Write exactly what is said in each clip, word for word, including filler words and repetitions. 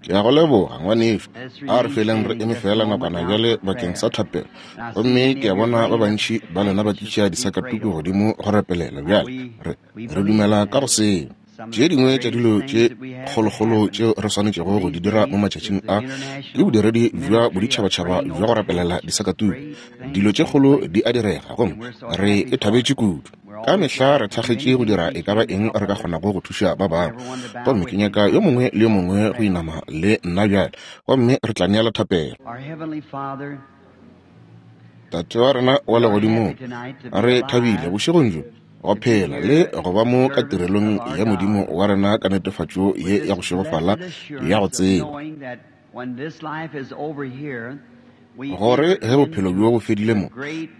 Ke a go leboga, ngwanešu. A re feleng re eme fela nakwana bjale bakeng sa thapelo. Gomme ke a bona ba bantši ba lena ba tliša disakatuku godimo go rapelela. Bjale re, re dumela ka go seo. Tše dingwe tša dilo tše kgolokgolo tšeo re swanetšego go di dira mo matšatšing a ke bodiredi bja boditšhabatšhaba bja go rapelela disakatuku. Dilo tše kgolo di a direga gomme re e thabetše kudu. Ka mehla re thakgetše go dira e ka ba eng re ka kgonago go thuša ba bangwe. Gomme ke nyaka yo mongwe le yo mongwe go inama le nna bjale, gomme re tla neela thapelo. Tate wa rena wa legodimong, re thabile bošegong bjo go phela le go ba mo ka tirelong ya Modimo wa rena ka netefatšo ye ya go šegofala ya go tseba gore ge bophelo bjo bo fedile mo,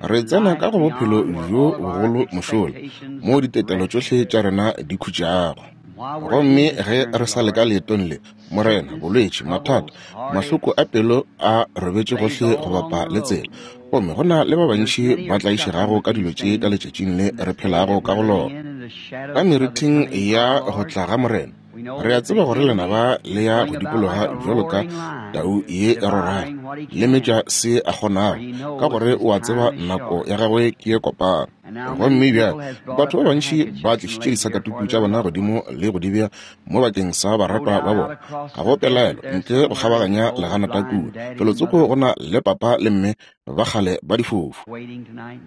re tsena ka go bophelo bjo bogolo mošola, mo ditetelo tšohle tša rena di khutšago. Gomme ge re sa le ka leetong le, Morena, bolwetši, mathata, mahloko a pelo a robetše gohle go bapa le tsela, gomme go na le ba bantši ba tlaišegago ka dilo tše ka letšatšing le re phelago ka go lona. Ka meriting ya go tla ga Morena, re a tseba gore lenaba le ya go dikologa bjalo ka tau ye e rorago, le metša se a kgonago, ka gore o a tseba nako ya gagwe ke ye kopana. Gomme bjale batho ba bantši ba tlišitše disakatuku tša bona godimo le go di bea mo bakeng sa baratwa ba bona. Ga go pelaelo ntle go kgabaganya leganata kua felotsoko go na le papa le mme ba kgale ba difofu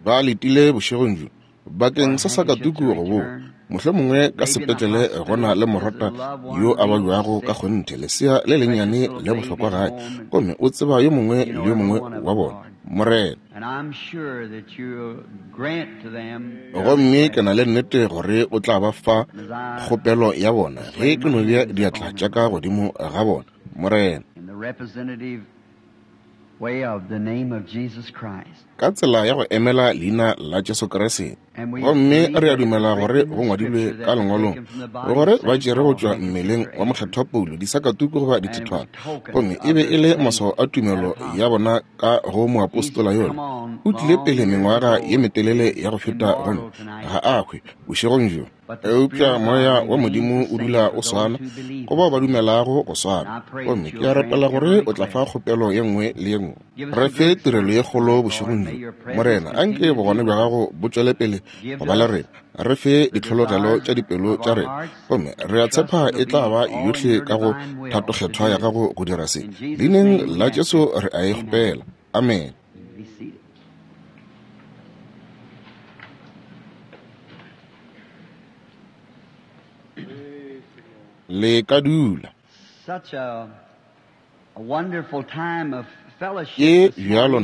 ba letile bošegong bjo bakeng sa sakatuku go boa. Mohlomongwe ka sepetlele go na le morata yo a babjago ka kgonthe, lesea le lennyane le bohlokwa gae, gomme o tseba yo mongwe le yo mongwe wa bona, Morena. Gomme ke na le nnete gore o tla ba fa kgopelo ya bona ge ke no bea diatla tša ka godimo ga bona, Morena. Ka tsela ya go emela leina la Jesu Kriste. Gomme re a dumela gore go ngwadilwe ka lengwalong gore ba tšere go tšwa mmeleng wa mokgethwa Paulo disakatuku goba dithethwana, gomme e be e le maswao a tumelo ya bona ka go moapostola yola. O tlile pele mengwaga ye metelele ya go feta gomme ga a hwe bošegong bjo. Eupša moya wa Modimo o dula o swana go bao ba dumelago go swana. Gomme ke a rapela gore o tla fa kgopelo ye nngwe le ye nngwe. Re fe tirelo ye kgolo bošegong bjo, Morena. Anke bogona bja gago bo tšwele pele go ba le rena. Re fe ditlhologelo tša dipelo tša rena, gomme re a tshepa e tla ba yohle ka go thatokgethwa ya gago go dira se. Leineng la Jesu re a e kgopela. Amen. Le ka dula. Ke bjalo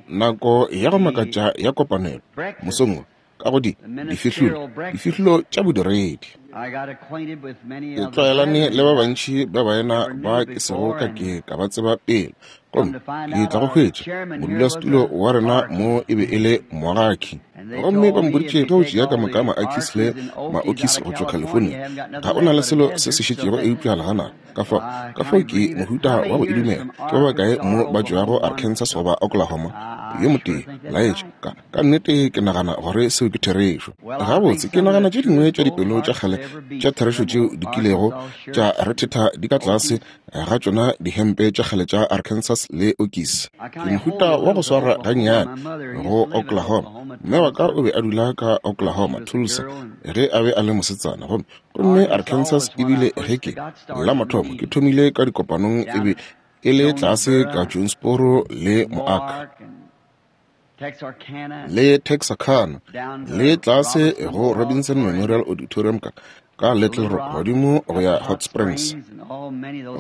nako ya go makatša ya kopanelo mosong wo ka go di difihlolo difihlolo tša bodiredi. Ke tlwaelane le ba bantši ba baena ba ke sego ka ke ka ba tseba pele, gomme ke tla go hwetša modulasetulo wa rena mo e be e le Moaki. Gomme ba mpoditše ge o tšea ka moka ma-Akis le ma-Okis go tšwa California, ga o na le selo se se šetšego eupša leganata. Ka fao, ka fao ke mohuta wa go e dumela. Ke ba bakae mo ba tšwago Arkansas goba Oklahoma? Yo motee, laetša. Ka, ka nnete ke nagana gore seo ke therešo. Gabotse, ke nagana tše dingwe tša dipelo tša kgale tša therešo tšeo di kilego tša rethetha di ka tlase ga tšona dihempe tša kgale tša Arkansas le Okis. Ke mohuta wa go swara gannyane go Oklahoma. Mme wa ka o be a dula ka Oklahoma, Tulsa, ge a be a le mosetsana, gomme gomme Arkansas ebile ge ke la mathomo ke thomile ka dikopanong e be e le tlase ka Jonesboro le Moaka le Texarkana le tlase go Robinson Memorial Auditorium ka ka Little Rock godimo go ya Hot Springs.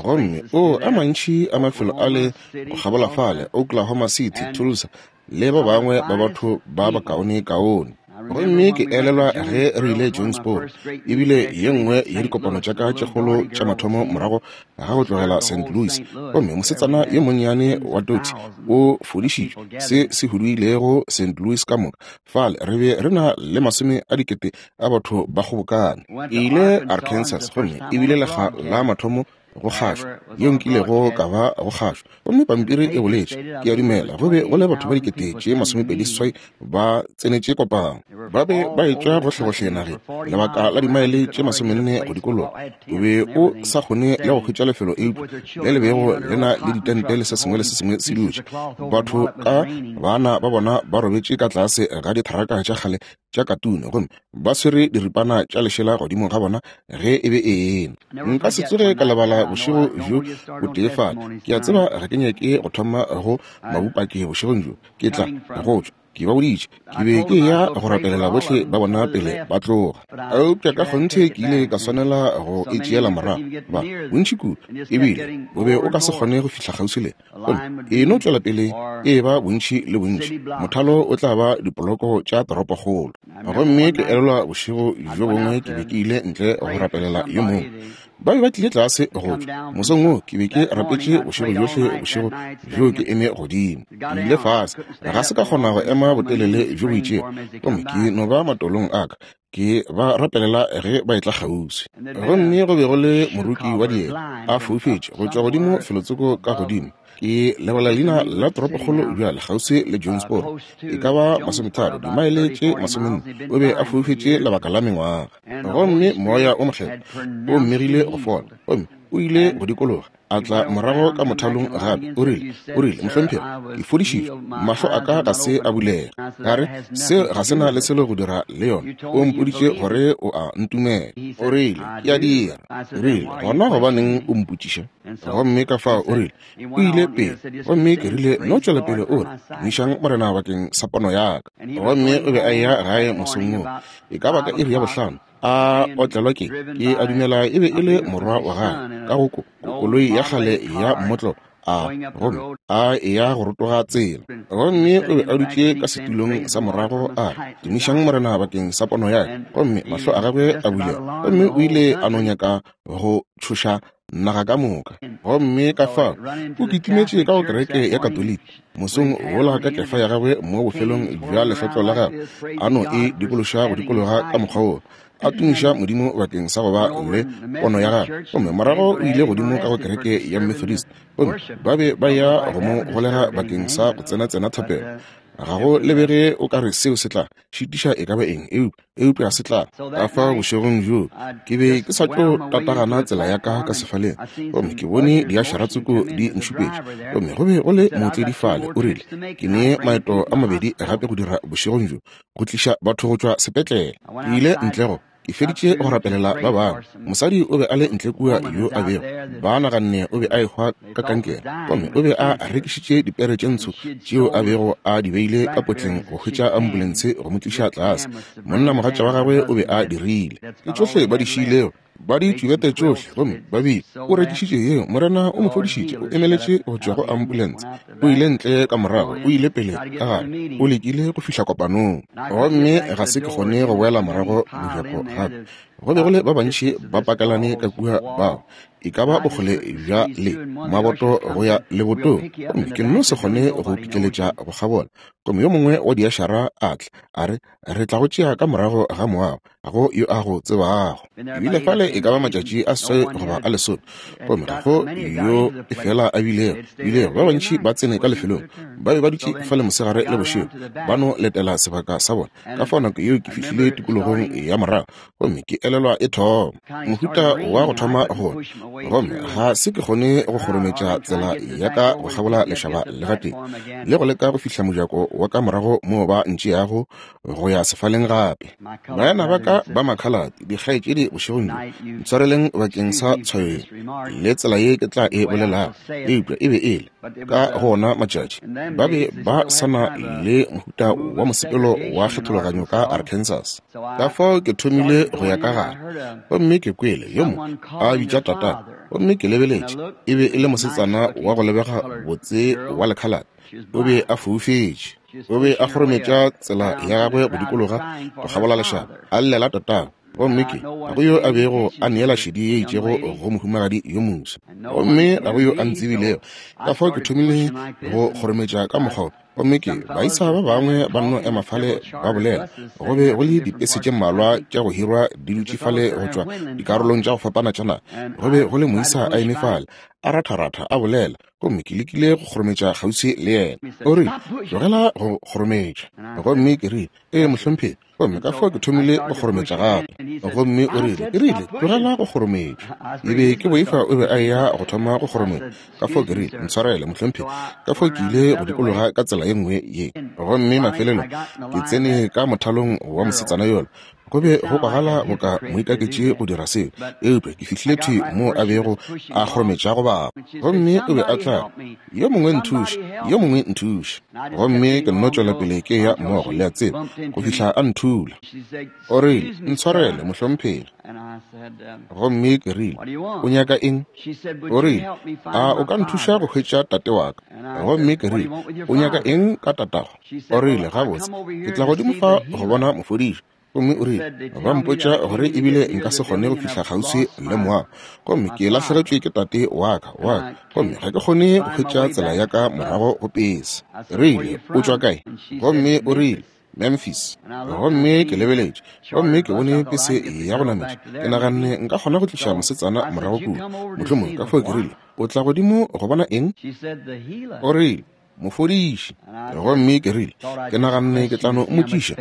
Gomme o a mantši a mafelo a le go kgabola fale, Oklahoma City, Tulsa, le ba bangwe ba batho ba bakaone kaone. Gomme ke elelwa ge re ile Jonesboro, ebile ye nngwe ya dikopano tša ka tše kgolo tša mathomo morago ga go tlogela Saint Louis. Gomme mosetsana yo monnyane wa Dottie o fodišitšwe se se huduilego Saint Louis ka moka. Fale re be re na le masome a dikete a batho ba kgobokane. Ke ile Arkansas gomme ebile lekga la mathomo go kgašo yeo nkilego ka ba go kgašo. Gomme pampiri e boletše, ke a dumela go be go le batho ba dikete tše masomepedi seswai ba tsenetše kopano. Ba be ba etšwa gohlegohle nageng, lebaka la dimaele tše masomenne go dikologa. O be o sa kgone le go hwetša lefelo eupša le le bego le na le ditente le se sengwe le se sengwe se dutše. Batho ka bana ba bona ba robetše ka tlase ga ditharaka tša kgale tša katune gomme ba swere diripana tša lešela godimo ga bona ge e be ena. Nka se tsoge ka lebala bošego bjo bo tee fale. Ke a tseba ga ke nyake go thoma go mabupaki bošegong bjo. Ke tla go tšwa. Ke ba boditše ke be ke ya go rapelela bohle ba bona pele ba tloga. Eupša ka kgonthe ke ile ka swanela go e tšeela morago. Ba bontši kudu, ebile o be o ka se kgone go fihla kgauswi le. Gomme e no tšwela pele e ba bontši le bontši. Mothalo o tla ba dipoloko tša toropokgolo. Gomme ke elelwa bošego bjo bongwe ke be ke ile ntle go rapelela yo mongwe. Ba be ba tlile tlase go tšwa. Mosong wo ke be ke rapetše bošego bjohle bošego bjo ke eme godimo. Ke ile fase, ga se ka kgona go ema botelele bjo bo itšego. Gomme ke no ba matolong a ka, ke ba rapelela ge ba etla kgauswi. Gomme go be go le moruki wa dieta a foufetše go tšwa godimo felotsoko ka godimo. Ke lebala leina la toropokgolo bjale kgauswi le Jonesboro, e ka ba masometharo dimaele tše masomenne. O be a foufetše lebaka la mengwaga. Gomme moya o mokgethwa o mmegile go fola, gomme o ile go dikologa a tla morago ka mothalong gape. O rile, o rile, mohlomphegi, ke fodišitšwe, mahlo a ka ga se a bulega. Ka re, seo ga se na le selo go dira le yona. O mpoditše gore o a ntumela. O rile, ke a dira. O rile, gona gobaneng o mpotšiša? Gomme ka fao o rile, o ile pele. Gomme ke rile, no tšwela pele o re, tumišang Morena bakeng sa pono ya ka. Gomme o be a eya gae mosong woo, e ka ba ka iri ya bohlano, a otlelwa ke, ke a dumela e be e le morwa wa gagwe, ka go koloi ya kgale ya mmotlolo, a gomme a eya go rotoga tsela. Gomme o be a dutše ka setulong sa morago a re, tumišang Morena bakeng sa pono ya ka. Gomme mahlo a gagwe a bulega, gomme o ile a no nyaka go tšhoša naga ka moka. Gomme ka fao o kitimetše ka go kereke ya Katoliki mosong wola ka kefa ya gagwe mo bofelong bja lehlotlo la gagwe, a no e dikološa go dikologa ka mokgwa wo, a tumiša Modimo bakeng sa go ba le pono ya gagwe. Gomme morago o ile godimo ka go kereke ya Methodist, gomme ba be ba ya go mo golega bakeng sa go tsena-tsena thapelo. Ga go lebege o ka re seo se tla šitiša e ka ba eng, eupša se tla. Ka fao bošegong bjo ke be ke sa tlo tatagana tsela ya ka ka sefaleng, gomme ke bone diašaratsoko di nšupetše. Gomme go be go le mootledi fale, o rile, ke ne maeto a mabedi gape go dira bošegong bjo, go tliša batho go tšwa sepetlele. Ke ile ntle go ke feditše go rapelela ba bangwe. Mosadi o be a le ntle kua yo a bego ba naganne o be a ehwa ka kankere, gomme o be a rekišitše dipere tše ntsho tšeo a bego a di beile ka potleng go hwetša ambulense go mo tliša tlase. Monnamogatša wa gagwe o be a dirile ke tšohle ba di šiilego, ba di tšubete tšohle, gomme ba bile o rekišitše yeo. Morena o mo fodišitše, o emeletše go tšwa go ambulense, o ile ntle ka morago, o ile pele ka gare, o lekile go fihla kopanong. Gomme ga se ke kgone go boela morago mojako gape. Go be go le ba bantši ba pakelane ka kua bao e ka ba bokgole bja le maboto go ya lebotong, gomme ke nno se kgone go pitleletša go kgabola. Gomme yo mongwe wa diašara a tla a re, re tla go tšea ka morago ga moago, ga go yo a go tsebago. Ebile fale e ka ba matšatši a seswai goba a lesome, gomme ga go yo e fela a bilego bilego. Ba bantši ba tsene ka lefelong, ba be ba dutše fale mosegare le bošego, ba no letela sebaka sa bona. Ka fao nako yeo ke fihlile tikologong ya morago, gomme ke elelwa e thoma mohuta wa go thoma go, gomme ga se ke kgone go kgorometša tsela ya ka go kgabola lešaba le gatee, le go leka go fihla mojako wa ka morago moo ba ntšeago go ya sefaleng gape. Baena ba ka ba makhalate, dikgaetšedi bošegong bjo, ntshwareleng bakeng sa tshwayo le tsela ye ke tla e bolelago, eupša e be e le ka go ona matšatši ba be ba sa na le mohuta wa mosepelo wa kgethologanyo ka Arkansas. Ka fao ke thomile go ya ka gare, gomme ke kwele yo mongwe a bitša tata, gomme ke lebeletše, e be e le mosetsana wa go lebega botse wa lekhalate. O be a foufetše, o be a kgorometša tsela ya gagwe go dikologa go kgabola lešaba, a llela tatago. Gomme ke ga go yo a bego a neela šedi ye itšego go mohumagadi yo moswa, gomme ga go yo a ntsebilego. Ka fao ke thomile go kgorometša ka mokgwa Gomme ke baisa ba bangwe ba nno ema fale ba bolela. Go be go le dipese tše mmalwa tša go hirwa di dutše fale go tšwa dikarolong tša go fapana tša naga. Go be go le moisa a eme fale a ratharatha a bolela, gomme ke lekile go kgorometša kgauswi le yena. O rile, tlogela go kgorometša. Gomme ke rile, ee mohlomphegi. Gomme ka fao ke thomile go kgorometša gape. Gomme o rile, ke rile, tlogela go kgorometša. E be ke boifa o be a eya go thoma go kgorometša. Ka fao ke rile, ntshwarele mohlomphegi. Ka fao ke ile go dikologa ka tsela ye nngwe ye. Gomme mafelelong ke tsene ka mothalong wa mosetsana yola. Go be go kwagala boka moikaketši go dira seo, eupša ke fihlile thwi moo a bego a kgorometša go bapa. Gomme o be a tla, yo mongwe nthuše, yo mongwe nthuše. Gomme ke nno tšwela pele ke ya mmogo, le a tseba, go fihla a nthula. O rile, ntshwarele mohlomphegi. Gomme ke rile, o nyaka eng? O rile, a o ka nthuša go hwetša tate wa ka? Gomme ke rile, o nyaka eng ka tatago? O rile, gabotse, ke tla godimo fa go bona mofodiši. Gomme o rile, ba mpotša gore ebile nka se kgone go fihla kgauswi le moago. Gomme ke lahlegetšwe ke tate wa ka, wa ka. Gomme ga ke kgone go hwetša tsela ya ka morago go pese. Rile, o tšwa kae? Gomme o rile, Memphis. Gomme ke lebeletše, gomme ke bone pese ya go nametša. Ke naganne nka kgona go tliša mosetsana morago kua. Mohlomongwe ka fao ke rile, o tla godimo go bona eng? O rile, mofodiši. Gomme ke rile, ke naganne ke tla no mmotšiša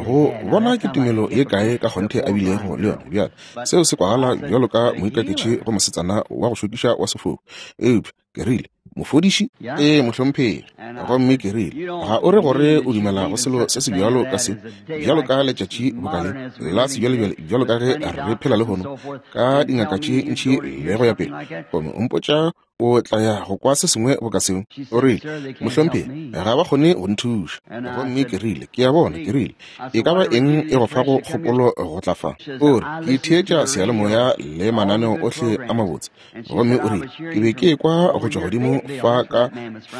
go bona ke tumelo ye kae ka kgonthe a bilego le yona. Bjale seo se kwagala bjalo ka moikaketši go mosetsana wa go šokiša wa sefofu, eupša ke rile, mofodiši? Ee mohlomphegi. Gomme ke rile, ga o re gore o dumela go selo se se bjalo ka se, bjalo ka letšatši boka le la sebjalebjale, bjalo ka ge re phela lehono ka dingaka tše ntši le go ya pele, gomme o mpotša o tla ya go kwa se sengwe boka seo? O rile, mohlomphegi, ga ba kgone go nthuša. Gomme ke rile, ke a bona. Ke rile, e ka ba eng e go fago kgopolo go tla fa? O re, ke theetša seyalemoya le mananeo ohle a mabotse. Gomme o rile, ke be ke ekwa go tšwa godimo fa ka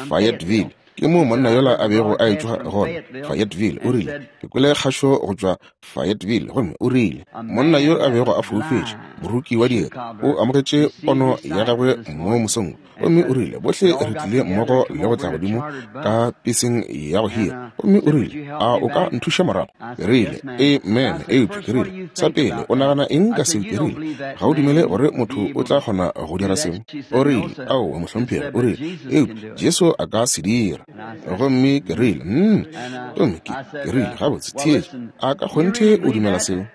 Fayetteville. Ke moo monna yola a bego a etšwa gona, Fayetteville. O rile, ke kwele kgašo go tšwa Fayetteville. Gomme o rile, monna yo a bego a foufetše, moruki wa dieta, o amogetše pono ya gagwe mo mosong. Gomme o rile, bohle re tlile mmogo le go tla godimo ka peseng ya go hira. Gomme o rile, a o ka nthuša morago? Ke rile, amen. Eupša ke rile, sa pele o nagana eng ka seo? Ke rile, ga o dumele gore motho o tla kgona go dira seo? O rile, aowa mohlomphegi. O rile, eupša Jesu a ka se dira. Gomme ke rile, mm. Gomme ke, ke rile, gabotse, theetša, a ka kgonthe o dumela seo?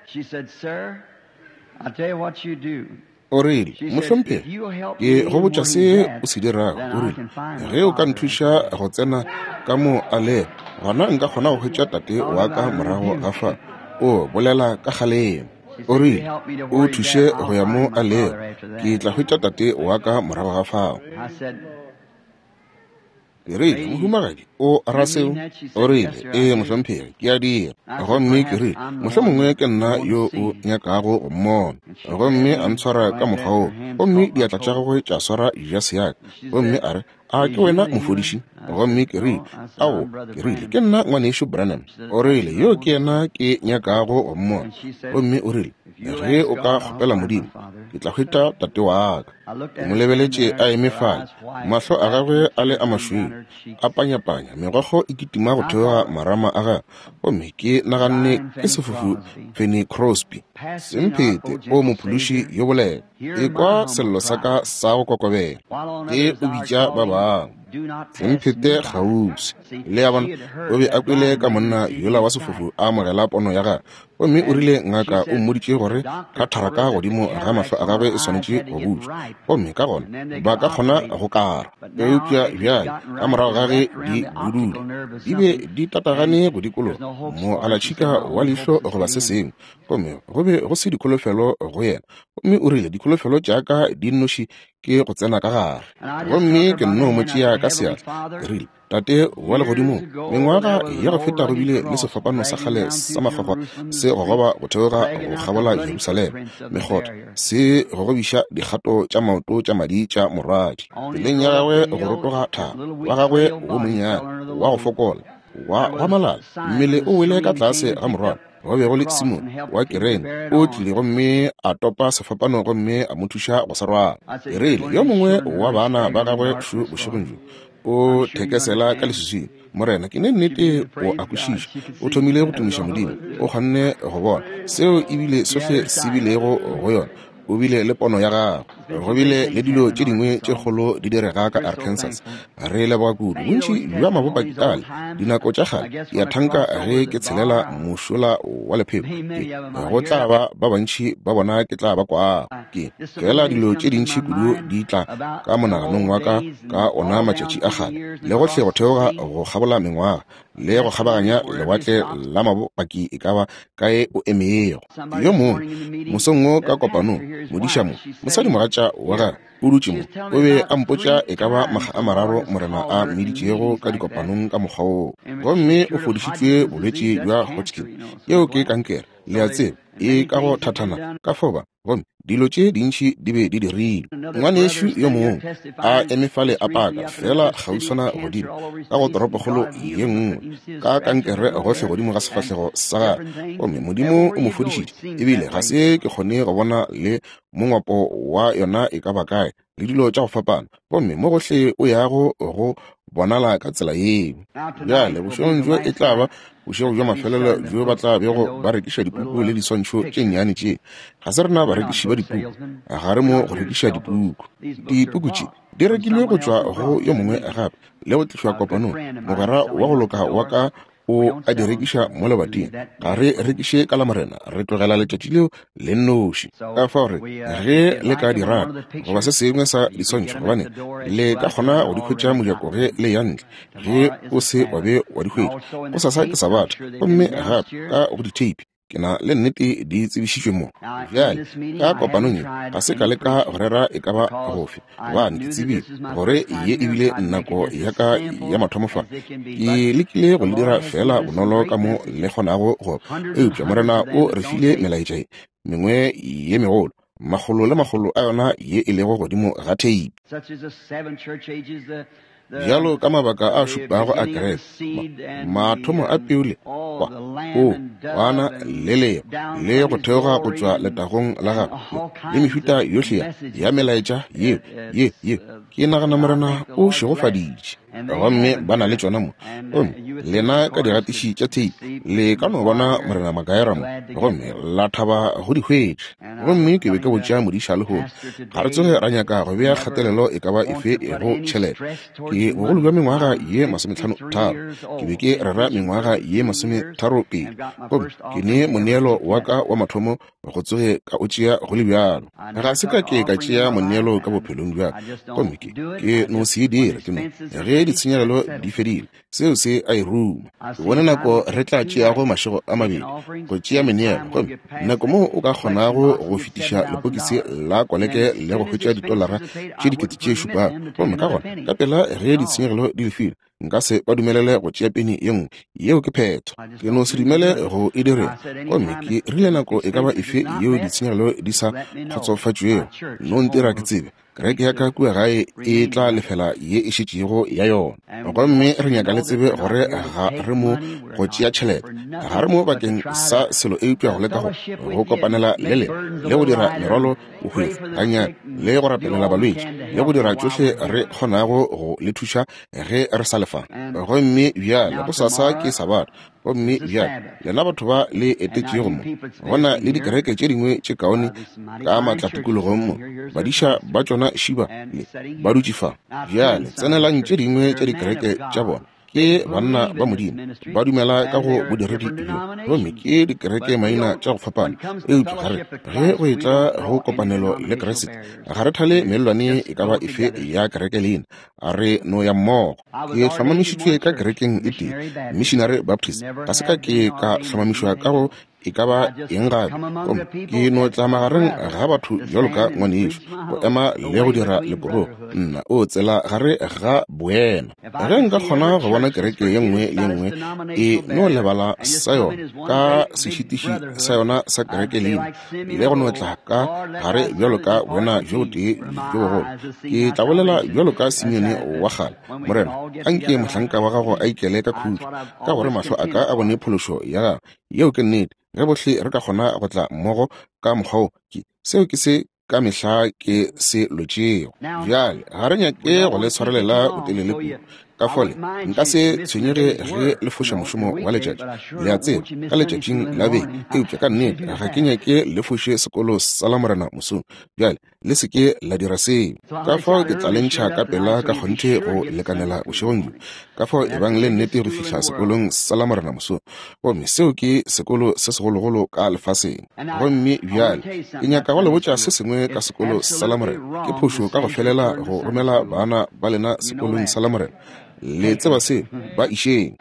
O rile, mohlomphegi, ke go botša se o se dirago. O rile, ge o ka nthuša go tsena ka mo a lego, gona nka kgona go hwetša tate wa ka morago ga fa. O bolela ka kgalemo. O rile, o thuše go ya mo a lego, ke tla hwetša tate wa ka morago ga fao. Ke rile, mohumagadi, o ra seo? O rile, ee mohlomphegi, ke a dira. Gomme ke rile, mohlomongwe ke nna yo o nyakago go mmona. Gomme a ntshwara ka mokgwa woo, gomme diatla tša gagwe tša swara jase ya ka. Gomme a re, a ke wena mofodiši? Gomme ke rile, ao, ke rile, ke nna ngwanešu Branham. O rile, yo ke yena ke nyakago go mmona. Gomme o rile, ge o ka kgopela Modimo, ke tla hwetša tate wa ka. Ke mo lebeletše a eme fale, mahlo a gagwe a le a mašweu, a panyapanya, megokgo e kitima go theoga marama a gagwe. Gomme ke naganne ke sefofu Fanny Crosby. Semphete o mophološi yo bolela, ekwa sello sa ka sa go kokobela, ke o bitša ba bangwe. Semphete kgauswi. Le a bona, o be a kwele ka monna yola wa sefofu a amogela pono ya gagwe. Gomme o rile ngaka o mmoditše gore katharaka godimo ga mahlo a gagwe e swanetše go butšwa, gomme ka gona ba ka kgona go kara. Eupša bjale ka morago ga ge di budule, di be di tatagane go dikologa moalatšhika wa leihlo goba se sengwe, gomme go be go se dikholofelo go yena. Gomme o rile, dikholofelo tša ka di nnoši ke go tsena ka gare. Gomme ke nno mo tšea ka seatla. Ke rile, Tate wa legodimong, mengwaga ya go feta go bile le sefapano sa kgale sa makgwakgwa se gogoba go theoga go kgabola Jerusalema, mekgotha se gogobiša dikgato tša maoto tša madi tša morwadi. Tseleng ya gagwe go rotoga thaba, wa gagwe wo monnyane wa go fokola wa gwa malala, mmele o wele ka tlase ga morwalo. Go be go le Simon wa Kirene, o tlile gomme a topa sefapano gomme a mo thuša go se rwala. Ke rile, yo mongwe wa bana ba gagwe šo bošegong bjo o thekesela ka leswiswing. Morena, ke ne nnete o a kwešiša. O thomile go tumiša Modimo. O kgonne go bona seo ebile sohle se bilego go yona. O bile le pono ya gagwe. Go bile le dilo tše dingwe tše kgolo di direga ka Arkansas. Re leboga kudu. Bontši bja mabopaki ale dinako tša kgale ke a thanka ge ke tshelela mošola wa lepheko, ke go tla ba ba bantši ba bona ke tla ba kwago. Ke fela dilo tše dintši kudu di tla ka monaganong wa ka ka ona matšatši a kgale, le gohle go theoga go kgabola mengwaga le go kgabaganya lewatle la mabopaki e ka ba kae o emego. Yo mongwe mosong wo ka kopanong, modiša mo, mosadimogatša wa gagwe o dutše mo, o be a mpotša e ka ba makga a mararo Morena a mmiditšego ka dikopanong ka mokgwa woo. Gomme o fodišitšwe bolwetši bja Hodgkin, yeo ke kankere, le a tseba, e ka go thathana ka foba. Gomme dilo tše dintši di be di dirilwe. Ngwanešu yo mongwe a eme fale a paka fela kgauswana godimo ka go toropokgolo ye nngwe ka kankere gohle godimo ga sefahlego sa gagwe, gomme Modimo o mo fodišitše. Ebile ga se ke kgone go bona le mongwapo wa yona e ka ba kae, le dilo tša go fapana, gomme mo gohle o yago go bonala ka tsela yeo. Bjale bošegong bjo e tla ba bošego bja mafelelo bjo ba tla bego ba rekiša dipuku le diswantšho tše nnyane tše. Ga se rena barekiši ba dipuku, ga re mo go rekiša dipuku. Dipuku tše di rekilwe go tšwa go yo mongwe gape le go tlišwa kopanong. Mogwera wa go loka wa ka o a di rekiša mo lebating. Ga re rekiše ka la Morena, re tlogela letšatši leo le nnoši. Ka fao re ge le ka di rata goba se sengwe sa diswantšho, gobane le ka kgona go di hwetša mojako ge le ya ntle, ge o se wa be wa di hwetša. Gosasa ke Sabatha, gomme gape ka go ditheipi ke na le nnete di tsebišitšwe mo. Bjale ka kopanong ye ga se ka leka go rera e ka ba gofe, gobane ke tsebile gore ye ebile nako ya ka ya mathomo fa. Ke lekile go le dira fela bonolo ka mo le kgonago go, eupša Morena o re file melaetša ye mengwe ye megolo, makgolo le makgolo a yona ye e lego godimo ga theipi. Bjalo ka mabaka a šupago a kereke, mathomo a peu le kwa o kwana le leo le go theoga go tšwa letagong la gagwe, le mehuta yohle ya melaetša yeo ye ye ke nagana Morena o šegofaditše. Gomme ba na le tšona mo. Gomme lena ka digatiši tša theipi le ka no bona Morena Makaera mo, gomme la thaba go di hwetša. Gomme ke be ke botša modiša lehono, ga re tsoge ra nyaka go bea kgatelelo e ka ba efe go tšhelete. Ke bogolo bja mengwaga ye masometlhano tharo, ke be ke rera mengwaga ye masometharo pedi, gomme ke ne moneelo wa ka wa mathomo go tsoge ka o tšea go le bjalo. Ga se ka ke ka tšea moneelo ka bophelong bja ka, gomme ke ke no se e dire. Ke no ge ditshenyegelo di fedile, seo se a e ruma. Ke bone nako re tla tšeago mašego a mabedi go tšea meneelo, gomme nako moo o ka kgonago go fetiša lepokisi la koleke le go hwetša ditolara tše dikete tše šupago. Gomme ka gona ka pela ge ditshenyegelo di lefile, nka se ba dumelele go tšea peni ye nngwe. Yeo ke phetho. Ke no se dumele go e direng. Gomme ke rile nako e ka ba efe yeo ditshenyegelo di sa kgotsofatšwego, no ntira ke tsebe, kereke ya ka kua gae e tla lefela ye e šetšego ya yona. Gomme re nyaka le tsebe gore ga re mo go tšea tšhelete, ga re mo bakeng sa selo eupša go leka go go kopanela le lena le go dira merwalo bohwefo gannyane, le go rapelela balwetši, le go dira tšohle re kgonago go le thuša ge re sa lefa. Gomme bjale gosasa ke Sabatha. Gomme bjale lena batho ba le etetšego mo, go na le dikereke tše dingwe tše kaone ka maatla tikologong mo, badiša ba tšona šiba le ba dutše fa. Bjale tsenelang tše dingwe tša dikereke tša bona, ke banna ba Modimo, ba dumela ka go bodiredi bjo, gomme ke dikereke maina tša go fapana. Eupša ga re ge go etla go kopanelo le Kriste, ga re thale mellwane e ka ba efe ya kereke leina, a re no ya mmogo. Ke hlomamišitšwe ka kerekeng e tee, Missionary Baptist, ga se ka ke ka hlomamišwa ka go e ka ba eng gape. Gomme ke no tla magareng ga batho bjalo ka ngwanešo, go ema le go dira leporogo, nna o tsela gare ga boena. Ge nka kgona go bona kereke ye nngwe le ye nngwe e no lebala sa yona ka sešitiši sa yona sa kereke leina, le go no tla ka gare bjalo ka boena bjo botee bjo bogolo, ke tla bolela bjalo ka Simeone wa kgale, Morena, anke mohlanka wa gago a ikele ka khutšo, ka gore mahlo a ka a bone phološo ya gago, Yeo ke nnete. Ge bohle re ka kgona go tla mmogo ka mokgwa wo, ke seo ke se ka mehla ke se lwetšego. Bjale ga re nyake go le tshwarelela botelele kudu. Ka fole nka se tshwenyege ge le foša mošomo wa letšatši, le a tseba, ka letšatšing la beke, eupša ka nnete ga ke nyake le foše sekolo sa Lamorena mosong. Bjale le se ke la dira seo. Ka fao ke tla le ntšha ka pela ka kgonthe go lekanela bošegong bjo. Ka fao e bang le nnete go fihla sekolong sa Lamorena mosong. Gomme seo ke sekolo se segologolo ka lefaseng. Gomme bjale ke nyaka go le botša se sengwe ka sekolo sa Lamorena. Ke phošo ka go felela go romela bana ba lena sekolong sa Lamorena. Le tseba se, ba išeng.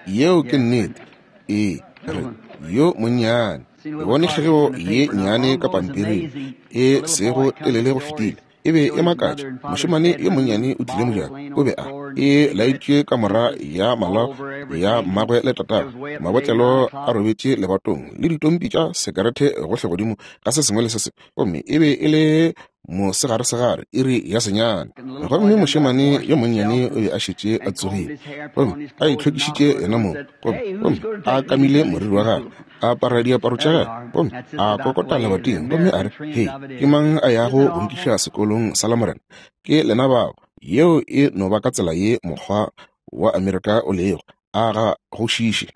Yeo ke nnete. Ee, re yo monnyane. Ke bone kgegeo ye nnyane ka pampiring e sego telele go fetile. E be e makatša. Mošemane yo monnyane o tlile mojako. O be a e laetšwe kamora ya malao ya mmagwe le tatagwe. Mabotlelo a robetše lebatong le ditompi tša sekerete gohle godimo ga se sengwe le se sengwe. Gomme e be e le mosegaresegare, iri ya senyane. Gomme mošemane yo monnyane o be a šetše a tsogile, gomme a itlhwekišitše yena mong, gomme gomme a kamile moriri wa gagwe, a apara diaparo tša gagwe, gomme a kokota lebating, gomme a re, hei, ke mang a yago go nkiša sekolong sa Lamorena? Ke lena bao. Yeo e no ba ka tsela ye mokgwa wa Amerika o lego. A ga go šiše.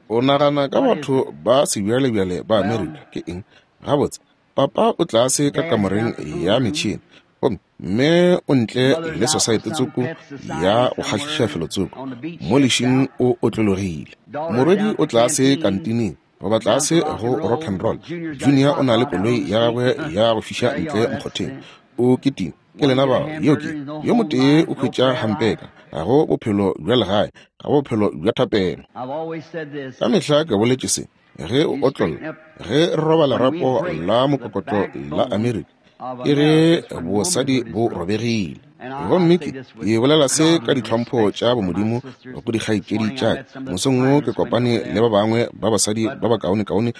O nagana ka batho ba sebjalebjale ba Amerika ke eng? Gabotse, papa o tlase ka kamoreng ya metšhene, gomme mme o ntle le sosaete tsoko ya go kgahliša felotsoko mo lešing o otlologile. Morwedi o tlase kantineng goba tlase go rock and roll. Junior o na le koloi ya gagwe ya go fiša ntle mokgotheng. O kitima. Ke lena bao. Yeo ke yo motee o hwetša hampeka. Ga go bophelo bja legae, ga go bophelo bja thapelo. Ka mehla ke boletše se. Ge o otlolla, ge re roba lerapo la mokokotlo la Amerika, ke ge bosadi bo robegile. Gomme ke ke bolela se ka ditlhompho tša bomodimo go dikgaetšedi tša ka. Mosong wo ke kopane le ba bangwe ba basadi ba bakaonekaone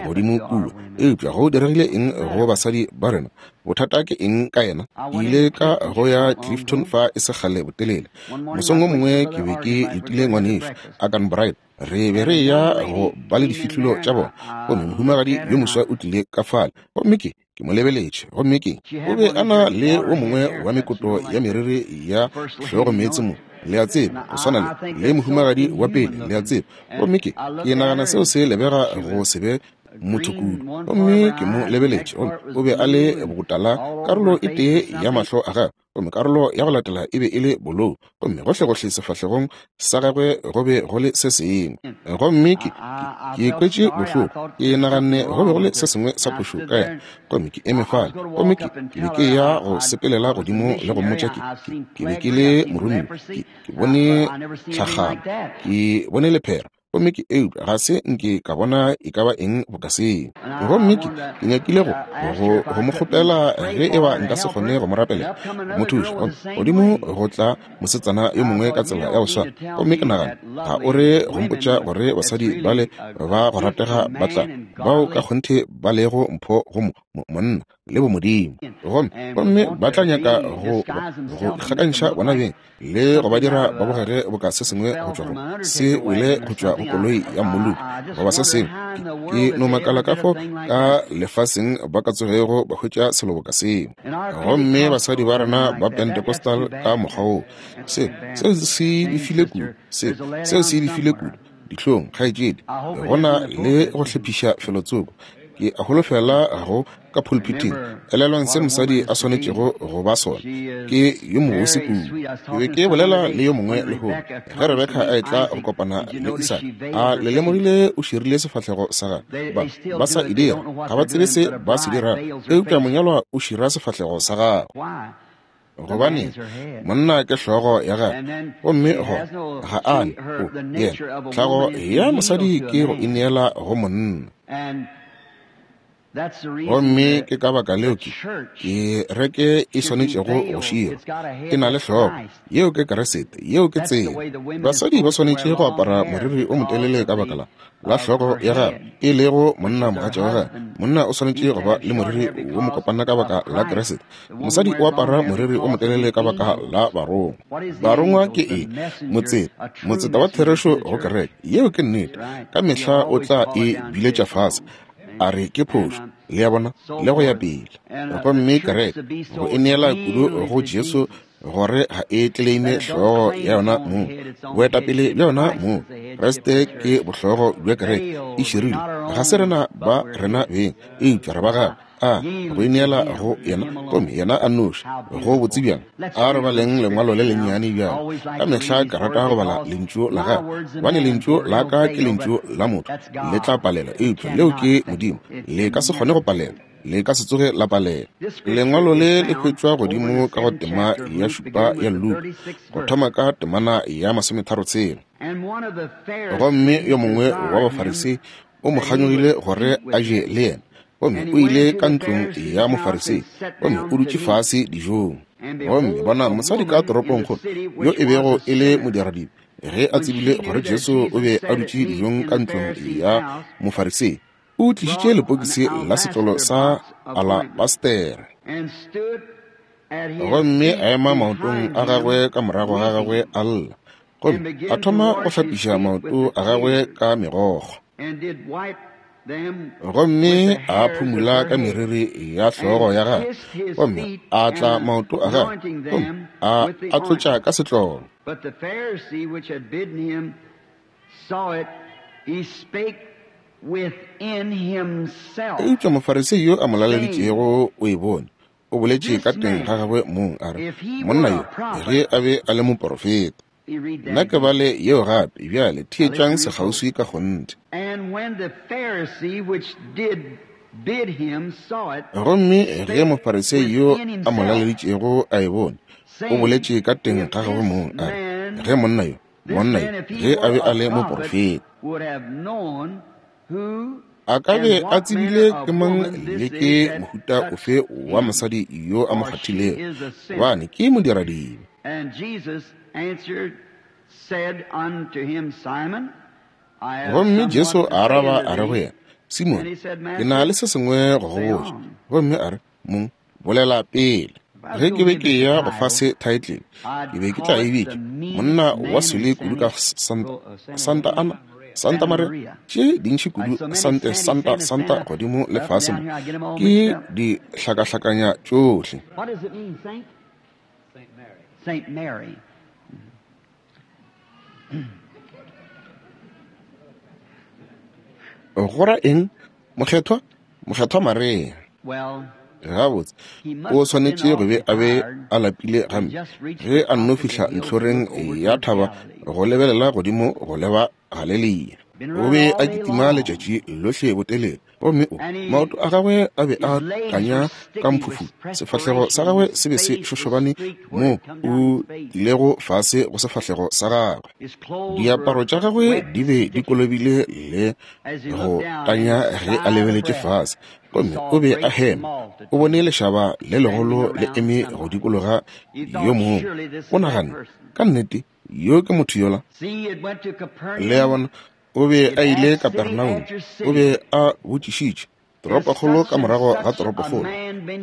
godimo kua. Eupša go diregile eng go basadi ba rena? Bothata ke eng ka yena? Ke ile ka go ya Clifton fa e se kgale botelele. Mosong wo mongwe ke be ke letile ngwanešo Agan Bright. Re be re ya go ba le difihlolo tša bona, gomme mohumagadi yo moswa o tlile ka fale, gomme ke ke mo lebeletše, gomme ke o be a na le wo mongwe wa mekoto ya meriri ya hlogo meetse mo, le a tseba, go swana le le mohumagadi wa pele, le a tseba. Gomme ke ke nagana seo se lebega go se be motho kudu. Gomme ke mo lebeletše, gomme o be a le botala karolo e tee ya mahlo a gagwe, gomme karolo ya go latela e be e le bolou, gomme gohlegohle sefahlegong sa gagwe go be go le se sengwe. Gomme ke ke kwetše bohloko, ke naganne go be go le se sengwe sa phošo ka yena. Gomme ke eme fale, gomme ke ke be ke ya go sepelela godimo le go mmotša ke ke be ke le moromiwa, ke ke bone tlhagamo, ke bone lephera, gomme ke eupša ga se nke ka bona e ka ba eng boka seo. Gomme ke ke nyakile go go go mo kgopela ge e ba nka se kgone go mo rapelela, go mo thuša. Gomme godimo go tla mosetsana yo mongwe ka tsela ya go swana. Gomme ke nagana, ga o re go mpotša gore basadi bale ba go ratega ba tla bao ka kgonthe ba lego mpho go monna le bomodimo, gomme gomme ba tla nyaka go go ikgakantšha bona beng le go ba dira ba bogege boka se sengwe go tšwa go se wele go tšwa go koloi ya mmoloki goba se sengwe. Ke no makala ka fo ka lefaseng ba ka tsogego ba hwetša selo boka seo. Gomme basadi ba rena ba Pentecostal ka mokgwa wo, se seo se befile kudu, se seo se befile kudu dihlong, kgaetšedi. Go na le go hlephiša felotsoko. Ke a holofela go ka pulpiting. Elelwang se mosadi a swanetšego go ba sona. Ke yo mobose kudu. Ke be ke bolela le yo mongwe lehono ge Rebeka a etla go kopana le Isaka. A le lemogile o širile sefahlego sa gagwe. Ba ba sa e dira, ga ba tsebe se ba se dirago, eupša monyalwa o šira sefahlego sa gagwe. Gobane monna ke hlogo ya gagwe, gomme go ga a ne o yena. Tlhago ya mosadi ke go ineela go monna. Gomme ke ka baka leo ke kereke e swanetšego go širwa. E na le hlogo, yeo ke Kriste, yeo ke tsela. Basadi ba swanetše go apara moriri o motelele ka baka la la hlogo ya gagwe, e lego monna mogatša wa gagwe. Monna o swanetše go ba le moriri wo mokopana ka baka la Kriste. Mosadi o apara moriri o motelele ka baka la barongwa. Barongwa ke eng? Motseta, motseta wa therešo go kereke. Yeo ke nnete. Ka mehla o tla e biletša fase, a re ke phošo, le a bona, le go ya pele. Gomme kereke go e neela kudu go Jesu gore ga e tleleime hlogo ya yona mong, boetapele bja yona mong. Kriste ke bohlogo bja kereke e širilwe. Ga se rena ba rena beng, eupša re ba gagwe. A go ineela go yena, gomme yena a nnoši. Go botse bjang. A re baleng lengwalo le lennyane bjalo. Ka mehla ke rata go bala lentšu la gagwe, gobane lentšu la ka ke lentšu la motho, le tla palela, eupša leo ke Modimo, le ka se kgone go palela, le ka se tsoge la palela. Lengwalo le le hwetšwa godimo ka go tema ya šupa ya Luka, go thoma ka temana ya masometharo tshela. Gomme yo mongwe wa Bafarisei o mo kganyogile gore a je le yena, gomme o ile ka ntlong ya Mofarisei, gomme o dutše fase dijong. Gomme bona mosadi ka toropongkgolo yo e bego e le modiradibe, ge a tsebile gore Jesu o be a dutše dijong ka ntlong ya Mofarisei, o tlišitše lepokisi la setlolo sa alabastere, gomme a ema maotong a gagwe ka morago ga gagwe a lla, gomme a thoma go hlapiša maoto a gagwe ka megokgo, gomme a phumula ka meriri ya hlogo ya gagwe, gomme a tla maoto a gagwe, gomme a a tlotša ka setlolo. But the Pharisee which had bidden him saw it, he spake within himself. Eupša Mofarisei yo a mo laleditšego o e bone, o boletše ka teng ga gagwe mong a re, monna yo ge a be a le moporofeta. Nna ke bale yeo gape bjale, theetšang sekgauswi ka kgonthe. And when the Pharisee which did bid him saw it, Gomme ge Mofarisei yo a mo laleditšego a e bone, o boletše ka teng ga gagwe mong a re, ge monna yo, monna yo ge a be a le moporofeta, would have known who a ka be a tsebile ke mang le ke mohuta ofe wa mosadi yo a mo kgathilego, gobane ke modiradibe. And Jesus answered, said unto him, Simon, I have Gomme Jesu somewhat a to say araba unto a re go thee. yena, Simon, ke na le se sengwe go go botša. Gomme a re, Mong, bolela pele. Ge ke be ke ya go fa se title, ke be ke tla e bitša monna wa swele kudu ka Santa, Santa Ana, Santa Maria, tše dintši kudu, Sante, Santa, Santa godimo le fase mo, ke di hlakahlakanya tšohle. What does it mean, Saint? Saint Mary. Saint Mary. Go ra eng? Mokgethwa, Mokgethwa Maria. Well, Gabotse, o swanetše go be a be a lapile gampe ge a nno fihla ntlhoreng ya thaba go lebelela godimo go leba Galelia. O be a kitima letšatši lohle botelele, gomme o maoto a gagwe a be a tanya ka mphufu, sefahlego sa gagwe se be se šošobane mo o tlilego fase go sefahlego sa gagwe. his clothes Diaparo were tša gagwe wet di be di kolobile le as he go looked down tanya and ge a lebeletše breath, fase, he gomme saw o be a a great hema. O bone lešaba le legolo le eme go dikologa He yo thought, mongwe. surely this is O that nagane, person. ka nnete yo ke motho yola. See, it went to Le a Capernaum. bona, o be a ile Kapernaum, o be a botšišitše toropokgolo ka morago ga toropokgolo.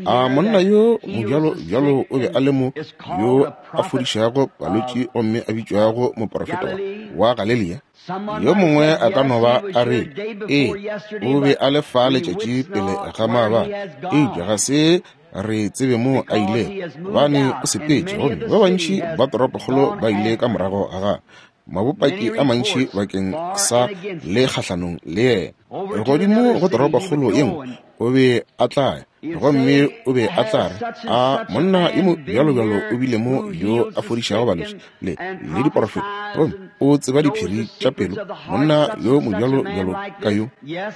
A monna yo mobjalo bjalo o be a le mo yo a fodišago balwetši gomme a bitšwago moporofeta wa Galelia? Someone Yo might mongwe have a said, ka yes, no he ba was a here re, day ee, before yesterday, o be but a le fa we letšatši wits pele not ga where he maabane, has eupša gone, ga se re tsebe mo a because he ilego, has moved gobane o out, and sepetše, many of gomme the ba city bantši has ba toropokgolo gone ba ile ka after him. morago ga gagwe. Mabopaki Many a mantši reports bakeng for sa and against le him. kgahlanong le yena. Over to Godimo another go city he would toropokgolo ye go, nngwe and o be a tla ya, he'd gomme say, o be a tla Has re, such and a such a monna yo man mo been bjalobjalo o here bile mo who yo heals a the fodišago sick balwetši and, le and le diporofeta, prophesies gomme and o tseba knows diphiri the tša secrets pelo, of the heart, monna such yo and such a man mobjalobjalo like ka this? yo? Yes,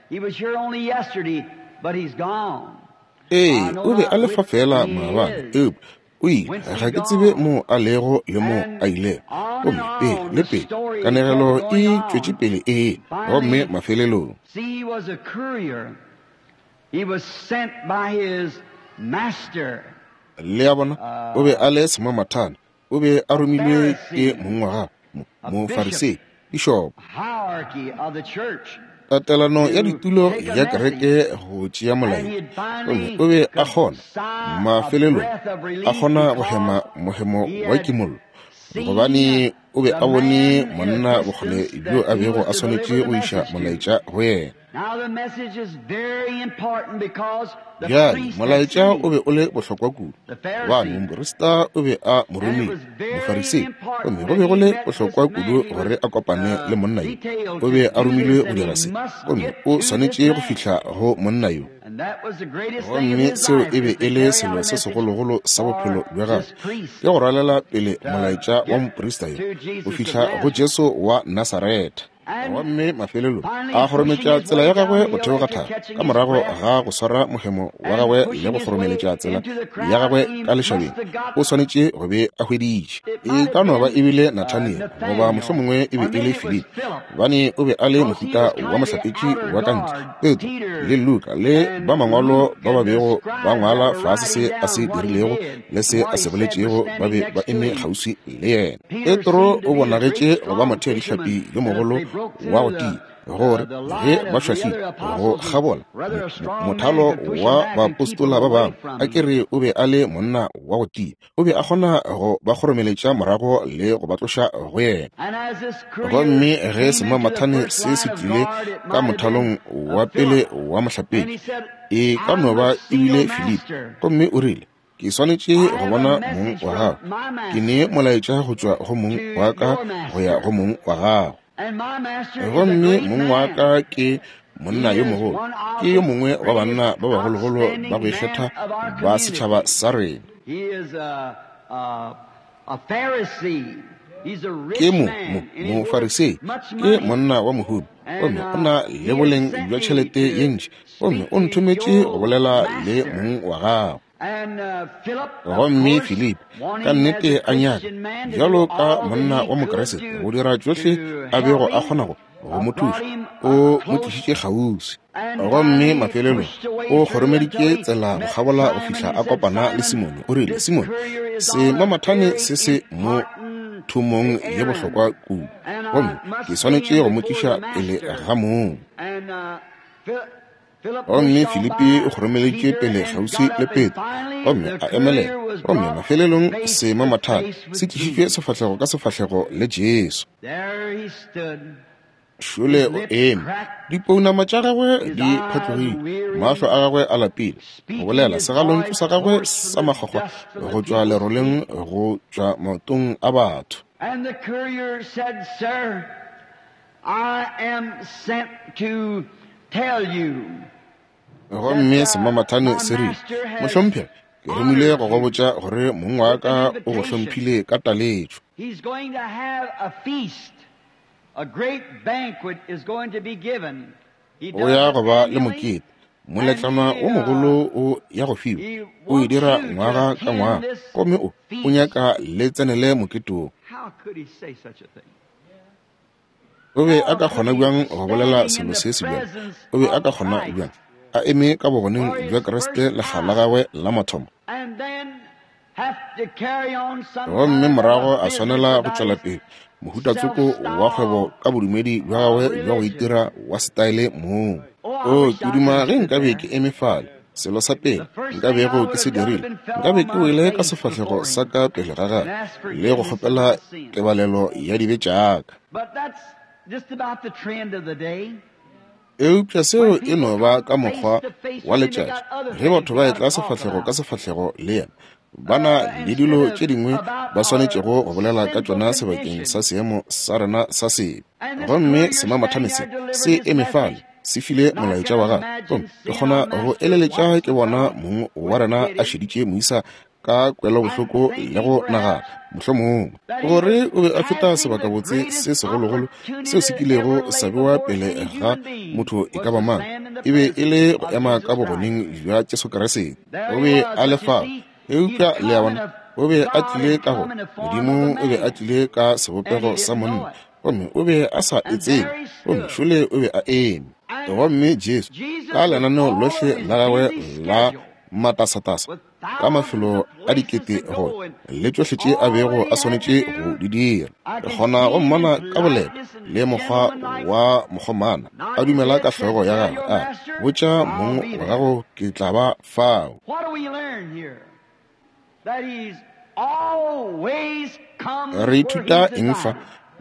he was here only yesterday, but he's gone. I Ee, know o be not a le fa which fela he maabane, is. eupša o ile, Whence he ga ke tsebe gone. mo a lego le mo And a ilego. on and Gomme pele on le the pele, story kept kanegelo going e tšwetše on. pele ee, gomme Finally, mafelelong see, he was a courier Le a bona, o be a le semamathane, o be a romilwe ke mong wa gagwe, Mofarisei, pišopo. Tatelano ya ditulo ya kereke go tšea molaetša, gomme o be a kgona mafelelong a kgona go hema mohemo wa kimollo, gobane o be a bone monna bokgole bjo a bego a swanetše go iša molaetša go yena. Bjale molaetša o be o le bohlokwa kudu, gobane moprista o be a mo romile, Mofarisei, gomme go be go le bohlokwa kudu gore a kopane le monna yo. O be a romilwe go dira se, gomme o swanetše go fihla go monna yo. Gomme seo e be e le selo se segologolo sa bophelo bja gagwe, ke go rwalela pele molaetša wa moprista yo go fihla go Jesu wa Nasaretha. Gomme mafelelong a kgorometša tsela ya gagwe go theoga thaba, ka morago ga go swara mohemo wa gagwe le go kgoromeletša tsela ya gagwe ka lešabeng, o swanetše go be a hweditše. E ka no ba e bile Nathaniel, goba mohlomongwe e be e le Filipi, gobane o be a le mohuta wa mohlapetši wa ka ntle. Petro le Luka le ba mangwalo ba ba bego ba ngwala fase se a se dirilego le se a se boletšego ba be ba eme kgauswi le yena. Petro o bonagetše go ba motheadihlapi yo mogolo wa go tia, gore ge ba šwahlile go kgabola mothalo wa baapostola ba bangwe, a ke re o be a le monna wa go tia, o be a kgona go ba kgoromeletša morago le go ba tloša go yena. Gomme ge semamathane se se tlile ka mothalong wa pele wa mohlapetši, e ka no ba e bile Filipi, gomme o rile, ke swanetše go bona mong wa gago, ke ne molaetša go tšwa go mong wa ka go ya go mong wa gago. Gomme mong wa ka ke monna yo mogolo, ke yo mongwe wa banna ba bagologolo ba go ikgetha ba setšhaba sa rena. Ke mo mo Mofarisei, ke monna wa mohumi, gomme o na le boleng bja tšhelete ye ntši, gomme o nthometše go bolela le mong wa gago. Gomme Filipi ka nnete a nyaka, bjalo ka monna wa Mokriste, go dira tšohle a bego a kgona go go mo thuša, o mo tlišitše kgauswi. Gomme mafelelong o kgoromeditše tsela go kgabola go fihla a kopana le Simone. O rile, Simone, semamathane se se mo thomong ye bohlokwa kudu, gomme ke swanetše go mo tliša pele ga mong. Gomme Filipi o kgoromeleditše pele kgauswi le Petro, gomme a emelela, gomme mafelelong semamathane se tlišitšwe sefahlego ka sefahlego le Jesu. Šole o eme, dipounama tša gagwe di phatlogile, mahlo a gagwe a lapile, go bolela segalontšu sa gagwe sa makgwakgwa go tšwa leroleng go tšwa maotong a batho. And the courier said, Sir, I am sent to tell you. Gomme semamathane se rile, mohlomphegi, ke romile go go botša gore mong wa ka o go hlomphile ka taletšo. He's going to have a feast. A great banquet is going to be given. O ya go ba le mokete, moletlwana o mogolo o ya go fiwa, o e dira ngwaga ka ngwaga, gomme o o nyaka le tsenele mokete wo. How could he say such a thing? O be a ka kgona bjang go bolela selo se se bjalo? O be a ka kgona bjang a eme ka bogoneng bja Kriste lekga la gagwe la mathomo, And then have to carry on some gomme kind of morago a a swanela go business tšwela about pele mohuta-tsoko wa kgwebo ka bodumedi bja gagwe bja go itira wa setaele mong. O ke duma ge nkabe ke eme fale. Selo sa pele nka bego ke se dirile, nkabe ke wele ka sefahlego sa ka pele ga gagwe le go kgopela tebalelo ya dibe tša ka. But that's just about the trend of the day. Eupša seo e no ba ka mokgwa wa letšatši ge batho ba etla sefahlego ka sefahlego le yena, ba na le dilo tše dingwe ba swanetšego go bolela ka tšona sebakeng sa seemo sa rena sa sebe. Gomme semamathane se se eme fale, se file molaetša wa gagwe, gomme ke kgona go eleletša ke bona mong wa rena a šeditše moisa ka kwelobohloko le go nagana mohlomongwe gore o be a feta sebakabotse se segologolo seo se kilego sa bewa pele ga motho e ka ba mang, e be e le go ema ka bogoneng bja Jesu Kriste. O be a le fao, eupša le a bona, o be a tlile ka go Modimo, o be a tlile ka sebopego sa monna, gomme o be a sa e tsebe, gomme šole o be a eme. Gomme Jesu ka lenaneo lohle la gagwe la matasatasa, ka mafelo a dikete go le tšohle tše a bego a swanetše go di dira, re kgona go mmona ka boleta le mokgwa wa mokgomana a dumela ka hlogo ya gagwe, a botša mong wa gago ke tla ba fao. Re ithuta eng fa?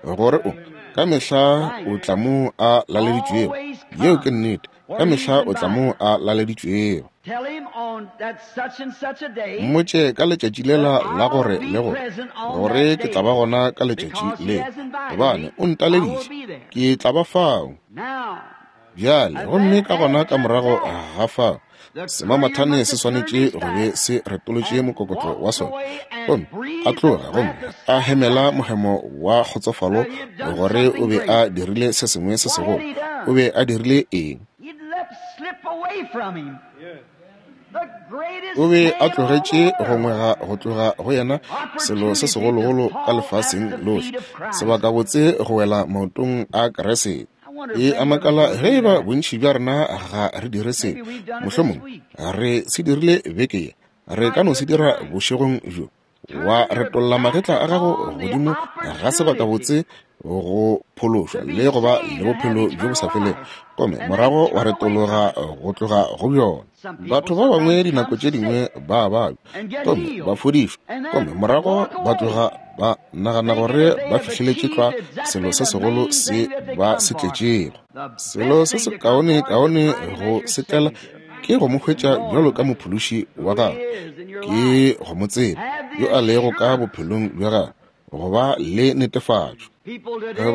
Gore o ka mehla o tla mo a laleditšwego. Yeo ke nnete. Ka mehla o tla mo a laleditšwego. Mmotše ka letšatši lela la gore le gore gore ke tla ba gona ka letšatši le, gobane o ntaleditše, ke tla ba fao. Bjale gomme ka gona ka morago ga fao, semamathane se swanetše go be se retolotše mokokotlo wa sona, gomme a tloga gomme a hemela mohemo wa kgotsofalo gore o be a dirile se sengwe se segolo. O be a dirile eng? O be a tlogetše go ngwega go tloga go yena selo se segologolo ka lefaseng lohle, sebakabotse go wela maotong a Kriste. E a makala ge eba bontši bja rena ga re dire se. Mohlomongwe re se dirile beke ye, re ka no se dira bošegong bjo. Wa retolla magetla a gago godimo ga sebakabotse go phološwa le go ba le bophelo bjo bo sa felego, gomme morago wa retologa go tloga go bjona. Batho ba bangwe dinako tše dingwe ba babja gomme ba fodišwa, gomme morago ba tloga ba nagana gore ba fihleletše tlwa selo se segolo se ba se tletšego. Selo se se kaone kaone go se tlela ke go mo hwetša bjalo ka mophološi wa gago, ke go mo tseba yo a lego ka bophelong bja gagwe, go ba le netefatšo.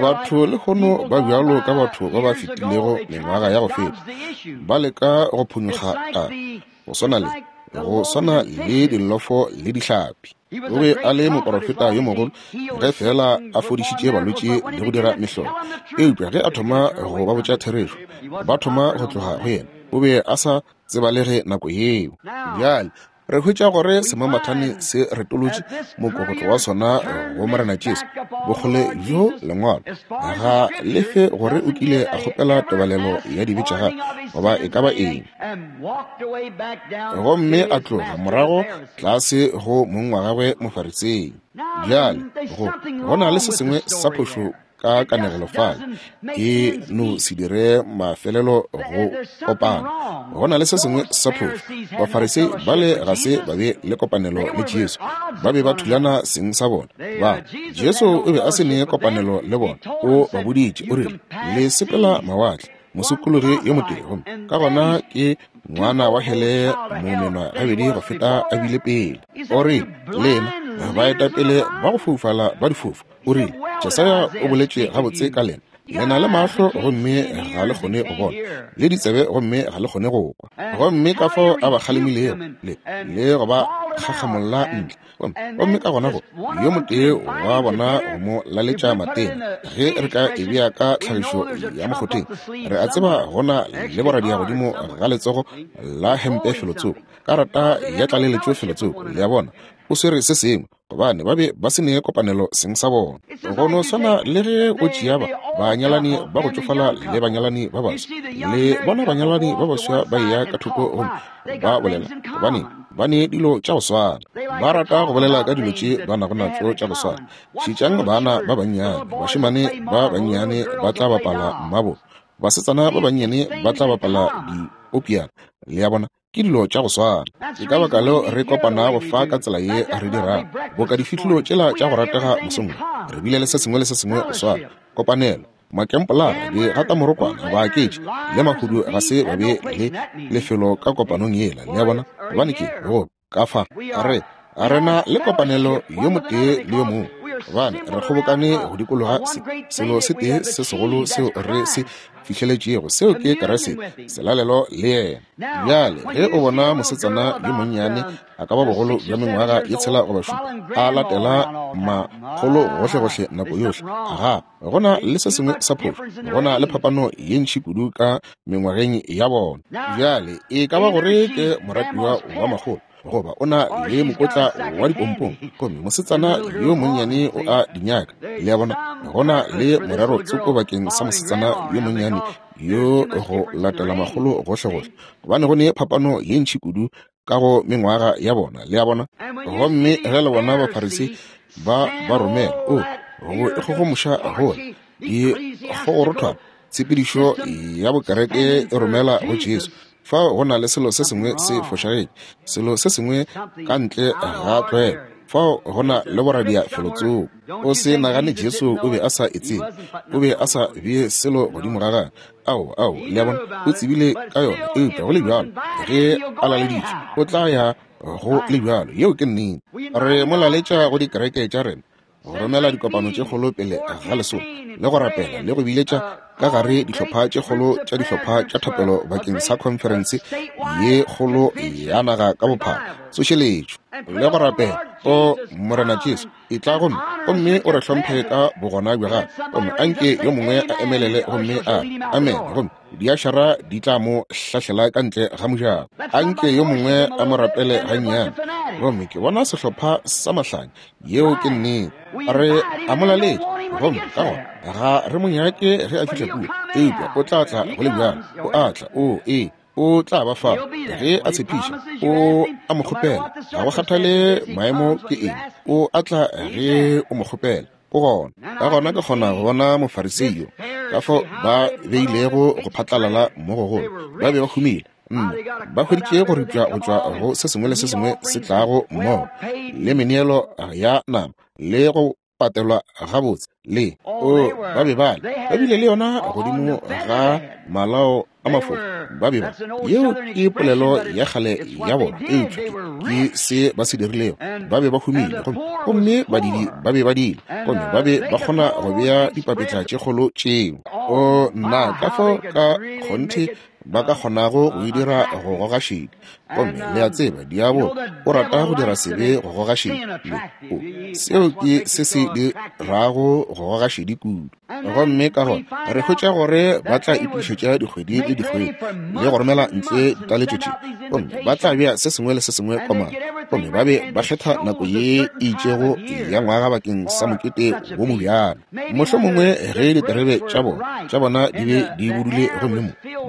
Batho lehono ba bjalo ka batho ba ba fetilego mengwaga ya go feta, ba leka go phonyokga taba, go swana le go swana le dillofo le dihlapi. O be a le moporofeta yo mogolo ge fela a fodišitše balwetši le go dira mehlolo, eupša ge a thoma go ba botša therešo, ba thoma go tloga go yena. O be a sa tsebalege nako yeo. Bjale re hwetša gore semamathane se retolotše mokokotlo wa sona go Morena Jesu. Bokgole bjo lengwalo ga le fe gore o kile a kgopela tebalelo ya dibe tša gagwe goba e ka ba eng, gomme a tloga morago tlase go mong wa gagwe Mofarisei. Bjale go go na le se sengwe sa phošo ka kanegelo fale, e no se dire mafelelo go kopana. Go na le se sengwe sa phošo. Bafarisei bale ga se ba be le kopanelo le Jesu, ba be ba thulana seng sa bona. Ba Jesu o be a se ne kopanelo le bona. O ba boditše, o rile, le sepela mawatle mosokologi yo motee, gomme ka gona ke ngwana wa hele momenwa gabedi go feta a bile pele. O rile, lena baetapele ba go foufala ba difofu. O rile, Jesaya o boletše gabotse ka lena, le na le mahlo gomme ga le kgone go bona, le ditsebe gomme ga le kgone go kwa. Gomme ka fao a ba kgalemilego le le go ba kgakgamolla ntle. Gomme ka gona go yo motee wa bona go mo laletša matena. Ge re ka e bea ka tlhagišo ya mokgotheng, re a tseba gona le boradia godimo ga letsogo la hempe felotsoko, karata ya tlaleletšo felotsoko. Le a bona, o swere se sengwe, gobane ba be ba se ne kopanelo seng sa bona. Go no swana le ge o tšea ba banyalani ba go tšofala le banyalani ba baswa, le bona banyalani ba baswa ba eya ka thoko gomme ba bolela, gobane ba ne dilo tša go swana, ba rata go bolela ka dilo tše ba nago natšo tša go swana. Šetšang bana ba bannyane, bašemane ba bannyane ba tla bapala mmabo, basetsana ba bannyane ba tla bapala diopiana. Le a bona, ke dilo tša go swana. Ke ka baka leo re kopanago fa ka tsela ye re dirago, boka difihlolo tšela tša go ratega mosong. Re bile le se sengwe le se sengwe go swana, kopanelo, makempolara, digatamorokwana, baaketši le mahudu ga se ba be le lefelo ka kopanong yela. Le a bona, gobane ke go ka fa re rena le kopanelo yo motee le yo mongwe, gobane re kgobokane go dikologa se selo se tee se segolo seo re se fihleletšego, seo ke Kriste, selalelo le yena. Bjale ge o bona mosetsana yo monnyane a ka ba bogolo bja mengwaga ye tshela goba šupa a latela makgolo gohlegohle nako yohle, ga gona le se sengwe sa phošo, gona le phapano ye ntši kudu ka mengwageng ya bona. Bjale e ka ba gore ke moratiwa wa makgolo goba o na le mokotla wa dipompong, gomme mosetsana yo monnyane o a di nyaka. Le a bona, gona le morero tsoko bakeng sa mosetsana yo monnyane monnyane yo go latela makgolo gohlegohle, gobane go ne phapano ye ntši kudu ka go mengwaga ya bona, le a bona. Gomme ge le bona Bafarisi ba ba romela, o go ikgogomoša gola, dikgogorothwana, tshepedišo ya bokereke e romela go Jesu. Fao go na le selo se sengwe se fošagetše, selo se sengwe ka ntle ga tlwaelo. Fao go na le boradia felotsoko. O se nagane Jesu o be a sa e tsebe, o be a sa bee selo godimo ga gagwe. Ao, ao, le a bona, o tsebile ka yona, eupša go le bjalo ge a laleditšwe o tla ya go le bjalo. Yeo ke nnete. Re mo laletša go dikereke tša rena, go romela dikopano tše kgolo pele ga lesolo, le go rapela le go biletša ka gare dihlopha tše kgolo tša dihlopha tša thapelo bakeng sa khonferense ye kgolo ya naga ka bophara, tsošeletšo, le go rapela, o Morena Jesu, e tla gomme gomme o re hlomphe ka bogona bja gago, gomme anke yo mongwe a emelele gomme a amen, gomme diašara di tla mo hlahlela ka ntle ga mojako. Anke yo mongwe a mo rapele gannyane, gomme ke bona sehlopha sa mahlanya. Yeo ke nnete. Re a mo laletša, gomme ka gona ga re mo nyake ge a fihla kua, eupša o tla tla go le bjalo. O a tla, o ee, o tla ba fa ge a tshepiša, o a mo kgopela, ga go kgathale maemo ke eng, o a tla ge o mo kgopela, o gona. Ka gona ke kgona go bona Mofarisei yo, ka fao ba beilego go phatlalala mo gogolo. Ba be ba humile, nna ba hweditše go ripša go tšwa go se sengwe le se sengwe se tlago mmogo, le meneelo ya nama, le go patelwa gabotse, le o ba be ba le ba bile le yona godimo ga malao a mafofa. Ba be ba, yeo ke polelo ya kgale ya bona, eupša ke se ba se dirilego. Ba be ba humile, gomme gomme badidi ba be ba dile, gomme ba be ba kgona go bea dipapetla tše kgolo tšeo. O nna, ka fao ka kgonthe ba ka kgonago go e dira go goga šedi. Gomme le a tseba, diabolo o rata go dira sebe go goga šedi. Le o, seo ke se se dirago go goga šedi kudu. Gomme ka gona re hwetša gore ba tla itokišetša dikgwedi le dikgwedi le go romela ntle ditaletšo tše, gomme ba tla bea se sengwe le se sengwe komana, gomme ba be ba kgetha nako ye e itšego ya ngwaga bakeng sa mokete wo mobjalo. Mohlomongwe ge diterebe tša bona tša bona di be di budule, gomme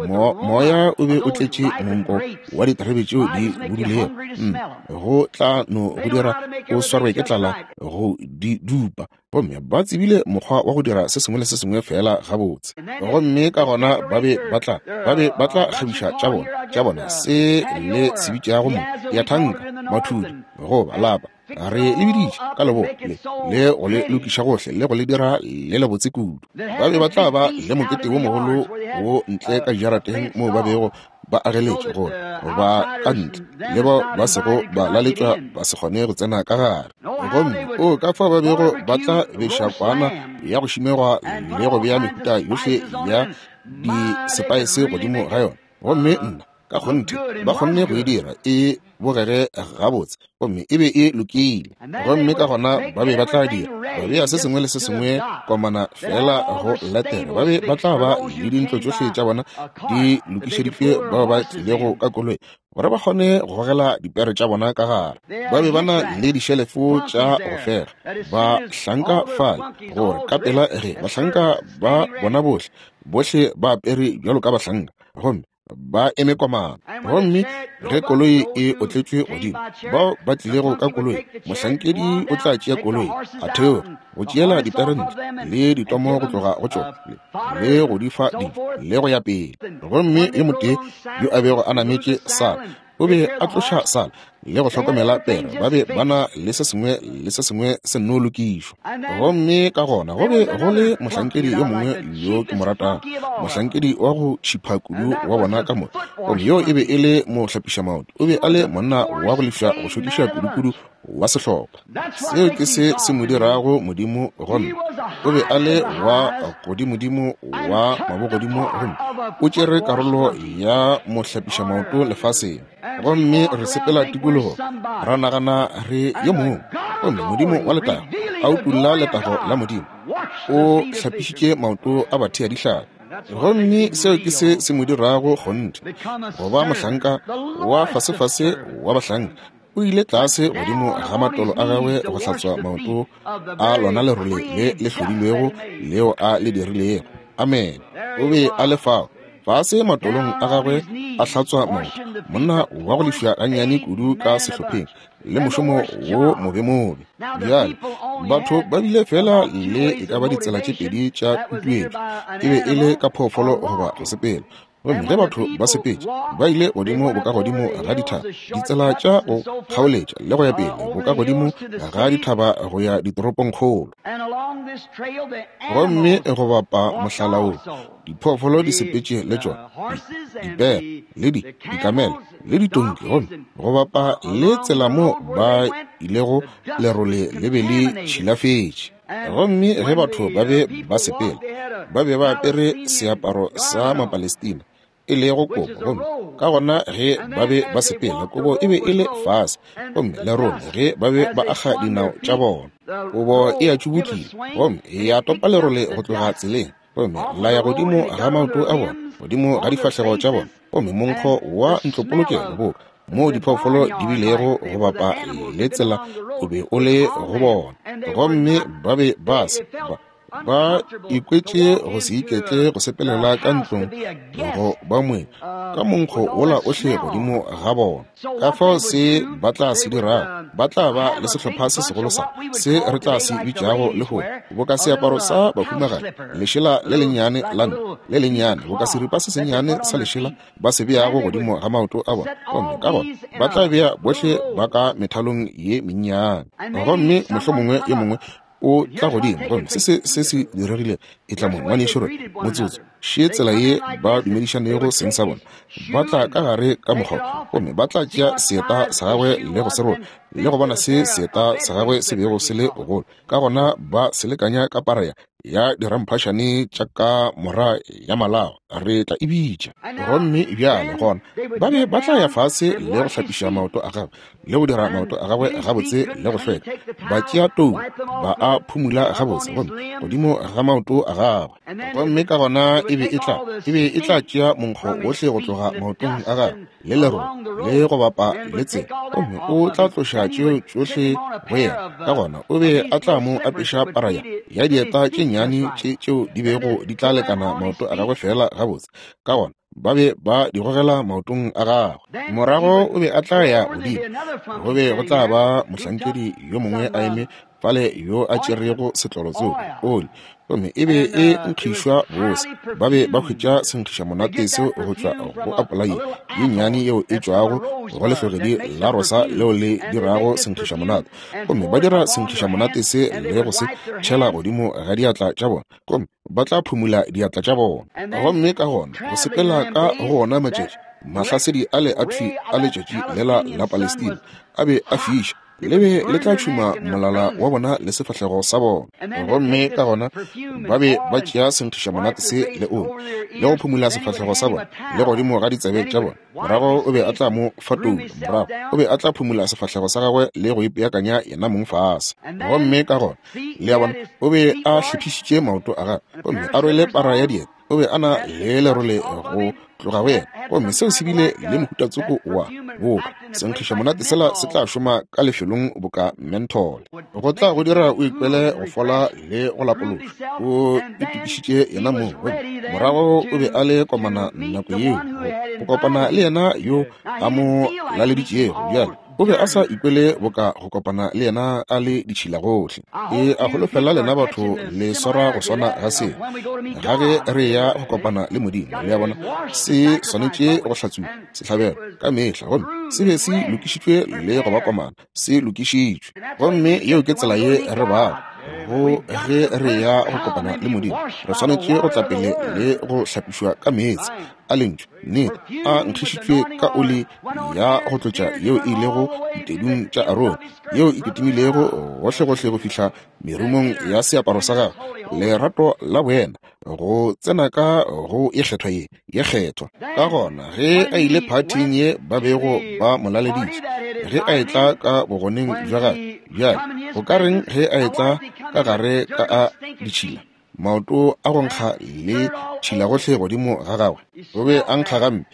mo moya o be o tletše monko wa diterebe tšeo di budulego, mm, go tla no go dira o swarwe ke tlala go di dupa. Gomme ba tsebile mokgwa wa go dira se sengwe le se sengwe fela gabotse. Gomme ka gona ba be ba tla ba be ba tla kgabiša tša bona tša bona se le se bitšago mo ya thanka, mathudi, goba lapa, re le biditše ka leboa le le go le lokiša gohle le go le dira le lebotse kudu. Ba be ba tla ba le mokete wo mogolo wo ntle ka jarateng moo ba bego ba ageletše gore ba ka ntle le bao ba sego ba laletšwa ba se kgone go tsena ka gare. Gomme o ka fao ba bego ba tla beša kwana ya go šimegwa le go bea mehuta yohle ya disepaese godimo ga yona. Gomme nna ka kgonthe ba kgonne go e dira e bogege gabotse, gomme e be e lokile. Gomme ka gona ba be ba tla dira ba bea se sengwe le se sengwe komana fela go latela. Ba be ba tla ba le dintlo tšohle tša bona di lokišeditšwe bao ba tlilego ka koloi gore ba kgone go gogela dipere tša bona ka gare. Ba be ba na le dišelefo tša go fega bahlanka fale, gore ka pela ge bahlanka ba bona bohle bohle ba apere bjalo ka bahlanka, gomme ba eme komana. Gomme ge koloi e otletšwe godimo, bao ba tlilego ka koloi, mohlankedi o tla tšea koloi a theoga go tšeela dipere ntle le ditomo go tloga go tšona le go di fa dijo le go ya pele. Gomme yo motee yo a bego a nametše sala o be a tloša sala le go hlokomela pere. Ba be ba na le se sengwe le se sengwe se nno lokišwa. Gomme ka gona go be go le mohlankedi yo mongwe yo ke mo ratago, mohlankedi wa go tšhipha kudu wa bona ka moka, gomme yo e be e le mohlapišamaoto. O be a le monna wa go lefša go šokiša kudukudu wa sehlopha. Seo ke se se mo dirago Modimo. Gomme o be a le wa godimodimo wa mabogodimo, gomme o tšere karolo ya mohlapišamaoto lefaseng. Gomme re sepela tikologo ra nagana re yo mongwe, gomme Modimo wa letago a utolla letago la Modimo, o hlapišitše maoto a bathea dihlapi. Gomme seo ke se se mo dirago kgonthe go ba mohlanka wa fasefase wa bahlanka. O ile tlase godimo ga matolo a gagwe go hlatswa maoto a lona lerole le le hlodilwego leo a le dirilego. Amen. O be a le fao, fase matolong a gagwe a hlatswa maoto, monna wa go lefiwa gannyane kudu ka sehlopheng le mošomo wo mobemobe. Bjale batho ba bile fela le e ka ba ditsela tše pedi tša tutuetšo, e be e le ka phoofolo goba go sepela. Gomme ge batho ba sepetše, ba ile godimo bokagodimo ga dithaba, ditsela tša go kgaoletša le go ya pele bokagodimo ga dithaba go ya ditoropongkgolo. Gomme go bapa mohlala wo, diphoofolo di sepetše le tšona, dipere le di dikamela le ditonki, gomme go bapa le tsela mo ba ilego lerole le be le tšhilafetše. Gomme ge batho ba be ba sepela, ba be ba apere seaparo sa Mapalestina, e lego kobo, gomme ka gona ge ba be ba sepela, kobo e be e le fase, gomme lerole ge ba be ba aga dinao tša bona. Kobo e a tšubukile, gomme ya topa lerole go tloga tseleng, gomme la ya godimo ga maoto a bona, godimo ga difahlego tša bona, gomme monkgo wa ntlopolokelo boka moo diphoofolo di bilego go bapa le tsela o be o le go bona. Gomme ba be ba se ba ba ikwetše go se iketle go sepelela ka ntlong go ba moeng ka monkgo wola ohle godimo ga bona. Ka fao se ba tla se dirago, ba tla ba le sehlopha se segolo sa se re tla se bitšago lehono boka seaparo sa bahumagadi, lešela le lennyane la nna le lennyane, boka seripa se sennyane sa lešela ba se beago godimo ga maoto a bona. Gomme ka gona ba tla bea bohle ba ka methalong ye mennyane, gomme mohlomongwe yo mongwe o tla godimo, gomme se se se se diregile e tla mo ngwanešu re motsotso še tsela ye ba dumedišanego seng sa bona. Ba tla ka gare ka mokgwa, gomme ba tla tšea seeta sa gagwe le go se rola, le go bona se seeta sa gagwe se bego se le gogolo. Ka gona ba se lekanya ka para ya ya diramphašane tša ka mora ya malao, re tla e bitša. Gomme bjale gona ba be ba tla ya fase le go hlapiša maoto a gagwe le go dira maoto a gagwe gabotse le go hlweka, ba tšea tou ba a phumula gabotse gomme godimo ga maoto a gagwe. Gomme ka gona e be e tla e be e tla tšea monkgo wohle go tloga maotong a gagwe le lerole le go bapa le tsela, gomme o tla tloša tšeo tšohle go yena. Ka gona o be a tla mo apeša para ya ya dieta tše nnyane tše tšeo di bego di tla lekana maoto a gagwe fela gabotse. Ka gona ba be ba di gogela maotong a gagwe. Morago o be a tla ya godimo, go be go tla ba mohlankedi yo mongwe a eme fale yo a tšerego setlolo tsoko oli, gomme e be e nkgišwa bose. Ba be ba hwetša senkgiša monate seo go tšwa go apola ye ye nnyane yeo e tšwago go lehlogedi la rosa leo le dirago senkgiša monate, gomme ba dira senkgiša monate se le go se tšhela godimo ga diatla tša bona, gomme ba tla phumula diatla tša bona. Gomme ka gona go sepela ka go ona matšatši, mahlasedi ale a thwi a letšatši lela la Palestina a be a fiša, le be le tla tšhuma molala wa bona le sefahlego sa bona. Gomme ka gona ba be ba tšea senkgiša monate se le oli le go phumula sefahlego sa bona le godimo ga ditsebe tša bona. Morago o be a tla mo fa toulo, morago o be a tla phumula sefahlego sa gagwe le go ipeakanya yena mong fase. Gomme ka gona le a bona o be a hlophišitše maoto a gagwe, gomme a rwele para ya dieta, o be a na le lerole go tloga go yena, gomme seo se bile le mohutatsoko wa boka senkgiša monate sela se tla šoma ka lefelong boka menthol, go tla go dira o ikwele go fola le go lapološa. O itokišitše yena mong, gomme morago o be a le komana nako yeo go kopana le yena yo a mo laleditšego. Bjale o be a sa ikwele boka go kopana le yena a le ditšhila gohle. E a holofela lena batho le swara go swana ga se ga ge re ya go kopana le Modimo. Le a bona, se swanetše go hlatsuwa sehlabelo ka mehla, gomme se be se lokišitšwe le go ba komana, se lokišitšwe. Gomme yeo ke tsela ye re bago go ge re ya go kopana le Modimo. Re swanetše go tla pele le go hlapišwa ka meetse a lentšu nnete a nkgišitšwe ka oli ya go tlotša yeo e ilego ditedung tša Arone, yeo e kitimilego gohlegohle go fihla merumong ya seaparo sa gagwe. Lerato la boena go tsena ka go ye kgethwa ye ye kgethwa. Ka gona ge a ile phathing ye ba bego ba mo laleditše, ge a etla ka bogoneng bja gagwe, bjale go ka reng ge a etla ka gare ka a ditšhila, maoto a go nkga le tšhila gohle godimo ga gagwe? O be a nkga gampe,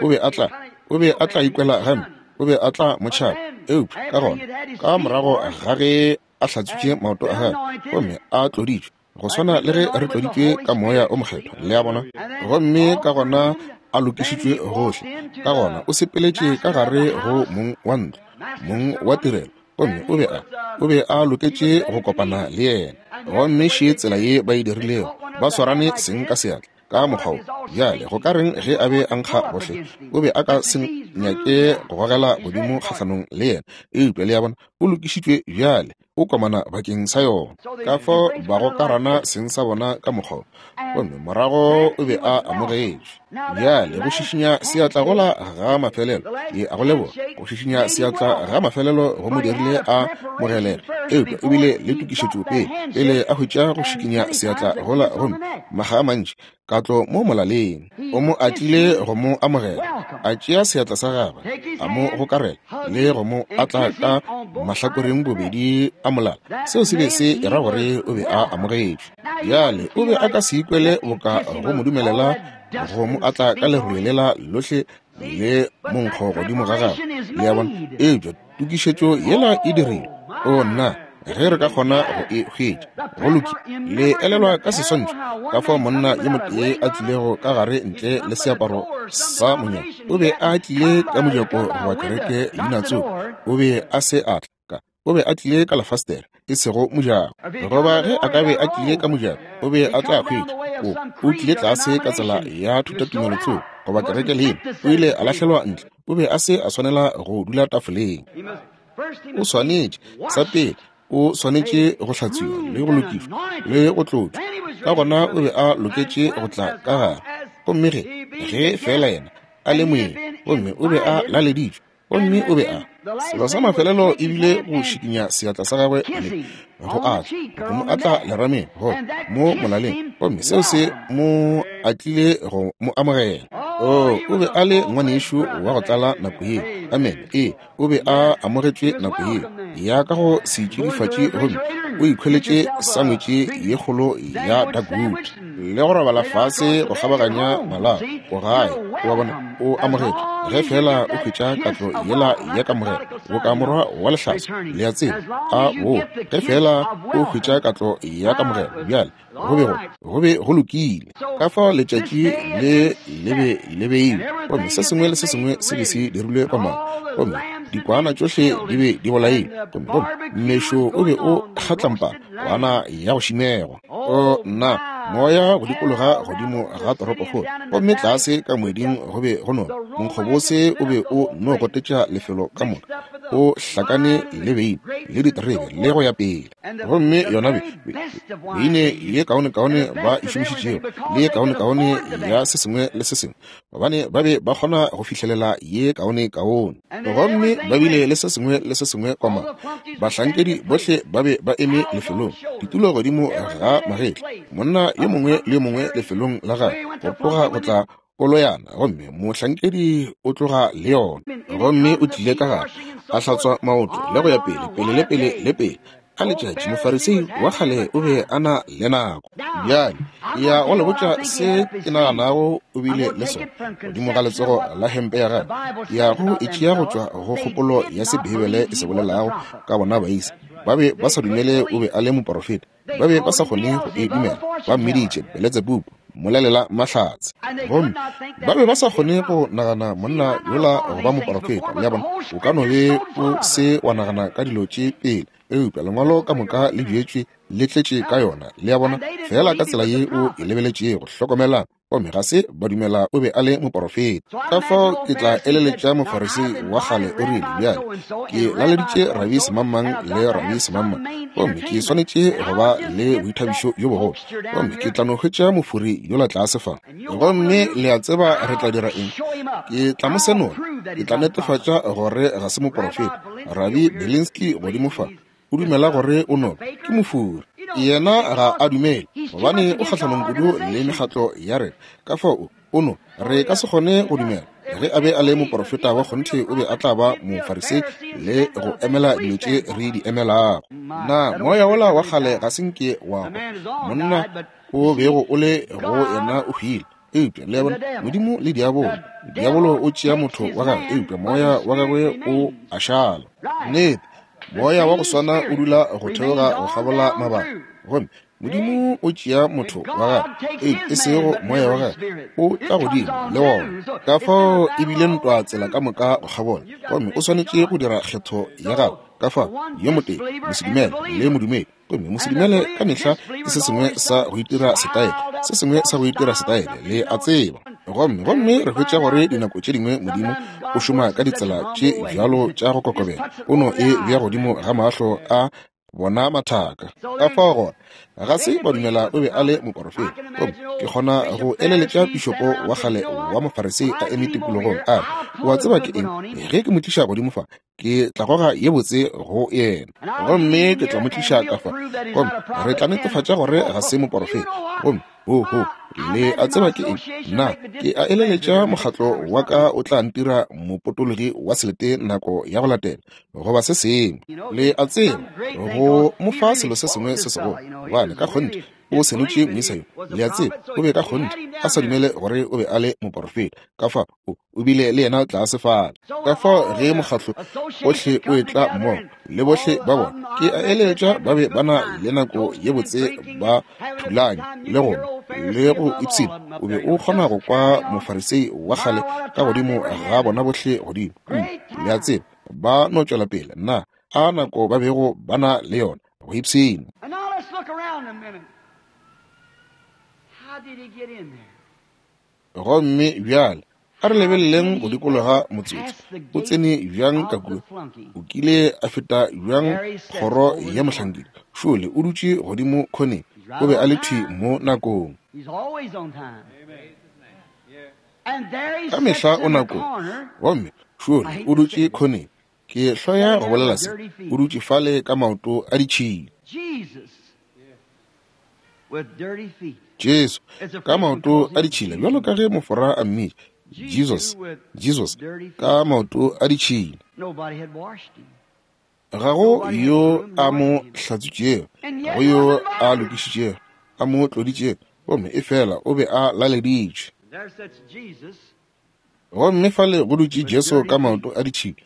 o be a tla o be a tla ikwela gampe, o be a tla mo tšhaba. Eupša ka gona ka morago ga ge a hlatswitše maoto a gagwe gomme a tloditšwe, Go swana le ge re tloditšwe ka Moya o Mokgethwa, le a bona. Gomme ka gona a lokišitšwe gohle. Ka gona o sepeletše ka gare go mong wa ntlo, mong wa tirelo, gomme o be a o be a loketše go kopana le yena. Gomme še tsela ye ba e dirilego, ba swarane seng ka seatla ka mokgwa wo. Bjale go ka reng ge a be a nkga gohle? O be a ka se nyake go gogela godimo kgahlanong le yena. Eupša le a bona, o lokišitšwe bjale, o komana bakeng sa yona. Ka fao ba gokarana seng sa bona ka mokgwa wo, gomme morago o be a amogetšwe. Bjale go šišinya seatla gola ga mafelelo, ke a go leboga. Go šišinya seatla ga mafelelo go mo dirile a mogelege, eupša o bile le tokišetšo pele, pele a hwetša go šikinya seatla gola, gomme maga a mantši katlo mo molaleng. O mo atlile go mo amogela, a tšea seatla sa gagwe, a mo gokarela le go mo atla ka mahlakoreng bobedi a molala. Seo se be se era gore o be a amogetšwe. Bjale o be a ka se ikwele boka go mo dumelela go mo atla ka lerole lela lohle le monkgo godimo ga gagwe, le a bona. Eupša tokišetšo yela e dirilwe. O nna, ge re ka kgona go e hwetša, go lokile. Le elelwa ka seswantšho ka fao monna yo motee a tlilego ka gare ntle le seaparo sa monyako. O be a tlile ka mojako goba kereke leina tsoko. O be a se a tla ka, o be a tlile ka lefastere, e sego mojako. Goba ge a ka be a tlile ka mojako, o be a tla hwetša. O, o tlile tlase ka tsela ya thutatumelo tsoko goba kereke leina. O ile a lahlelwa ntle. O be a se a swanela go dula tafoleng. O swanetše, sa pele, o swanetše go hlatswiwa le go lokišwa le go tlotšwa. Ka gona o be a loketše go tla ka gare. Gomme ge, ge fela yena a le moeng, gomme o be a laleditšwe, gomme o be a selo sa mafelelo ebile go šikinya seatla sa gagwe le go atla, go mo atla lerameng, go mo molaleng, gomme seo se mo atlile go mo amogela. Oh, o be a le ngwanešu wa go tlala nako yeo. Amen. Ee, o be a amogetšwe nako yeo ya ka go setšidifatši, gomme o ikhweletše sangwetše ye kgolo ya Dagwood le go robala fase go kgabaganya malao. O gae, o a bona, o amogetšwe ge fela o hwetša katlo yela ya kamogelo boka morwa wa lehlaso, le a tseba, a bo ge fela o hwetša katlo ya kamogelo. Bjale go be go go be go lokile. Ka fao letšatši le le be le beilwe, gomme se sengwe le se sengwe se be se dirilwe komana, gomme dikwana tšohle di be di bolailwe, gomme gomme mmešo o be o kgatlampa kwana ya go šimegwa. O nna, moya go dikologa godimo ga toropokgolo, gomme tlase ka moeding go be go nona monkgobose o be o no gotetša lefelo ka moka, o hlakane le beine le diterebe le go ya pele. Gomme yona be beine ye kaonekaone ba e šomišitšego le ye kaonekaone ya se sengwe le se sengwe, gobane ba be ba kgona go fihlelela ye kaonekaone. Gomme ba bile le se sengwe le se sengwe komana. Bahlankedi bohle ba be ba eme lefelong, ditulo godimo ga magetla, monna yo mongwe le yo mongwe lefelong la gagwe, go tloga go tla koloyana, gomme mohlankedi o tloga le yona. Gomme o tlile ka gare, a hlatswa maoto le go ya pele, pele le pele le pele. Ka letšatši mofarisei wa kgale o be a na le nako. Bjale ya go le botša se ke naganago o bile le sona godimo ga letsogo la hempe ya gagwe. Ya go e tšea go tšwa go kgopolo ya se Beibele e se bolelago ka bona baisa. Ba be ba sa dumele o be a le moporofeta. Ba be ba sa kgone go e dumela. Ba mmiditše Beletsebubu, mmolelela mahlatse. Gomme ba be ba sa kgone go nagana monna yola go ba moporofeta. Le a bona, o ka no be o se wa nagana ka dilo tše pele, eupša lengwalo ka moka le bjetšwe le tletše ka yona. Le a bona, fela ka tsela ye o e lebeletšego. Hlokomelang, gomme ga se ba dumela o be a le moporofeta. Ka fao ke tla eleletša mofarisei wa kgale o rile, bjale ke laleditše Rabi Semangmang le Rabi Semangmang, gomme ke swanetše go ba le boithabišo bjo bogolo, gomme ke tla no hwetša mofori yola tlase fa. Gomme le a tseba re tla dira eng? Ke tla mo senola, ke tla netefatša gore ga se moporofeta. Rabi Belinsky godimo fa o dumela gore o no ke mofori. Yena ga a dumele, gobane o kgahlanong kudu le mekgatlo ya rena. Ka fao o no re ka se kgone go dumela. Ge a be a le moporofeta wa kgonthe, o be a tla ba mofarisei le go emela dilo tše re di emelago. Na moya wola wa kgale ga se nke wa hwa? Monna o bego o le go yena o hwile. Eupša le a bona, Modimo le diabolo, diabolo o tšea motho wa gagwe, eupša moya wa gagwe o a šala. Nnete, moya wa go swana o dula go theoga go kgabola mabaka. Gomme Modimo o tšea motho wa gagwe, e sego moya wa gagwe, o tla godimo le wona. Ka fao e bile ntwa tsela ka moka go kgabola, gomme o swanetše go dira kgetho ya gago. Ka fao yo motee, mosedumele le modumedi. Gomme mosedumele ka mehla ke se sengwe sa go itira setaele, se sengwe sa go itira setaele, le a tseba. Gomme gomme re hwetša gore dinako tše dingwe Modimo o šoma ka ditsela tše bjalo tša go kokobela, o no e bea godimo ga mahlo a bona mathaka. Ka fao gona ga se ba dumela o be a le moporofeta. Gomme ke kgona go eleletša pišopo wa kgale wa Mofarisei a eme tikologong a re, o a tseba ke eng, ge ke mo tliša godimo fa, ke tla goga ye botse go yena, gomme ke tla mo tliša ka fa, gomme re tla netefatša gore ga se moporofeta. Gomme ho ho, le a tseba ke eng, nna ke a eleletša mokgatlo wa ka o tla ntira mopotologi wa selete nako ya go latela, goba se sengwe. Le a tseba, go mo fa selo se sengwe se segolo, gobane ka kgonthe o senotše moisa yo. Le a tseba, o be ka kgonthe a sa dumele gore o be a le moporofeta. Ka fao o o bile le yena tlase fale. Ka fao ge mokgatlo ohle o etla mmogo le bohle ba bona, ke a eleletša ba be ba na le nako ye botse ba thulanya le go le go ipshina. O be o kgona go kwa Mofarisei wa kgale ka godimo ga bona bohle godimo. Le a tseba, ba no tšwela pele. Nna a nako ba bego ba na le yona go ipshina. Gomme bjale a re lebeleleng go dikologa motsotso. O tsene bjang ka kua? O kile a feta bjang kgoro ya mohlankedi? Šole o dutše godimo khoneng. O be a le thwi mo nakong. Ka mehla o nakong. Gomme šole o dutše khoneng. Ke hloya go bolela se. O dutše fale ka maoto a ditšhila. Jesu ka maoto a ditšhila, bjalo ka ge mofora a mmitša Jesus, Jesus ka maoto a ditšhila. Ga go yo a mo hlatswitšego, ga go yo a lokišitšego, a mo tloditšego, gomme efela o be a laleditšwe. Gomme fale go dutše Jesu ka maoto a ditšhila.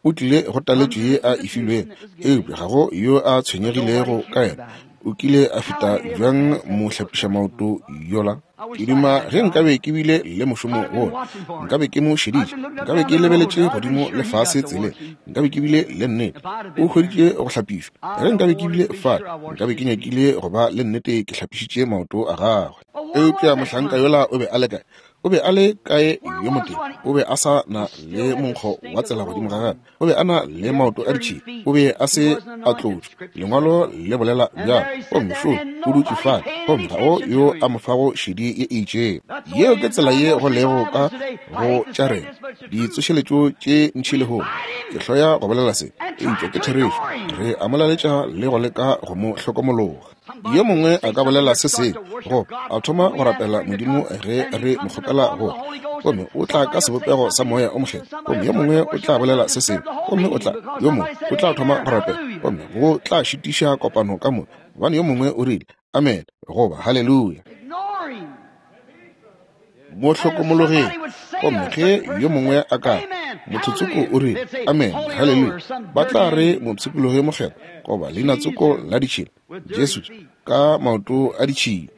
O tlile go taletšo ye a e filwego, eupša ga go yo a tshwenyegilego ka yena. O kile a feta bjang mohlapiša maoto yola? Ke duma ge nkabe ke bile le mošomo wola, nkabe ke mo šeditše, nkabe ke lebeletše godimo le fase tseleng, nkabe ke bile le nnete. O hweditše go hlapišwa. Ge nkabe ke bile fale, nkabe ke nyakile go ba le nnete ke hlapišitše maoto a gagwe. Eupša mohlanka yola o be a le kae? O be a le kae yo motee? O be a sa na le monkgo wa tsela godimo ga gagwe. O be a na le maoto a ditšhila. O be a se a tlotšwa. Lengwalo le bolela bjalo. Gomme šo o dutše fale, gomme ga go yo a mo fago šedi ye e itšego. Yeo ke tsela ye go lego ka go tša rena ditsošeletšo tše ntši lehono. Ke hloya go bolela se, eupša ke therešo. Re a mo laletša le go leka go mo hlokomologa. Yo mongwe a ka bolela se sengwe, go a thoma go rapela Modimo ge re mo kgopela go, gomme o tla ka sebopego sa moya o mokgethwa. Gomme yo mongwe o tla bolela se sengwe, gomme o tla, yo mongwe o tla thoma go rapela, gomme go tla šitiša kopano ka moka, gobane yo mongwe o rile amen goba haleluya. Mo hlokomologeng. Gomme ge yo mongwe a ka mothotsoko o rile amen haleluya, ba tla re mopshikologi mokgethwa goba leinatsoko la ditšhila, Jesu ka maoto a ditšhila.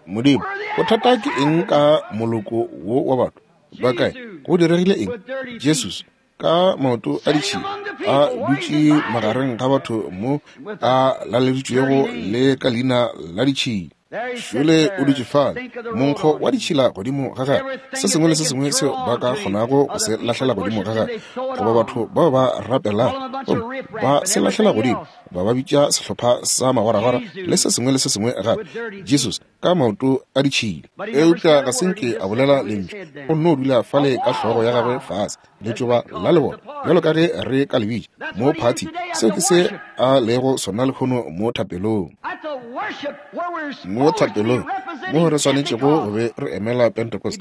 Modimo, bothata ke eng ka moloko wo wa batho? Ba kae? Go diregile eng? Jesus ka maoto a ditšhila a dutše magareng ga batho mo a laleditšwego le ka leina la ditšhila. Šole o dutše fale, monkgo wa ditšhila godimo ga gagwe, se sengwe le se sengwe seo ba ka kgonago go se lahlela godimo ga gagwe, goba batho bao ba rapelago gomme ba se lahlela godimo, ba ba bitša sehlopha sa magoragora le se sengwe le se sengwe gape. Jesus ka maoto a ditšhila. Eupša ga se nke a bolela lentšu, o nno dula fale ka hlogo ya gagwe fase, letšoba la lebona, bjalo ka ge re ka le bitša mo phathi. Seo ke se a lego sona lehono mo thapelong. Mo thapelong mo re swanetšego go be re emela Pentecost,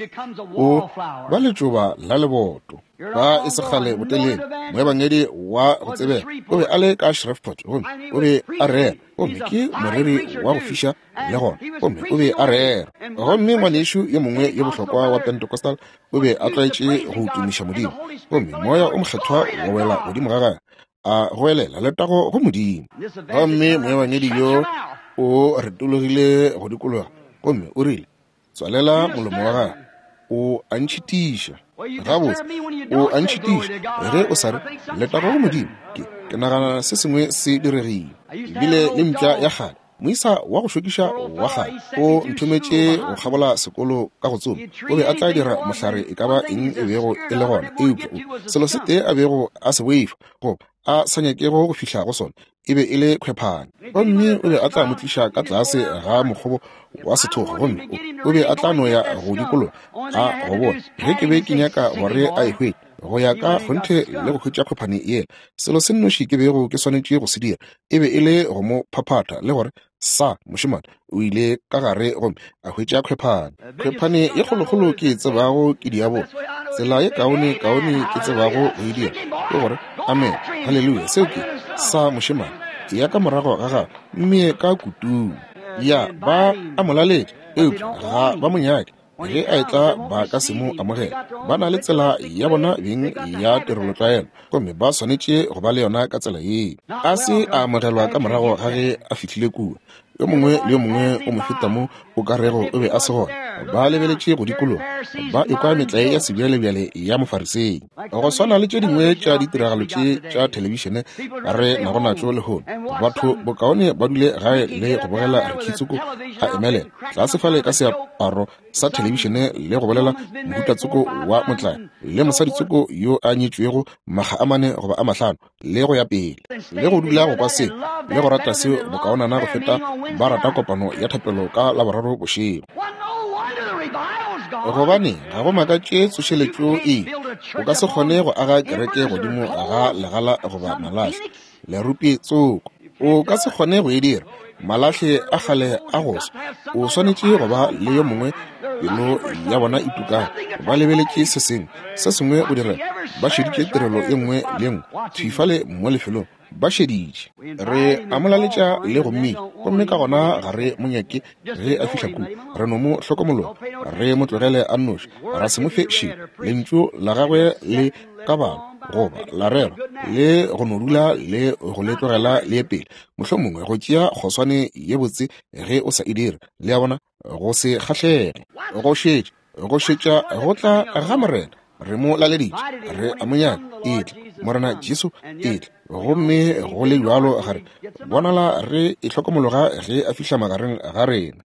o ba letšoba la leboto. Ba e se kgale botelele, moebangedi wa go tsebega o be a le ka Shreveport, gomme o be a rera, gomme ke moreri wa go fiša le gona, gomme o be a rera. Gomme ngwanešu yo mongwe yo bohlokwa wa Pentecostal o be a tlwaetše go tumiša Modimo, gomme moya o mokgethwa wa wela godimo ga gagwe, A goelela letago go Modimo. Gomme moebangedi yo o retologile go dikologa gomme o rile, tswalela molomo wa gago, o a ntšhitiša. Gabotse, o a ntšhitiša ge o sa re letago go Modimo. Ke, ke nagana se sengwe se diregile. Ebile le mpša ya kgale, moisa wa go šokiša wa kgale, o nthometše go kgabola sekolo ka go tsoma. O be a tla dira mohlare e ka ba eng e bego e le gona, eupša o selo se tee a bego a se boifa goba a sa nyakego go fihla go sona e be e le khwephane. Gomme o be a tla mo tliša ka tlase ga mokgobo wa sethogo, gomme o be a tla no ya go dikologa a go bona ge ke be ke nyaka gore a e hwetše go ya ka kgonthe le go hwetša khwephane yela. Selo se nnoši ke bego ke swanetše go se dira e be e le go mo phaphatha le gore sa mošemane o ile ka gare gomme a hwetša khwephane. Khwephane ye kgolokgolo ke e tsebago ke diabolo. Tsela ye kaone kaone ke tsebago go e dira ke gore amen, haleluya, seo ke sa mošemane ya ka morago ga gagwe mme ka kutung. Ya ba a mo laletša, eupša ga ba mo nyake. Ge a etla ba ka se mo amogela. Ba na le tsela ya bona beng ya tirelotlwaelo, gomme ba swanetše go ba le yona ka tsela yeo. A se a amogelwa ka morago ga ge a fihlile kua. Yo mongwe le yo mongwe o mo feta mo o ka rego o be a se gona. Ba lebeletše go dikologa, ba ekwa metlae ya sebjalebjale ya Mofarisei. Go swana le tše dingwe tša ditiragalo tše tša thelebišene re nago natšo lehono, batho bokaone ba dule gae le go bogela Ricky a emelela tlase fale ka seaparo sa thelebišene le go bolela mohutatsoko wa motlae le mosaditsoko yo a nyetšwego makga a mane goba a mahlano le go ya pele, le go dula go kwa seo le go rata seo bokaonana go feta ba rata kopano ya thapelo ka Laboraro bošego. Gobane ga go makatše tsošeletšo e, o ka se kgone go aga kereke godimo ga legala goba malahle lerupi tsoko. O ka se kgone go e dira. Malahle a kgale a go swa. O swanetše go ba le yo mongwe pelo ya bona e tukago. Ba lebeletše se sengwe, se sengwe go direga. Ba šeditše tirelo ye nngwe le ye nngwe thwi fale mo lefelong. Ba šeditše. Re a mo laletša le go mmitša, gomme ka gona ga re mo nyake ge a fihla kua. Re no mo hlokomologa, re mo tlogele a nnoši, ra se mo fe šedi. Lentšu la gagwe le ka balwa goba la rerwa le go no dula le go le tlogela le ye pele. Mohlomongwe go tšea kgoswane ye botse ge o sa e dire. Le a bona, go se kgahlege, go šetša, go šetša go tla ga Morena. Re mo laleditše, re a mo nyaka, etla Morena Jesu, etla. Gomme go le bjalo ga re bonala re e hlokomologa ge a fihla magareng ga rena.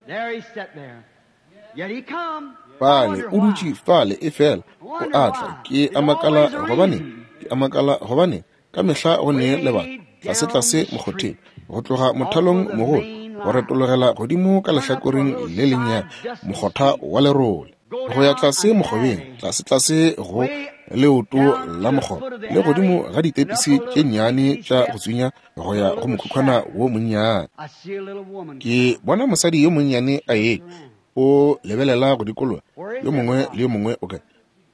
Fale o dutše fale e fela o a tla. Ke a makala gobane, ke a makala gobane ka mehla go ne lebaka tlase tlase mokgotheng go tloga mothalong mogolo go retologela godimo ka lehlakoreng le lennyane mokgotha wa lerole, go ya tlase mokgobeng, tlase tlase go leoto la mokgoba le godimo ga ditepisi tše nnyane tša go tswinya go ya go mokhukhwana wo monnyane. Ke bona mosadi yo monnyane a etla, o lebelela go dikologa yo mongwe le yo mongwe o kae,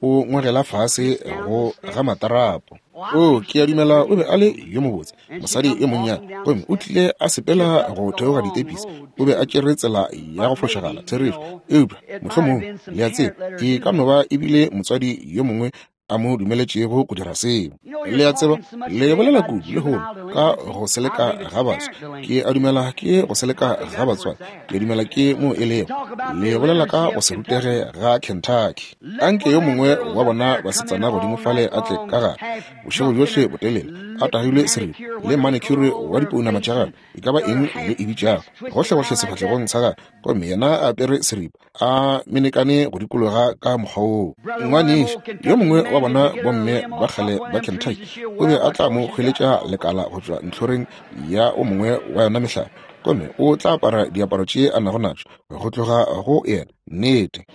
o ngwegela fase go ga matarapo. O, ke a dumela o be a le yo mobotse, mosadi yo monnyane, gomme o tlile a sepela go theoga ditepisi. O be a tšere tsela ya go fošagala, therešo, eupša mohlomongwe le a tseba e ka no ba ebile motswadi yo mongwe a mo dumeletšego go dira seo. Le a tseba, le bolela kudu lehono ka go seleka ga baswa. Ke a dumela ke go seleka ga batswadi. Ke a dumela ke mo e lego. Le bolela ka go se rutege ga Kentucky. Anke yo mongwe wa bona basetsana godimo fale a tle ka gare bošego bjohle botelele, a tagilwe seripa le manicure wa dipounama tša gagwe, e ka ba eng le e bitšago, gohlegohle sefahlegong sa gagwe, gomme yena a apere seripa a menekane go dikologa ka mokgwa woo. Ngwanešu yo mongwe wa bona bomme ba kgale ba Kentucky o be a tla mo hweletša lekala go tšwa ntlhoreng ya o mongwe wa yona mehlare, gomme o tla apara diaparo tše a nago natšo go tloga go yena. Nnete,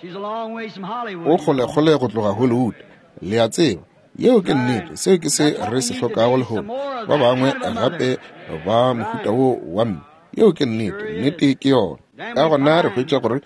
o kgolekgole go tloga Hollywood, le a tseba. Yeo ke nnete, seo ke se re se hlokago lehono. Ba bangwe gape ba mohuta wo wa mme. Yeo ke nnete, nnete ke yona. Ka gona re hwetša gore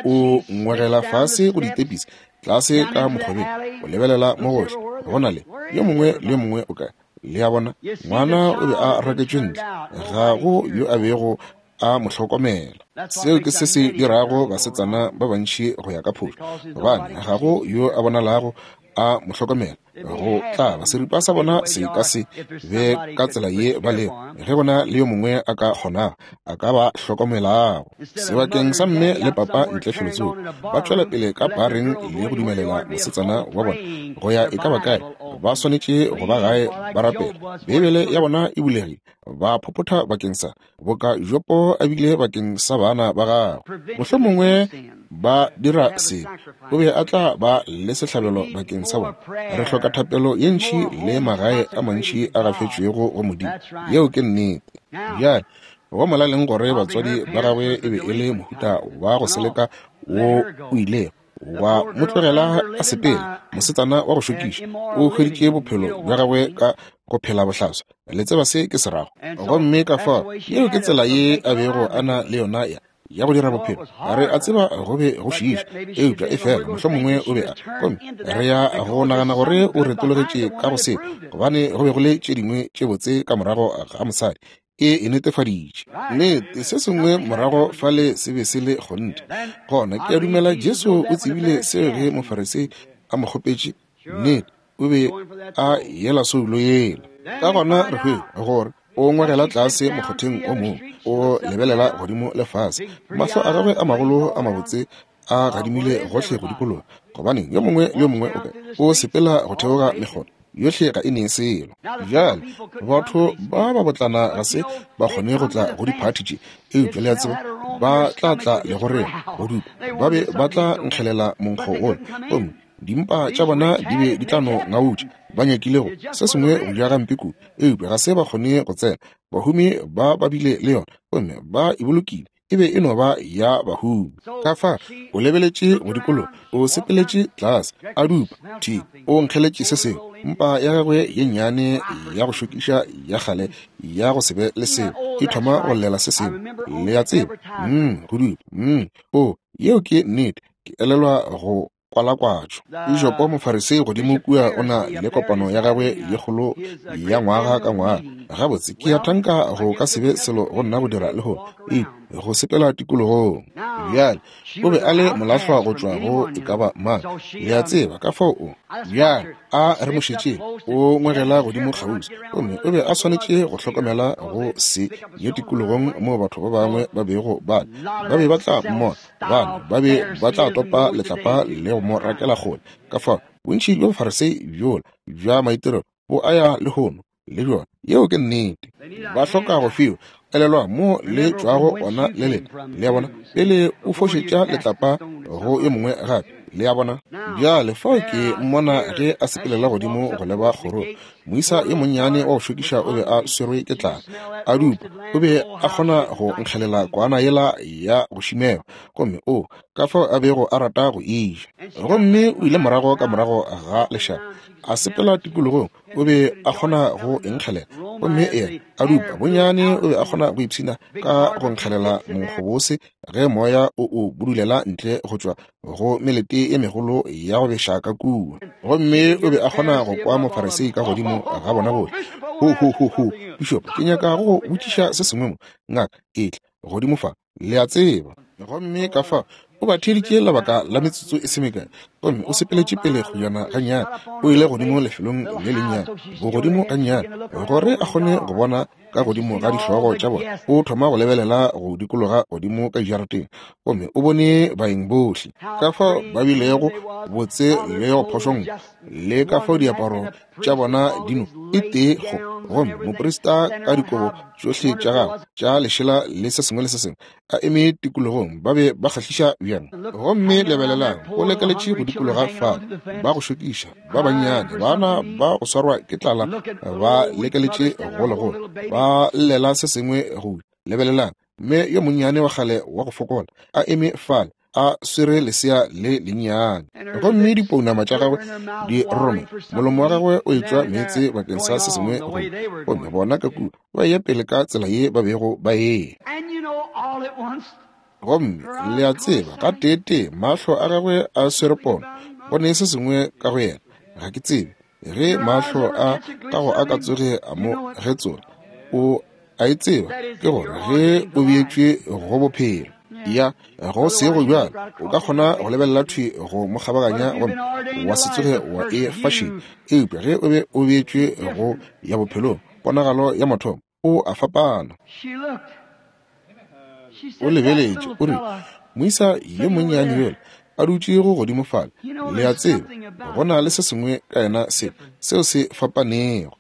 o ngwegela fase go ditepisi tlase ka mokgobeng, o lebelela mo gohle, go na le yo mongwe le yo mongwe o kae. Le a bona, ngwana o be a raketšwe ntle, ga go yo a bego a mo hlokomela. Seo ke se se dirago basetsana ba bantši go ya ka phošo, gobane ga go yo a bonalago a mo hlokomela. Go tla ba seripa sa bona se ka se be ka tsela ye ba lego, ge go na le yo mongwe a ka kgonago, a ka ba hlokomelago. Sebakeng sa mme le papa ntle felotsoko, ba tšwela pele ka pareng le go dumelela mosetsana wa bona go ya e ka ba kae, ba swanetše go ba gae ba rapela. Beibele ya bona e bulegile, ba phopotha bakeng sa boka Jopo a bile bakeng sa bana ba gagwe. Mohlomongwe ba dira se, o be a tla ba le sehlabelo bakeng sa bona. Re hloka thapelo ye ntši le magae a mantši a gafetšwego go Modimo. Yeo ke nnete. Bjale go molaleng gore batswadi ba gagwe e be e le mohuta wa go seleka wo o ilego wa mo tlogela a sepela. Mosetsana wa go šokiša o hweditše bophelo bja gagwe ka go phela bohlaswa. Le tseba se ke se rago. Gomme ka fao yeo ke tsela ye a bego a na le yona ya ya go dira bophelo. Re a tseba go be go šiiša, eupša e fela mohlomongwe o be a, gomme re ya go nagana gore o retologetše ka go se, gobane go be go le tše dingwe tše botse ka morago ga mosadi. E e netefaditše nnete, se sengwe morago fale se be se le kgonthe. Gona ke a dumela Jesu o tsebile seo ge Mofarisei a mo kgopetše. Nnete, o be a yela soulo yela. Ka gona re hwetša gore o ngwegela tlase mokgotheng o mongwe, o lebelela godimo le fase, mahlo a gagwe a magolo a mabotse a gadimile gohle go dikologa, gobane yo mongwe le yo mongwe o kae o sepela go theoga mekgotha yohle ga e ne selo. Bjale batho ba ba botlana ga se ba kgone go tla go diphathi tše, eupša le a tseba ba tla tla le go rena go dupa, ba be ba tla nkgelela monkgo wola, gomme dimpa tša bona di be di tla no ngautša. Ba nyakilego se sengwe go ja gampe kudu, eupša ga se ba kgone go tsena. Bahumi ba ba bile le yona, gomme ba e bolokile, e be e no ba ya bahumi. Ka fa o lebeletše go dikologa, o sepeletše tlase, a dupa thi, o nkgeletše se sengwe. Mpa ya gagwe ye nnyane ya go šokiša ya kgale ya go se be le selo e thoma go llela se sengwe. Le a tseba, mm, go dupa, mm, o, yeo ke nnete. Ke elelwa go kwalakwatšo. Pišopo Mofarisei godimo kua o na le kopano ya gagwe ye kgolo ya ngwaga ka ngwaga. Gabotse ke ya thanka go ka se be selo go nna go dira le go e go sepela tikologong. Bjale o be a le molahlwa go tšwa go e ka ba mang, le a tseba ka fao o. Bjale a re mo šetšeng, o ngwegela godimo kgauswi, gomme o be a swanetše go hlokomela go se ye tikologong moo batho ba bangwe ba bego ba ba be ba tla mmona, bana ba be ba tla topa letlapa le go mo rakela kgole. Ka fao bontši bja Bafarisei bjola bja maitirelo bo a ya lehono le bjona. Yeo ke nnete. Ba hloka go fiwa. Elelwa mo le tšwago ona le lena. Le a bona, pele o fošetša letlapa go yo mongwe gape. Le a bona? Bjale fao ke mmona ge a sepelela godimo go leba kgorong. Moisa yo monnyane wa go šokiša o be a swerwe ke tlala, a dupa. O be a kgona go nkgelela kwana yela ya go šimelwa, gomme o ka fao a bego a rata go e ja. Gomme o ile morago ka morago ga lešaba, a sepela tikologong. O be a kgona go nkgelela, gomme yena a dupa bonyane. O be a kgona go ipshina ka go nkgelela monkgobose ge moya o o budulela ntle go tšwa go melete e megolo ya go beša ka kua. Gomme o be a kgona go kwa Mofarisei ka godimo ga bona bohle. Ho ho ho ho, pišopo, ke nyaka go botšiša se sengwe mo. Ngaka, etla godimo fa, le a tseba. Gomme ka fa o ba theeditše lebaka la metsotso e se mekae, gomme o sepeletše pele kgojana gannyane. O ile godimo lefelong le lennyane, bogodimo gannyane, gore a kgone go bona ka godimo ga dihlogo tša bona. O thoma go lebelela go dikologa godimo ka dijarateng, gomme o bone baeng bohle, ka fao ba bilego botse le go phošongwa, le ka fao diaparo tša bona dino e tee go. Gomme moprista ka dikobo tšohle tša gagwe tša lešela le se sengwe le se sengwe a eme tikologong, ba be ba kgahliša bjang. Gomme lebelelang, go lekeletše go dikologa fale, ba go šokiša ba bannyane, bana ba go swarwa ke tlala ba lekeletše go legolo, ba llela se sengwe go lebelelang. Mme yo monnyane wa kgale wa go fokola a eme fale, a swere lesea le lennyane, gomme dipounama tša gagwe di roromela, molomo wa gagwe o etšwa meetse bakeng sa se sengwe go. Gomme bona ka kua ba eya pele ka tsela ye ba bego ba eya. Gomme le a tseba, ka tee-tee mahlo a gagwe a swere pono, go ne se sengwe ka go yena. Ga ke tsebe ge mahlo a gago a ka tsoge a mo getsola. O a e tseba, ke gore ge o beetšwe go bophelo. Ya go se go bjalo, o ka kgona go lebelela thwi go mo kgabaganya gomme wa se tsoge wa e fašeng. Eupša ge o be o beetšwe go ya bophelong, ponagalo ya mathomo, o a fapana. O lebeletše, o rile, moisa yo monnyane yola a dutšego godimo fale, le a tseba, go na le se sengwe ka yena se seo se fapanego.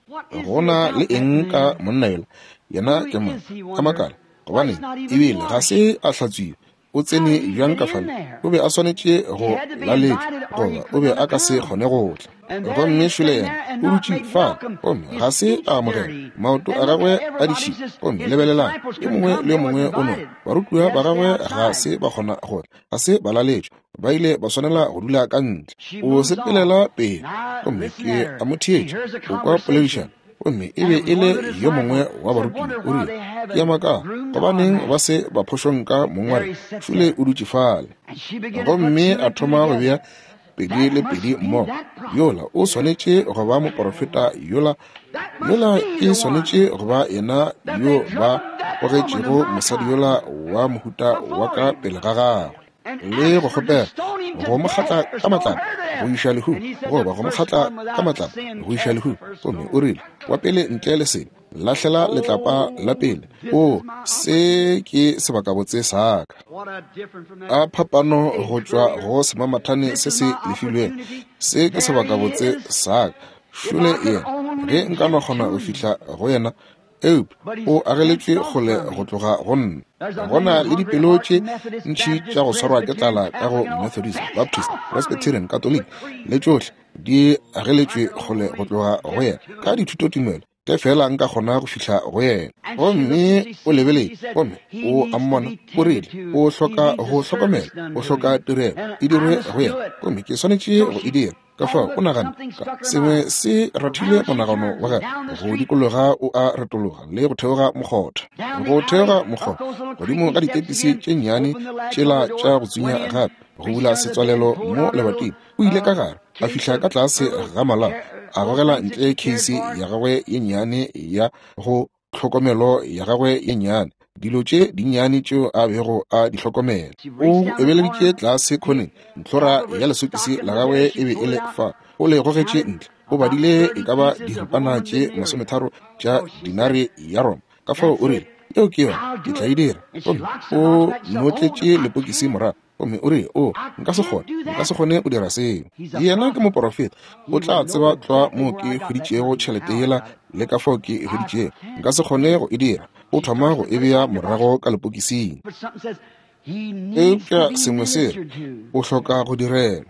Go na le eng ka monna yola? Yena ke mang? Ka makala, gobane ebile ga se a hlatswiwa. O tsene bjang ka fale? O be a swanetše go laletšwa, goba o be a ka se kgone go tla. Gomme šole yena o dutše fale, gomme ga se a amogela. Maoto a gagwe a ditšhila, gomme lebelelang, yo mongwe le yo mongwe o no. Barutiwa ba gagwe ga se ba kgona go tla, ga se ba laletšwa, ba ile ba swanela go dula ka ntle. O sepelela pele, gomme ke a mo theetša, o kwa poledišano. Gomme e be e le yo mongwe wa barutiwa, o rile, ke a makala gobaneng ba se ba phošong ka mong wa rena. Šole o dutše fale. Gomme a thoma go bea pedi le pedi mmogo. Yola o swanetše go ba moporofeta yola, yola e swanetše go ba yena yo ba gogetšego mosadi yola wa mohuta wa ka pele ga gagwe, le go kgopela go mo kgatla ka matlapa go iša lehu, goba go mo kgatla ka matlapa go iša lehu. Gomme o rile, wa pele ntle le sebe, lahlela letlapa la pele. O, se ke sebakabotse sa ka. A phapano go tšwa go semamathane se se lefilwego. Se ke sebakabotse sa ka. Šole yena, ge nka no kgona go fihla go yena, eupša o ageletšwe kgole go tloga go nna. Go na le dipelo tše ntši tša go swarwa ke tlala ka go Methodist, Baptist, Presbyterian, Catholic le tšohle di ageletšwe kgole go tloga go yena ka dithutotumelo. Ke fela nka kgona go fihla go yena. Gomme o lebeletše, gomme o a mmona, o rile, o hloka go hlokomela, o hloka tirelo e dirwe go yena, gomme ke swanetše go e dira. Ka fao o nagana sengwe se rathile monagano wa gagwe go dikologa, o a retologa le go theoga mokgotha, go theoga mokgotha godimo ga ditepisi tše nnyane tšela tša go tsunya gape, go bula setswalelo mo lebating. O ile ka gare, a fihla ka tlase ga malao, a gogela ntle keisi ya gagwe ye nnyane ya go tlhokomelo ya gagwe ye nnyane, dilo tše dinnyane tšeo a bego a di hlokomela. O ebeleditše tlase khoneng, ntlhora ya lesokisi la gagwe e be e le fa. O le gogetše ntle, o badile e ka ba diripana tše masometharo tša dinari ya Roma. Ka fao o rile, yeo ke yona, ke tla e dira. Gomme o notletše lepokisi morago, gomme o rile, o, nka se kgone, nka se kgone go dira seo. Yena ke moporofeta, o tla tseba tlwa moo ke hweditšego tšhelete yela le ka fao ke e hweditšego. Nka se kgone go e dira. O thoma go e bea morago ka lepokising. Eupša sengwe se re, o hloka go direlwa.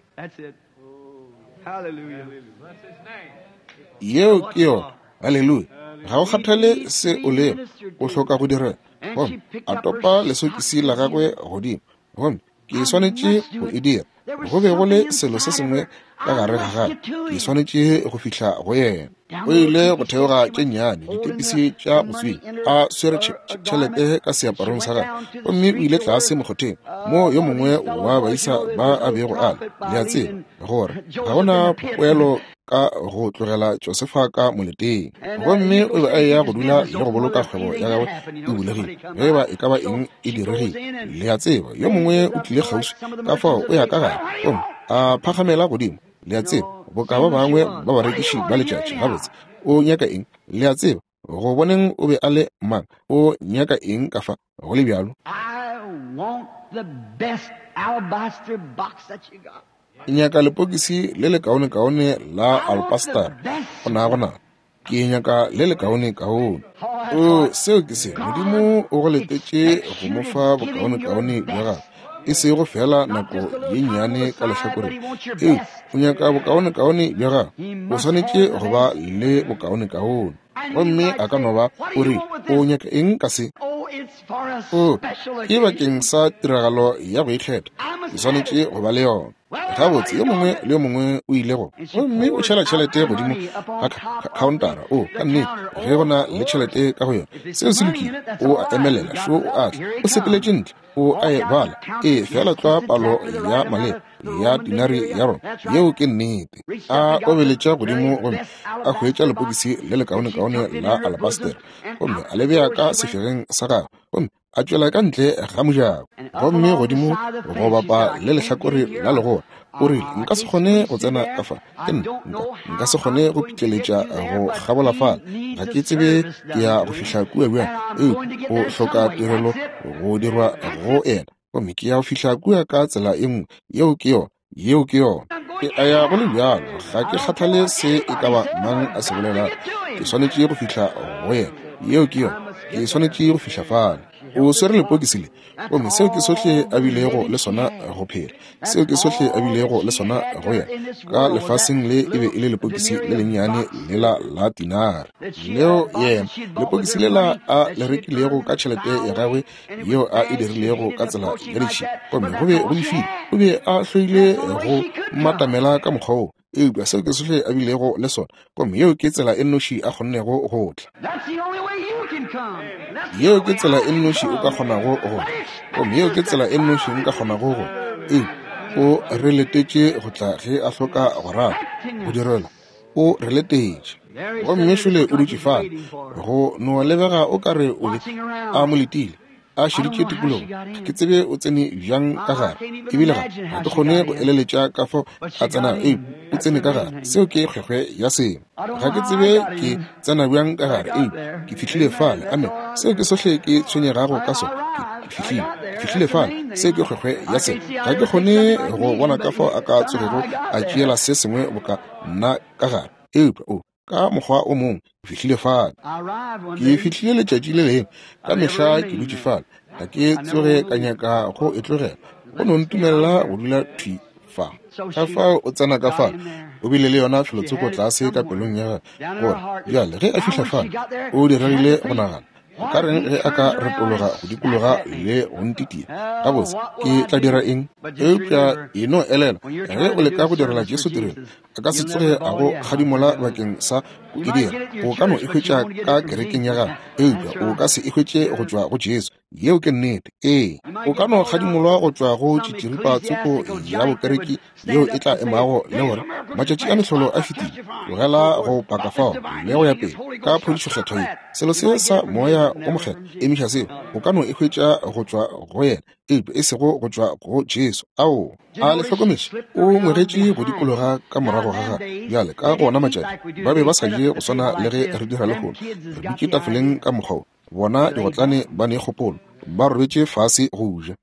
Yeo ke yona. Haleluya. Ga o kgathale se o lego, o hloka go direlwa. Gomme a topa lesokisi la gagwe godimo, gomme ke swanetše go e dira. Go be go le selo se sengwe ka gare ga gagwe, ke swanetše go fihla go yena. O ile go theoga tše nnyane ditepisi tša go tswinya, a swere tšhelete ka seaparong sa gagwe, gomme o ile tlase mokgotheng mo yo mongwe wa baisa ba a bego a le. Le a tseba gore ga gona poelo ka go tlogela Josefa ka moleteng. Gomme o be a eya go dula le go boloka kgwebo ya gagwe e bulegile, ge ba e ka ba eng e diregile. Le a tseba yo mongwe o tlile kgauswi, ka fao o ya ka gare, gomme a phagamela godimo. Le a tseba boka ba bangwe ba barekiši ba letšatši, gabotse o nyaka eng? Le a tseba go boneng o be a le mang, o nyaka eng ka fa go le bjalo? Ke nyaka lepokisi le lekaonekaone la alpastar go na go na. Ke nyaka le lekaonekaone. O, seo ke se Modimo o go letetše go mo fa bokaonekaone bja gagwe, e sego fela nako ye nnyane ka lehlakoreng. Ee, o nyaka bokaonekaone bja gagwe, o swanetše go ba le bokaonekaone. Gomme a ka no ba o re, o nyaka eng ka se? O, ke bakeng sa tiragalo ya go ikgetha, ke swanetše go ba le yona. Gabotse yo mongwe le yo mongwe o ile go, gomme o tšhela tšhelete godimo ga khaontara. O, ka nnete, ge go na le tšhelete ka go yona, seo se lokile. O a emelela, šo o a tla, o sepeletše ntle, o a e bala. E fela tlwa palo ya maleba ya dinari ya Roma. Yeo ke nnete. A obeletša godimo gomme a hwetša lepokisi le lekaonekaone la alabastera, gomme a le bea ka sefegeng sa gagwe, gomme A tšwela ka ntle ga mojako, gomme godimo go bapa le lehlakore la legora. O rile, nka se kgone go tsena ka fa. Ke nna, nka, nka se kgone go pitleletša go kgabola fale. Ga ke tsebe ke ya go fihla kua bjang. Eupša o hloka tirelo go dirwa go yena. Gomme ke ya go fihla kua ka tsela e nngwe. Yeo ke yona. Yeo ke yona. Ke a ya go le bjalo. Ga ke kgathale se e ka ba mang a se bolelago. Ke swanetše go fihla go yena. Yeo ke yona. Ke swanetše go fihla fale. O swere lepokisi le, gomme seo ke sohle a bilego le sona go phela. Seo ke sohle a bilego le sona go yena ka lefaseng le e be e le lepokisi le lennyane lela la tinare. Leo yena lepokisi lela a le rekilego ka tšhelete ya gagwe yeo a e dirilego ka tsela ya ditšhila, gomme go be go befile. O be a hloile go matamela ka mokgwa woo, eupša seo ke sohle a bilego le sona, gomme yeo ke tsela e nnoši a kgonnego go tla. Yeo ke tsela e nnoši o ka kgonago go tla, gomme yeo ke tsela e nnoši nka kgonago go tla. Ee, o re letetše go tla ge a hloka go rata go direlwa. O re letetše. Gomme šole o dutše fale, go no lebega o ka re o be a mo letile, a šeditše tikologo. Ga ke tsebe o tsene bjang ka gare, ebile ga ga ke kgone go eleletša ka fao a tsenago. Ee, o tsene ka gare. Seo ke kgwekgwe ya sengwe. Ga ke tsebe ke tsena bjang ka gare. Ee, ke fihlile fale. Amen. Seo ke sohle ke tshwenyegago ka sona. Ke fihlile, ke fihlile fale. Seo ke kgwekgwe ya sengwe. Ga ke kgone go bona ka fao a ka tsogego a tšeela se sengwe boka nna ka gare. Eupša o ka mokgwa o mongwe ke fihlile fale. Ke fihlile letšatši le lengwe. Ka mehla ke dutše fale. Ga ke tsoge ka nyaka go e tlogela. Go no ntumella go dula thwi fa. Ka fao o tsena ka fale, o bile le yona felotsoko tlase ka pelong ya gagwe, gore bjale ge a fihla fale, o diregile go nagana, o ka reng ge a ka retologa go dikologa le go ntitia? Gabotse, ke tla dira eng? Eupša e no elela, ge o leka go direla Jesu tirelo, a ka se tsoge a go kgadimola bakeng sa go e dira. O ka no e hwetša ka kerekeng ya gagwe, eupša o ka se e hwetše go tšwa go Jesu. Yeo ke nnete. Ee, o ka no kgadimolwa go tšwa go tšitširipa tsoko ya bokereki yeo e tla emago le gore matšatši a mehlolo a fetile, tlogela go paka fao le go ya pele ka phodišo kgethwa ye. Selo se sa moya o mokgethwa, emiša seo. O ka no e hwetša go tšwa go yena, eupša e sego go tšwa go Jesu. Ao, a le hlokometše, o ngwegetše go dikologa ka morago ga gagwe. Bjale ka gona matšatši ba be ba sa je go swana le ge re dira lehono. Re dutše tafoleng ka mokgwa wo. Bona digotlane ba ne kgopolo, ba robetše fase go ja.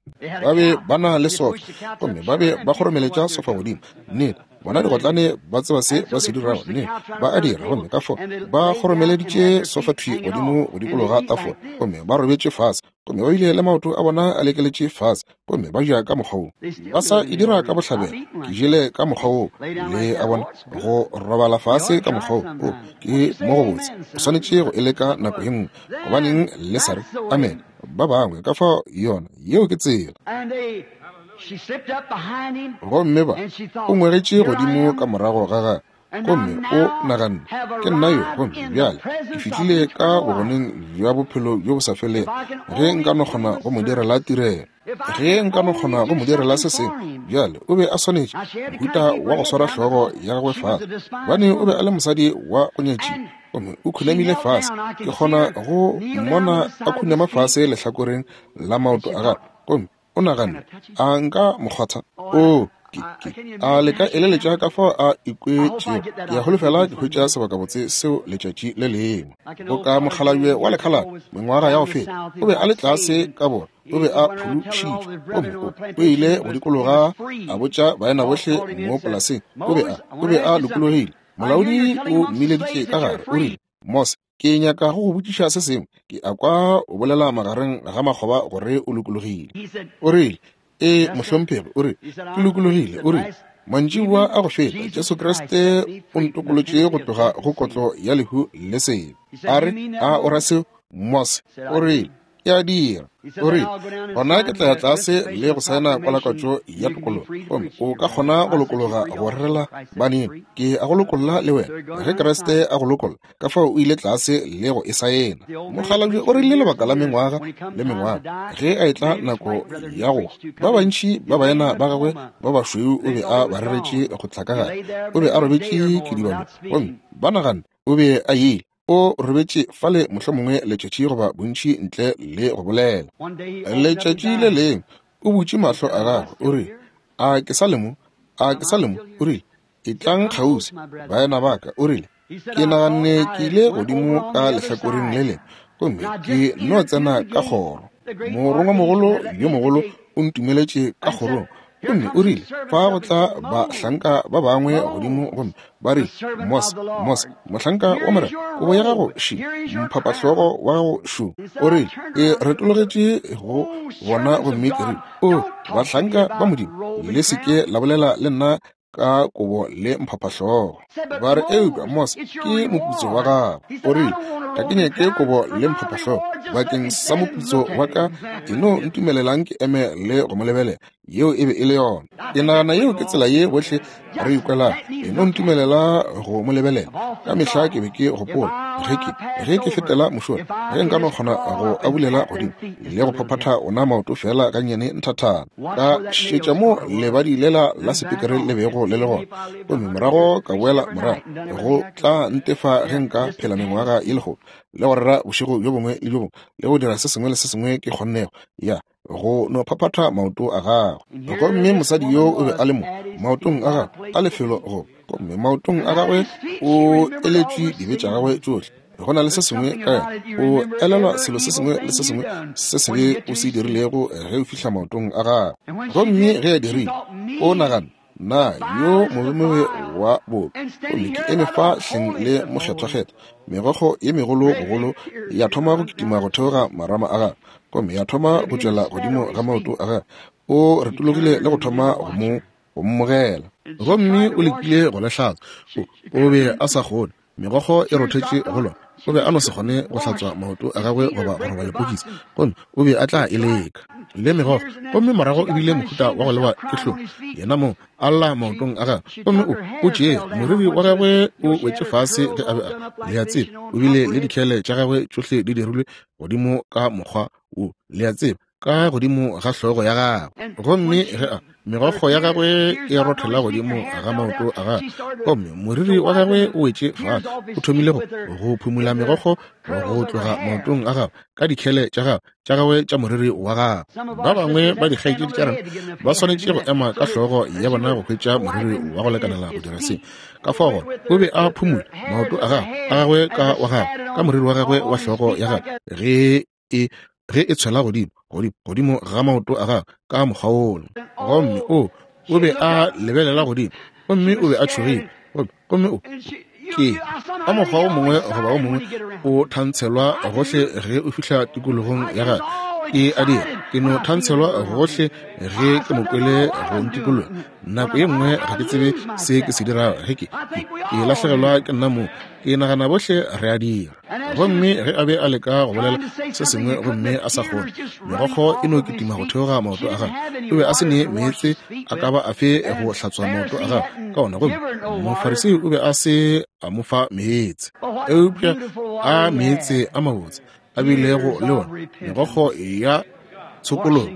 Ba be ba na le sofa, gomme ba be ba kgoromeletša sofa godimo. Nnete, bona digotlane ba tseba se ba se dirago. Nnete, ba a dira. Gomme ka fao ba kgoromeleditše sofa thwi godimo go dikologa tafola, gomme ba robetše fase, gomme ba bile le maoto a bona a lekeletše fase, gomme ba ja ka mokgwa woo. Ba sa e dira ka bohlabela. Ke jele ka mokgwa woo, le a bona, go robala fase ka mokgwa woo. O ke mo go botse. O swanetše go e leka nako ye nngwe. Gobaneng le sa re amen ba bangwe ka fao? Yona yeo ke tsela. Gomme ba o ngwegetše godimo ka morago ga gagwe, gomme o naganne, ke nna yo, gomme bjale ke fihlile ka bogoneng bja bophelo bjo bo sa felego. Ge nka no kgona go mo direla tirelo, ge nka no kgona go mo direla se sengwe. Bjale o be a swanetše mohuta wa go swara hlogo ya gagwe fase, gobane o be a le mosadi wa go nyatšiwa, gomme o khunamile fase. Ke kgona go mmona a khunama fase lehlakoreng la maoto a gagwe, gomme o naganne, a nka mo kgwatha? O ke, ke, a le ka eleletša ka fao a ikwetšego? Ke a holofela ke hwetša sebakabotse seo letšatši le lengwe. Boka mokgalabje wa lekhalaba mengwaga ya go feta, o be a le tlase ka borwa, o be a phološitšwe, gomme o, o ile go dikologa a botša baena bohle mo polaseng. O be a, o be a lokologile. Molaodi o mmileditše ka gare, o rile, Mose, ke nyaka go go botšiša se sengwe. Ke a kwa o bolela magareng ga makgoba gore o lokologile. O rile, ee, mohlomphegi. O rile, ke lokologile. O rile, mantšiboa a go feta Jesu Kriste o ntokolotše go tloga go kotlo ya lehu le sebe. A re, a o ra seo, Mose? O rile, ke a dira. O rile, gona ke tla ya tlase le go saena kwalakwatšo ya tokologo, gomme o ka kgona go lokologa go rerela baneno. Ke a go lokolla le wena ge Kriste a go lokolla. Ka fao o ile tlase le go e saena. Mokgalabje o rile lebaka la mengwaga le mengwaga, ge a etla nako ya go ba bantši ba baena ba gagwe ba bašweu o be a ba reretše go tla ka gare. O be a robetše kedibalong, gomme ba naganne o be a ile. O robetše fale mohlomongwe letšatši goba bontši ntle le go bolela. Letšatši le lengwe o butše mahlo a gagwe, o rile, a ke sa le mo? A ke sa le mo? O rile, etlang kgauswi, baena ba ka. O rile, ke naganne ke ile godimo ka lehlakoreng le lengwe, gomme ke no tsena ka kgoro. Morongwamogolo yo mogolo o ntumeletše ka kgorong. Gomme o rile, fa go tla bahlanka ba bangwe godimo gomme ba rile, Mos, Mos, mohlanka wa Morena, kobo ya gago še, mphapahlogo wa gago šo. O rile, ke retologetše go bona gomme ke rile, o, bahlanka ba Modimo, le se ke la bolela le nna ka kobo le mphapahlogo. Ba re, eupša Mos, ke moputso wa gago. O rile, ga ke nyake kobo le mphapahlogo bakeng sa moputso wa ka, e no ntumelelang ke eme le go mo lebelela. Yeo e be e le yona. Ke nagana yeo ke tsela ye bohle re ikwelago. E no ntumelela go mo lebelela. Ka mehla ke be ke gopola ge ke ge ke fetela mošola, ge nka no kgona go abulela godimo le go phaphatha ona maoto fela gannyane nthathana, ka šetša mo lebadi lela la sepikere le bego le le gona, gomme morago ka boela morago go tla ntefa ge nka phela mengwaga ye lekgolo le go rera bošego bjo bongwe le bjo bongwe le go dira se sengwe le se sengwe ke kgonnego ya go no phaphatha maoto a gagwe. Gomme mosadi yo o be a le mo maotong a gagwe a lefelo go, gomme maotong a gagwe o eletšwe dibe tša gagwe tšohle. Go na le se sengwe ka yena, o elelwa selo se sengwe le se sengwe se sebe o se dirilego ge o fihla maotong a gagwe. Gomme ge a dirile, o nagana, na yo mobemobe wa bobe, gomme ke eme fa hleng le mokgethwakgethwa. Megokgo ye megolo bogolo ya thoma go kitima go theoga marama a gagwe, gomme ya thoma go tšwela godimo ga maoto a gagwe. O retologile le go thoma go mo go mmogela, gomme o lekile go le hlatswa. O be a sa kgone, megokgo e rothetše go lona. O be a no se kgone go hlatswa maoto a gagwe goba go roba lepokisi, gomme o be a tla e leka le megokgo. Gomme morago e bile mohuta wa go lewa ke hlong, yena mo a lla maotong a gagwe, gomme o o tšee moriri wa gagwe o wetše fase ge a be a le a tseba. O bile le dikhele tša gagwe tšohle di dirilwe godimo ka mokgwa wo, le a tseba, ka godimo ga hlogo ya gagwe. Gomme ge a megokgo ya gagwe e rothela godimo ga maoto a gagwe, gomme moriri wa gagwe o wetše fase, o thomile go go phumula megokgo go tloga maotong a gagwe ka dikhele tša gagwe tša gagwe tša moriri wa gagwe. Ba bangwe ba dikgaetšedi tša rena ba swanetše go ema ka hlogo ya bona go hwetša moriri wa go lekanela go dira se. Ka fao gona o be a phumula maoto a gagwe a gagwe ka wa gagwe ka moriri wa gagwe wa hlogo ya gagwe ge e ge e tshwela godimo godimo godimo ga maoto a gagwe ka mokgwa wola. Gomme o o be a lebelela godimo, gomme o be a tšhogile, gomme o ke ka mokgwa o mongwe goba o mongwe o thantshelwa gohle ge o fihla tikologong ya gagwe. Ke a dira, ke no thantshelwa gohle ge ke mo kwele go ntikologa. Nako ye nngwe ga ke tsebe se ke se dirago ge ke ke lahlegelwa ke nna mo. Ke nagana bohle re a dira. Gomme ge a be a leka go bolela se sengwe gomme a sa kgone, megokgo e no kitima go theoga maoto a gagwe. O be a se ne meetse a ka ba afe go hlatswa maoto a gagwe ka ona, gomme Mofarisei o be a se a mo fa meetse. Eupša a meetse a mabotse a bilego le ona, megokgo ya tshokologo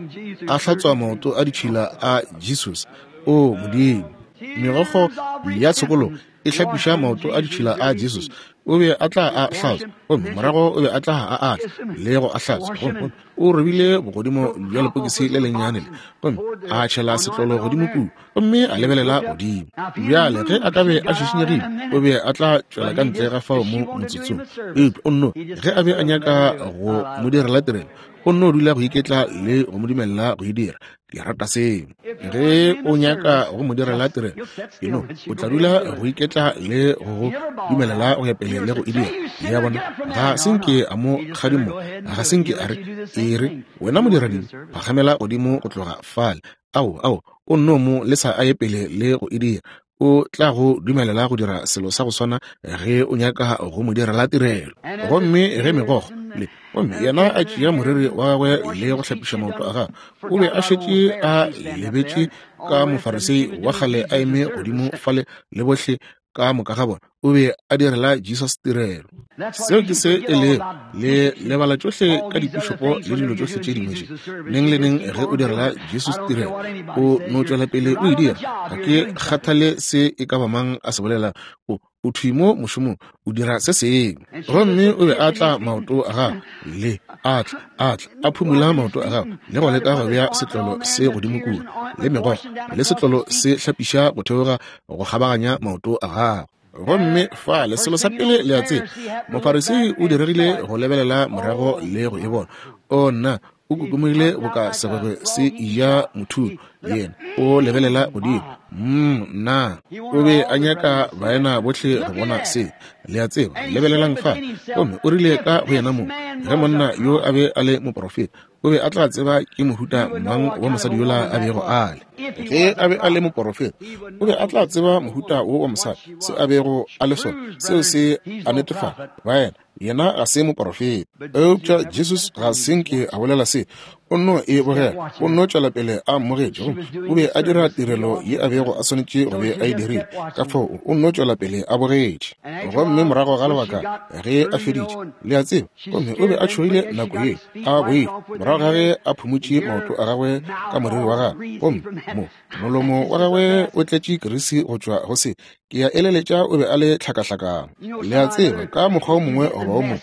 a hlatswa maoto a ditšhila a Jesus. O Modimo, megokgo ya tshokologo e hlapiša maoto a ditšhila a Jesus. O be a tla a hlatswa, gomme morago o be a tla a atla le go a hlatswa. Gomme o robile bogodimo bja lepokisi le lennyane le, gomme a tšhela setlolo godimo kudu, gomme a lebelela godimo. Bjale ge a ka be a šišinyegile, o be a tla tšwela ka ntle ga fao mo motsotsong. Eupša o nno, ge a be a nyaka go mo direla tirelo, o nno dula go iketla le go mo dumelela go e dira. Ke rata seo. Ge o nyaka go mo direla tirelo, eno o tla dula go iketla le go dumelela go ya pele le go e dira. Le a bona, ga se nke a mo kgadimo, ga se nke a re, e re wena modiradimo, phagamela godimo go tloga fale. Ao, ao, o nno mo lesa a ye pele le go e dira. O tla go dumelela go dira selo sa go swana ge o nyaka go mo direla tirelo. Gomme ge megokgo le gomme yena a tšea moriri wa gagwe le go hlapiša maoto a gagwe, o be a šetše a lebetše ka Mofarisei wa kgale a eme godimo fale le bohle ka moka ga bona. O be a direla Jesus tirelo. Seo ke se e lego, le lebala tšohle ka dipišopo le dilo tšohle tše dingwe tše. Neng le neng ge o direla Jesus tirelo, o no tšwela pele o e dira. Ga ke kgathale se e ka ba mang a se bolela, o o thwi mo mošomong, o dira se sengwe. Gomme o be a tla maoto a gagwe, le a tla, a tla, a phumula maoto a gagwe, le go leka go bea setlolo se godimo kua, le megokgo, le setlolo se hlapiša go theoga go kgabaganya maoto a gagwe. Gomme fale selo sa pele le a tseba, Mofarisei o diregile go lebelela morago le go e bona. O nna, o kokomogile boka segwegwe se eja mothulo, yena o lebelela godimo. Mm, nna, o be a nyaka baena bohle go bona se, le a tseba. Lebelelang fa. Gomme o rile ka go yena mong, ge monna yo a be a le moprofeta, o be a tla tseba ke mohuta mang wa mosadi yola a bego a le. Ge a be a le moprofeta, o be a tla tseba mohuta wo wa mosadi, se a bego a le sona, seo se a netefatša baena, yena ga se moprofeta. Eupša Jesus ga se nke a bolela se, o nno e bogela, o nno tšwela pele a mmogetše. Gomme o be a dira tirelo ye a bego a swanetše go be a e dirile, ka fao o nno tšwela pele a bogetše. Gomme morago ga lebaka ge a feditše, le a tseba, gomme o be a tšhogile nako ye, a boile morago ga ge a phumutše maoto a gagwe ka moriri wa gagwe, gomme mo molomo wa gagwe o tletše kerisi go tšwa go se. Ke ya eleletša o be a le tlhakahlakano. Le a tseba, ka mokgwa o mongwe goba o mongwe,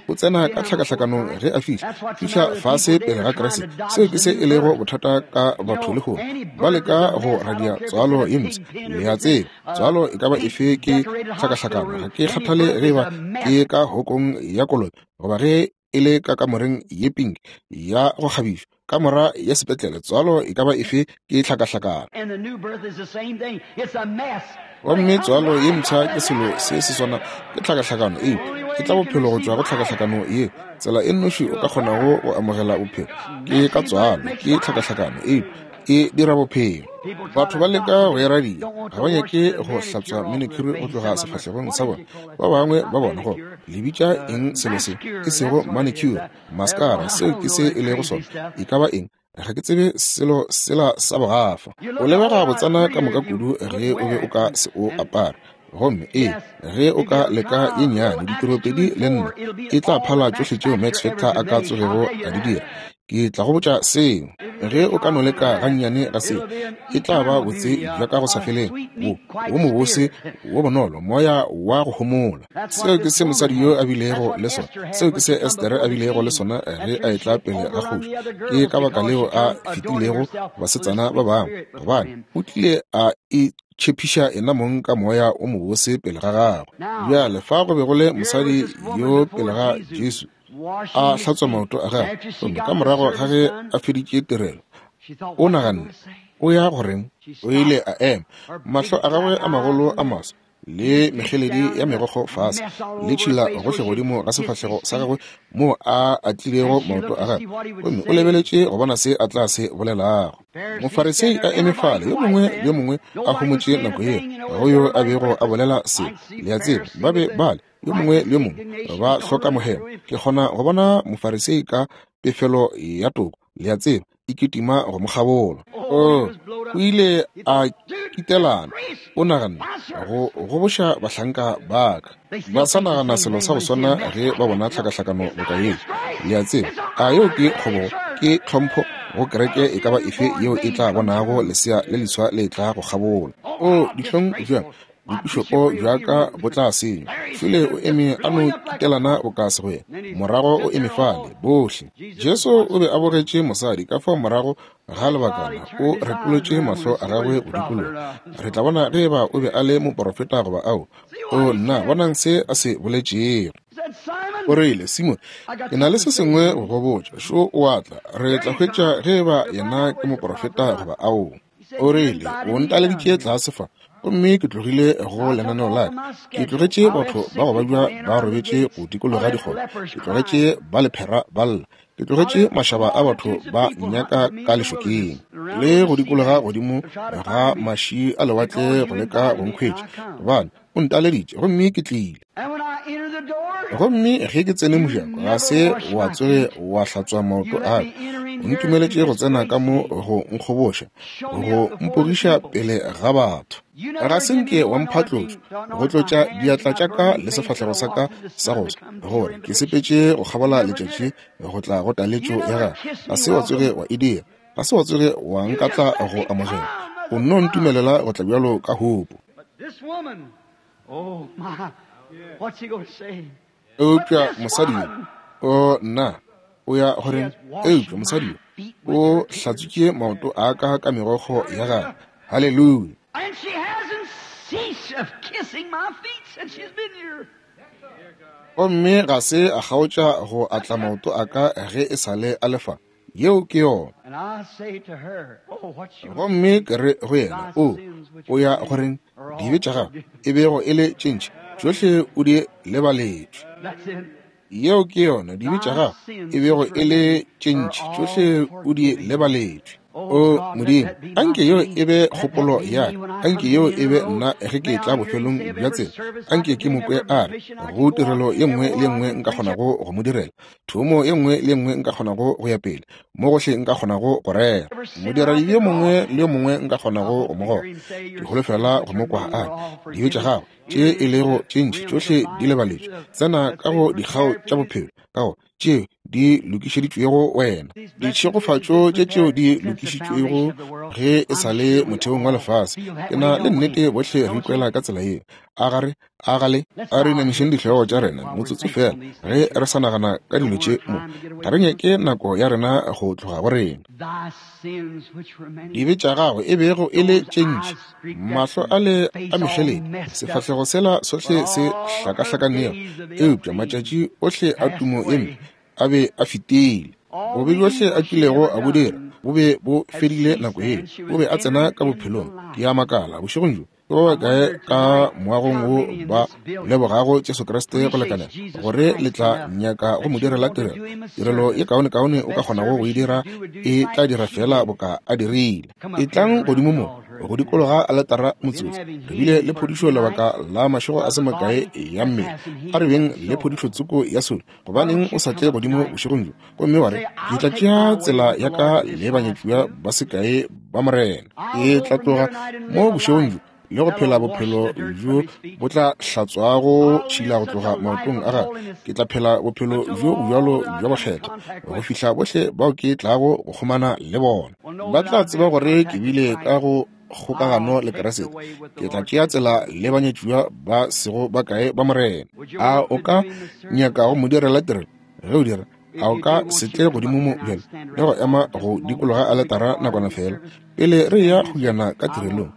o tsena ka tlhakahlakanong ge a fihla, fihla fase pele ga Kriste. Seo ke se e lego bothata ka batho lehono, ba leka go radia tswalo ye mpsha. Le a tseba, tswalo e ka ba efe ke tlhakahlakano. Ga ke kgathale ge eba ke ka hokong ya kolobe goba ge e le ka kamoreng ye pink ya go kgabišwa, kamora ya sepetlele, tswalo e ka ba efe ke tlhakahlakano. Gomme tswalo ye mpsha ke selo se se swana, ke tlhakahlakano, eupša ke tla bophelo go tšwa go tlhakahlakano ye. Tsela e nnoši o ka kgonago go amogela bophelo ke ka tswalo, ke tlhakahlakano, eupša e dira bophelo. Batho ba leka go e radia, ga ba nyake go hlatswa manicure go tloga sefahlegong sa bona. Ba bangwe ba bona go le bitša eng selo se, e sego manicure, mascara, seo ke se e lego sona, e ka ba eng, ga ke tsebe selo sela sa bogafa. O lebega botsana ka moka kudu ge o be o ka se o apare. Gomme ee, ge o ka leka ye nnyane, ditiropedi le nne, e tla phala tšohle tšeo Max Factor a ka tsogego a di dira. Ke tla go botša seo. Ge o ka no leka gannyane ga seo, e tla ba botse bja ka go sa feleng, wo wo mobose, wo bonolo, moya wa go homola. Seo ke se mosadi yo a bilego le sona. Seo ke se Estere a bilego le sona ge a etla pele ga kgoši. Ke ka baka leo a fetilego basetsana ba bangwe, gobane o tlile a e tšhepiša ena mong ka moya o mobose pele ga gagwe. Bjale fa go be go le mosadi yo pele ga Jesu a hlatswa maoto a gagwe, gomme ka morago ga ge a feditše tirelo, o naganne o ya goreng. O ile a ema, mahlo a gagwe a magolo a maso le mekgeledi ya megokgo fase, le tšhila gohle godimo ga sefahlego sa gagwe moo a atlilego maoto a gagwe, gomme o lebeletše go bona se a tla se bolelago. Mofarisei a eme fale, yo mongwe le yo mongwe a homotše nako yeo, ga go yo a bego a bolela se. Le a tseba, ba be bale yo mongwe le yo mongwe ba hloka mohemo. Ke kgona go bona Mofarisei ka pefelo ya toko, le a tseba, e kitima go mo kgabola. O o ile a kitelana, o naganne go goboša bahlanka ba ka. Ba sa nagana selo sa go swana ge ba bona tlhakahlakano boka yeo. Le a tseba, a yeo ke kgobogo, ke tlhompho go kereke e ka ba efe yeo e tla bonago lesea le leswa le tla go kgabola. O dihlong bjang, bopišopo bja ka bo tla senywa. Fele o eme a no kitelana boka segwena, morago o eme fale bohle. Jesu o be a bogetše mosadi, ka fao morago ga lebakana o retolotše mahlo a gagwe go dikologa. Re tla bona ge eba o be a le moprofeta goba ao. O nna, bonang se a se boletšego. O rile, Simon, ke na le se sengwe go go botša. Šo o a tla, re tla hwetša ge eba yena ke moprofeta goba ao. O rile, o ntaleditše tlase fa, gomme ke tlogile go lenaneo la ka. Ke tlogetše batho ba go babja ba robetše go dikologa dikgoro, ke tlogetše ba lephera ba lla, ke tlogetše mašaba a batho ba nnyaka ka lešokeng, le go dikologa godimo ga maši a lewatle go leka go nkhwetša, gobane o ntaleditše gomme ke tlile. Gomme ge ke tsene mojako, ga se wa tsoge wa hlatswa maoto a ka. O ntumeletše go tsena ka mo go nkgoboša, go mpogiša pele ga batho. Ga se nke wa mphatlotšo, go tlotša diatla tša ka le sefahlego sa ka sa go swa, gore ke sepetše go kgabola letšatši go tla go taletšo ya gagwe. Ga se wa tsoge wa e dira. Ga se wa tsoge wa nkatla go amogela. O nno ntumelela go tla bjalo ka hopo. Eupša mosadi yo, o nna, o ya goreng? Eupša mosadi yo o hlatswitše maoto a ka ka megokgo ya gagwe. Haleluya. Gomme ga se a kgaotša go atla maoto a ka ge e sa le a lefa. Yeo ke yona. Gomme ke re go yena, o o ya goreng? Dibe tša gago e bego e le tše ntši, tšohle o di lebaletšwe. Yeo ke yona. Dibe tša gago e bego e le tše ntši, tšohle o di lebaletšwe. O Modimo, anke yeo e be kgopolo ya ka, anke yeo e be nna ge ke tla bofelong bja tsela. Anke ke mo kwe a re go tirelo ye nngwe le ye nngwe nka kgonago go mo direla, thomo ye nngwe le ye nngwe nka kgonago go ya pele, mo gohle nka kgonago go rera, modiradibe yo mongwe le yo mongwe nka kgonago go mo goga. Ke holofela go mo kwa a re, dibe tša gago tše e lego tše ntši tšohle di lebaletšwe, tsena ka go dikgao tša bophelo, ka go tšeo di lokišeditšwego wena, ditšhegofatšo tše tšeo di lokišitšwego ge e sa le motheong wa lefase. Ke na le nnete bohle re ikwela ka tsela yeo. A gare a gale a re inamišeng dihlogo tša rena motsotso fela ge re sa nagana ka dilo tše mo. Ga re nyake nako ya rena go tloga go rena. Dibe tša gagwe e bego e le tše ntši, mahlo a le a mešeledi, sefahlego sela sohle se hlakahlakanego, eupša matšatši ohle a tumo ye mpe a be a fetile. Bobe bjohle a kilego a bo dira bo be bo fedile nako yeo. O be a tsena ka bophelong. Ke a makala bošegong bjo, ke ba bakae ka moagong wo ba lebogago Jesu Kriste go lekanela gore le tla nyaka go mo direla tirelo? Tirelo ye kaonekaone o ka kgonago go e dira e tla dira fela boka a dirile. E tlang godimo mo go dikologa aletara motsotso. Re bile le phodišo lebaka la mašego a se makae ya mmele. A re beng le phodišo tsoko ya solo. Gobaneng o sa tle godimo bošegong bjo gomme wa re, ke tla tšea tsela ya ka le banyatšiwa ba sekae ba Morena. Ke tla tloga mo bošegong bjo le go phela bophelo bjo bo tla hlatswago tšhila go tloga maotong a gagwe. Ke tla phela bophelo bjo bjalo bja bokgethwa go fihla bohle bao ke tlago go kgomana le bona ba tla tseba gore ke bile ka go kgokagano le Kriste. Ke tla tšea tsela le banyatšiwa ba sego bakae ba Morena. A o ka nyaka go mo direla tirelo? Ge o dira, a o ka se tle godimo mo bjale le go ema go dikologa aletara nakwana fela pele re ya go yana ka tirelong?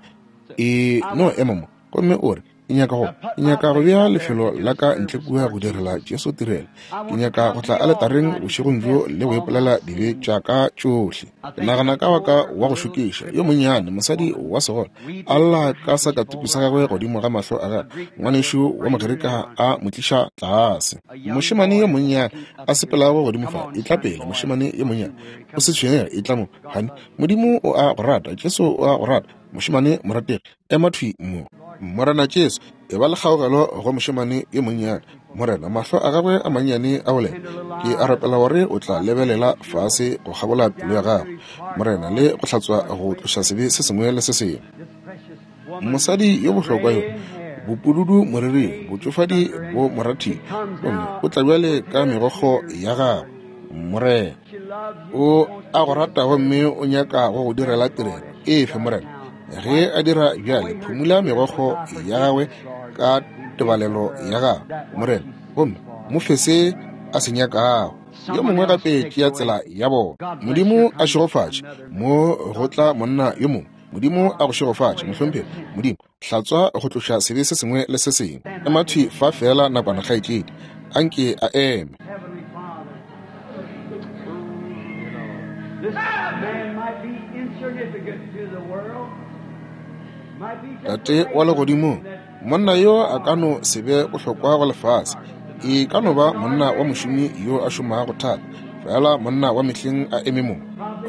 E no ema mo gomme o re, ke nyaka go ke nyaka go bea lefelo la ka ntle kua go direla Jesu tirelo. Ke nyaka go tla aletareng bošegong bjo le go ipolela dibe tša ka tšohle. Ke nagana ka waka wa go šokiša yo monnyane, mosadi wa segole, a lla ka sakatuku sa gagwe godimo ga mahlo a gagwe, ngwanešu wa Mogerika a mo tliša tlase. Mošemane yo monnyane a sepelago godimo fa, e tla pele, mošemane yo monnyane, o se tshwenyege, e tla mo, honey. Modimo o a go rata, Jesu o a go rata, mošemane morategi, ema thwi mo. Morena Jesu, e ba le kgaogelo go mošemane yo monnyane. Morena, mahlo a gagwe a mannyane a bolela. Ke a rapela gore o tla lebelela fase go kgabola pelo ya gagwe, Morena, le go hlatswa go tloša sebe se sengwe le se sengwe. Mosadi yo bohlokwa yo, bopududu moriring, botšofadi bo morathile, gomme o tla bjale ka megokgo ya gagwe. Morena, o a go rata gomme o nyaka go go direla tirelo. Efe, Morena, ge a dira bjale, phumula megokgo ya gagwe ka tebalelo ya gagwe, Morena, gomme mo fe se a se nyakago. Yo mongwe gape tšea tsela ya bona. Modimo a šegofatše mo go tla monna yo mongwe. Modimo a go šegofatše, mohlomphegi. Modimo, hlatswa go tloša sebe se sengwe le se sengwe. Ema thwi fa fela nakwana, kgaetšedi. Anke a eme. Tate wa legodimong, monna yo a ka no se be bohlokwa go lefase. E ka no ba monna wa mošomi yo a šomago thata, fela monna wa mehleng a eme mo.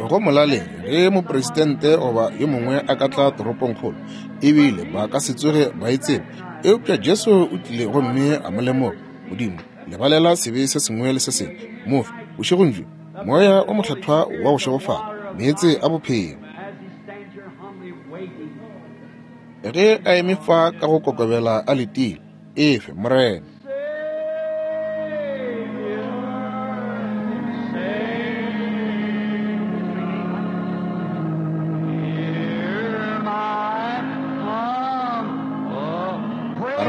Go molaleng ge mopresidente goba yo mongwe a ka tla toropongkgolo, ebile ba ka se tsoge ba e tseba. Eupša Jesu o tlile gomme a mo lemoga. Modimo, lebalela sebe se sengwe le se sengwe. Mofe bošegong bjo Moya o Mokgethwa wa go šegofala, meetse a bophelo. Ge a eme fa ka go kokobela a letile, efe Morena.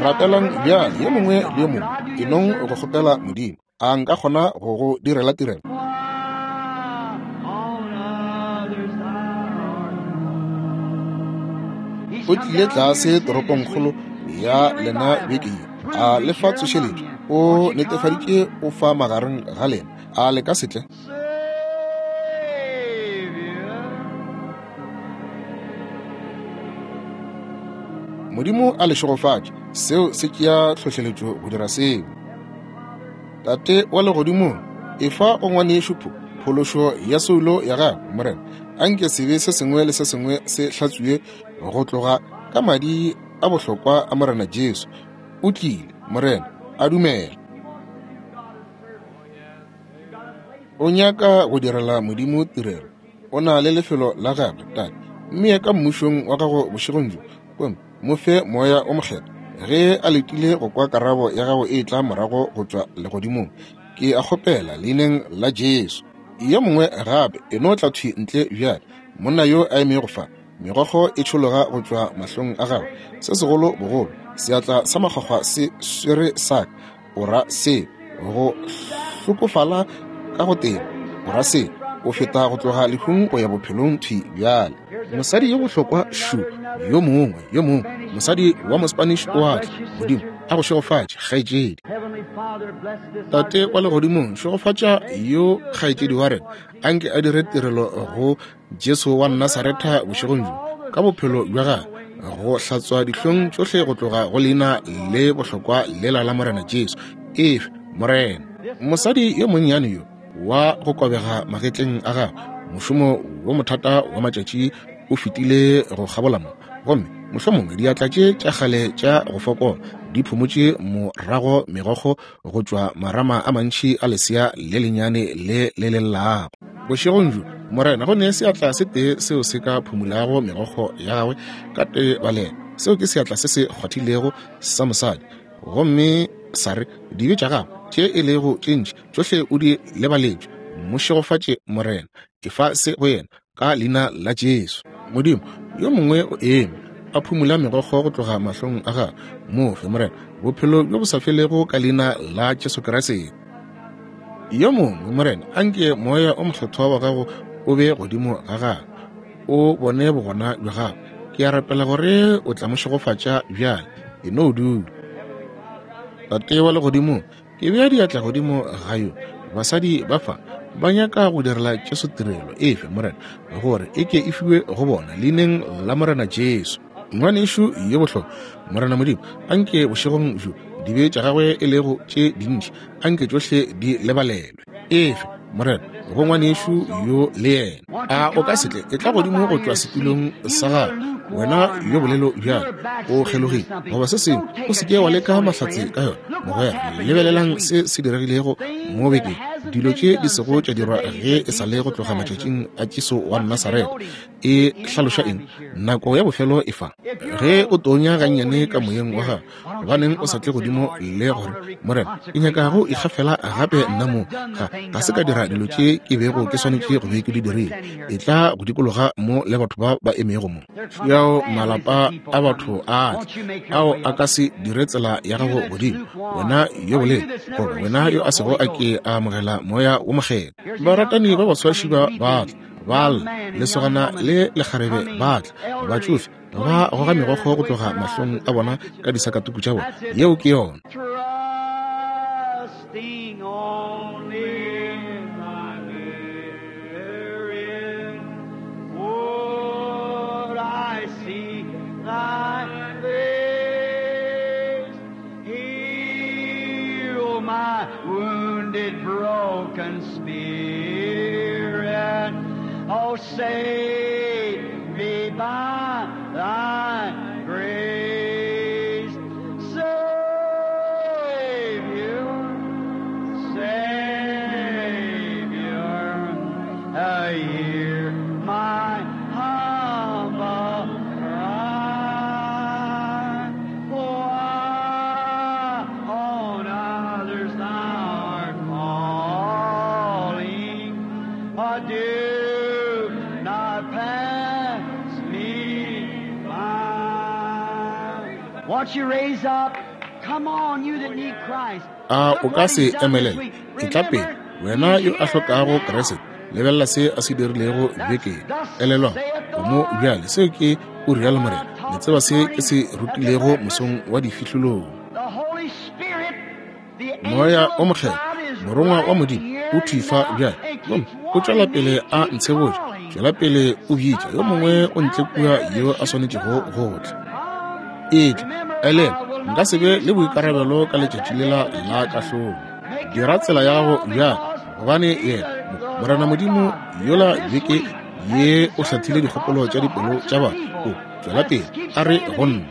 Rapelang bjale yo mongwe le yo mongwe, e nong go kgopela Modimo. A nka kgona go go direla tirelo? O tlile tlase toropongkgolo ya lena beke ye, a le fa tsošeletšo. O netefaditše o fa magareng ga lena. A le ka se tle? Modimo a le šegofatše. Seo se tšea tlhohleletšo go dira seo. Tate wa legodimong, efa go ngwanešu phološo ya soulo ya gagwe, Morena. Anke sebe se sengwe le se sengwe se hlatswiwe go tloga ka madi a bohlokwa a Morena Jesu. O tlile, Morena, a dumela. O nyaka go direla Modimo tirelo. O na le lefelo la gagwe, Tate. Mme ka mmušong wa gago bošegong bjo, gomme mo fe Moya o Mokgethwa ge a letile go kwa karabo ya gago e tla morago go tšwa legodimong. Ke a kgopela leineng la Jesu. Yo mongwe gape e no tla thwi ntle bjale. Monna yo a emego fa, megokgo e tšhologa go tšwa mahlong a gagwe. Se segolo bogolo, seatla sa makgwakgwa se swere sa ka. O ra se go hlokofala ka go teba. O ra se o feta go tloga lehung go ya bophelong thwi bjale. Mosadi yo bohlokwa šu, yo mongwe, yo mongwe, mosadi wa Mospanish o a tla. Modimo a go šegofatše, kgaetšedi. Tate wa legodimong, šegofatša yo kgaetšedi wa rena. Anke a dire tirelo go Jesu wa Nasaretha bošegong bjo, ka bophelo bja gagwe, go hlatswa dihlong tšohle go tloga go leina le bohlokwa lela la Morena Jesu. Efe, Morena. Mosadi yo monnyane yo wa go kobega magetleng a gagwe, mošomo wo mothata wa matšatši o fetile go kgabola mo, gomme mohlomongwe diatla tše tša kgale tša go fokola di phumotše morago megokgo go tšwa marama a mantši a lesea le lenyane le le lellago. Bošegong bjo, Morena, go ne seatla se tee seo se ka phumulago megokgo ya gagwe ka tebalelo. Seo ke seatla se se kgwathilego sa mosadi, gomme sa re dibe tša gagwe tše e lego tše ntši tšohle o di lebaletšwe. Mo šegofatše, Morena. Efa se go yena ka leina la Jesu. Modimo, yo mongwe o eme a phumula megokgo go tloga mahlong a gagwe. Mo fe, Morena, bophelo bjo bo sa felego ka leina la Jesu Kriste. Yo mongwe, Morena, anke Moya o Mokgethwa wa gago o be godimo ga gagwe, o bone bogona bja gagwe. Ke a rapela gore o tla mo šegofatša bjale. E no dula. Tate wa legodimong, ke bea diatla godimo ga yo. Basadi ba fa ba nyaka go direla Jesu tirelo. Efe, Morena, gore e ke e fiwe go bona leineng la Morena Jesu. Ngwanešu yo bohlokwa, Morena Modimo, anke bošegong bjo dibe tša gagwe e lego tše dintši, anke tšohle di lebalelwe. Efe, Morena, go ngwanešu yo le yena. A o ka se tle e tla godimo go tšwa setulong sa gago, wena yo bolelo bjale o kgelogile goba se sengwe, o se ke wa leka mahlatse ka yona. Mogwera, lebelelang se se diregilego mo bekeng, dilo tše di sego tša dirwa ge e sa le go tloga matšatšing a Jesu wa Nasaretha. E hlaloša eng? Nako ya bofelo e fa. Ge o tonya gannyane ka moyeng wa gago, gobaneng o sa tle godimo le gore, Morena, ke nyaka go ikgafela gape nna mo, ga ga se ka dira dilo tše ke bego ke swanetše go be ke di dirile. E tla go dikologa mo le batho ba ba emego mo. Yao malapa a batho a tla, ao a ka se dire tsela ya gago godimo, wena yo bolelo, goba wena yo a sego a ke a amogela Moya wo Mokgethwa. Baratani ba baswaši ba ba tla, ba lla, lesogana le lekgarebe ba tla, batšofe ba goga megokgo go tloga mahlong a bona ka disakatuku tša bona. Yeo ke yona. Trusting only in thy merit, would I see thy face, heal my wounded, broken spirit. Oh, save me by thy grace. Savior, Savior, A o ka se emelele? Etla pele, wena yo a hlokago Kriste. Lebelela se a se dirilego bekeng. Elelwa, o mo bjale. Seo ke o rialo Morena. Le tseba se ke se rutilego mosong wa difihlolong. Moya o Mokgethwa, morongwa wa Modimo, o thwi fa bjale. Gomme o tšwela pele a ntshebotša, tšwela pele o bitša yo mongwe o ntle kua yo a swanetšego go tla. Etla, elelwa, nka se be le boikarabelo ka letšatši lela la kahlolo. Dira tsela ya gago bjale, gobane yena Morena Modimo yola beke ye o hlathile dikgopolo tša dipelo tša batho. O tšwela pele a re go nna,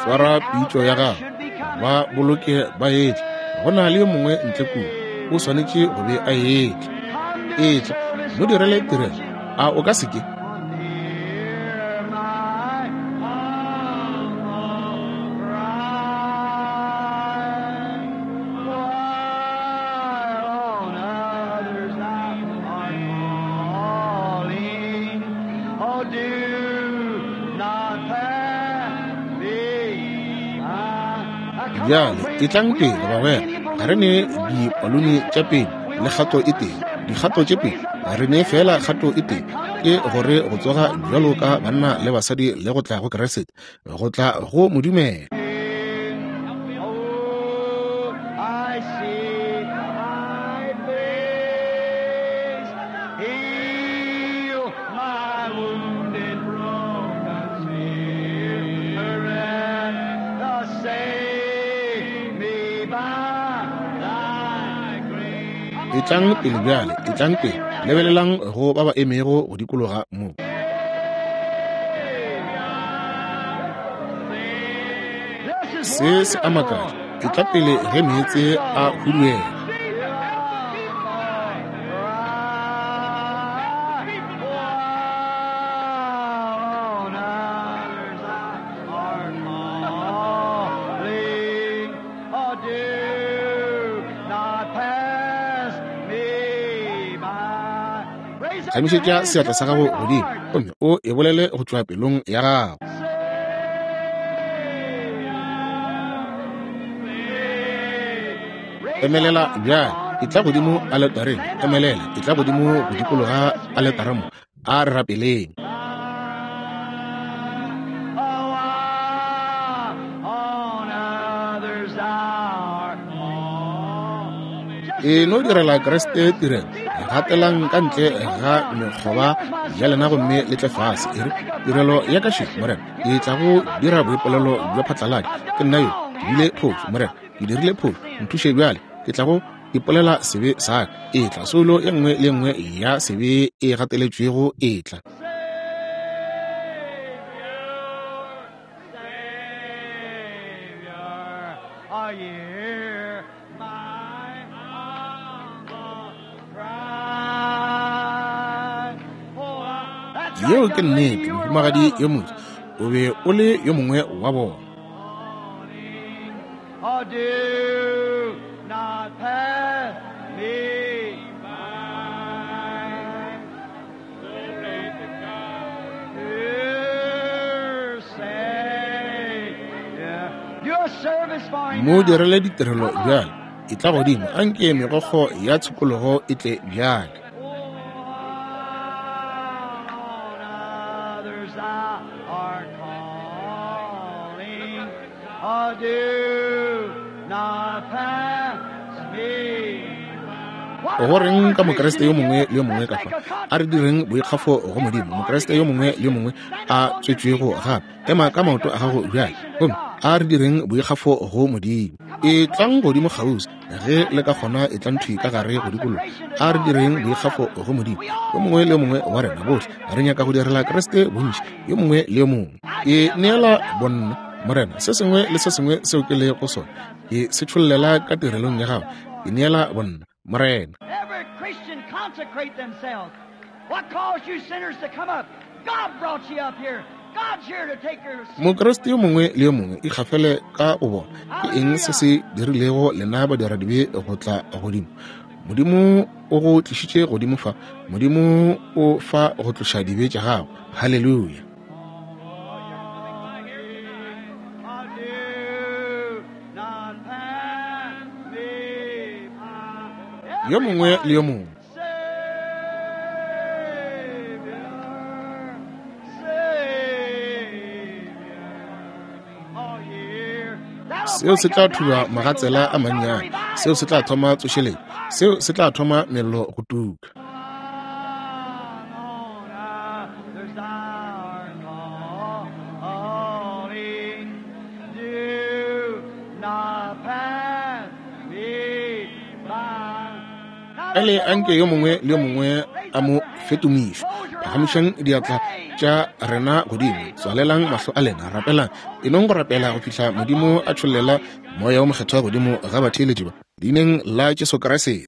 swara pitšo ya gago, ba boloke ba etla. Go na le yo mongwe ntle kua, o swanetše go be a etla. Etla, mo direle tirelo. A o ka se ke? Bjale etlang pele bagwera, ga re ne dipalone tša pele le kgato e tee, dikgato tše pedi, ga re ne fela kgato e tee, ke gore go tsoga bjalo ka banna le basadi le go tla go Kriste, go tla go mo dumela. Etlang pele bjale, etlang pele. Lebelelang go ba ba emego go dikologa mo. Se se a makatša. Etla pele ge meetse a huduela. Emišetša seatla sa gago godimo gomme o e bolele go tšwa pelong ya gago. Emelela bjale, etla godimo aletareng. Emelela, etla godimo go dikologa aletara mo. A re rapeleng. E no direla Kriste tirelo. Gatelang ka ntle ga mekgoba ya lena gomme le tle fase. E re, tirelo ya ka še, Morena, ke tla go dira boipolelo bja phatlalatša. Ke nna yo, ke bile phošo, Morena, ke dirile phošo, nthuše bjale. Ke tla go ipolela sebe sa ka. Etla, soulo ye nngwe le nngwe ya sebe e gateletšwego etla. Yeo ke nnete, mohumagadi yo motse, o be o le yo mongwe wa bona. Mo direle ditirelo bjale, etla godimo, anke megokgo ya tshokologo e tle bjale. Go reng ka Mokriste yo mongwe le yo mongwe ka fa? A re direng boikgafo go Modimo. Mokriste yo mongwe le yo mongwe a tswetšwego gape, ema ka maoto a gago bjale gomme a re direng boikgafo go Modimo. Etlang godimo kgauswi ge le ka kgona, etlang thwi ka gare go dikologa. A re direng boikgafo go Modimo. Yo mongwe le yo mongwe wa rena bohle re nyaka go direla Kriste bontši, yo mongwe le yo mongwe. Ke neela bonna, Morena, se sengwe le se sengwe seo ke lego sona, ke se tšhollela ka tirelong ya gago. Ke neela bonna, Morena. Every Christian consecrate themselves. What caused you sinners to come up? God brought you up here. God's here to take your sins. Mokriste yo mongwe le yo mongwe ikgafele ka go bona. Ke eng se se dirilego lena badiradibe go tla godimo? Modimo o go tlišitše godimo fa. Modimo o fa go tloša dibe tša gago. Haleluya. Yo mongwe le yo mongwe. Seo se tla thuba magatsela a mannyane. Seo se tla thoma tsošeletšo. Seo se tla thoma mello go tuka. Bjale anke yo mongwe le yo mongwe a mo fetomišwe. Phagamišang diatla tša rena godimo, tswalelang mahlo a lena, rapelang. E nong go rapela go fihla Modimo a tšhollela Moya wo Mokgethwa godimo ga batheeletši ba, leineng la Jesu Kriste.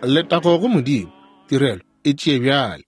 Letago go Modimo, tirelo e tšee bjale.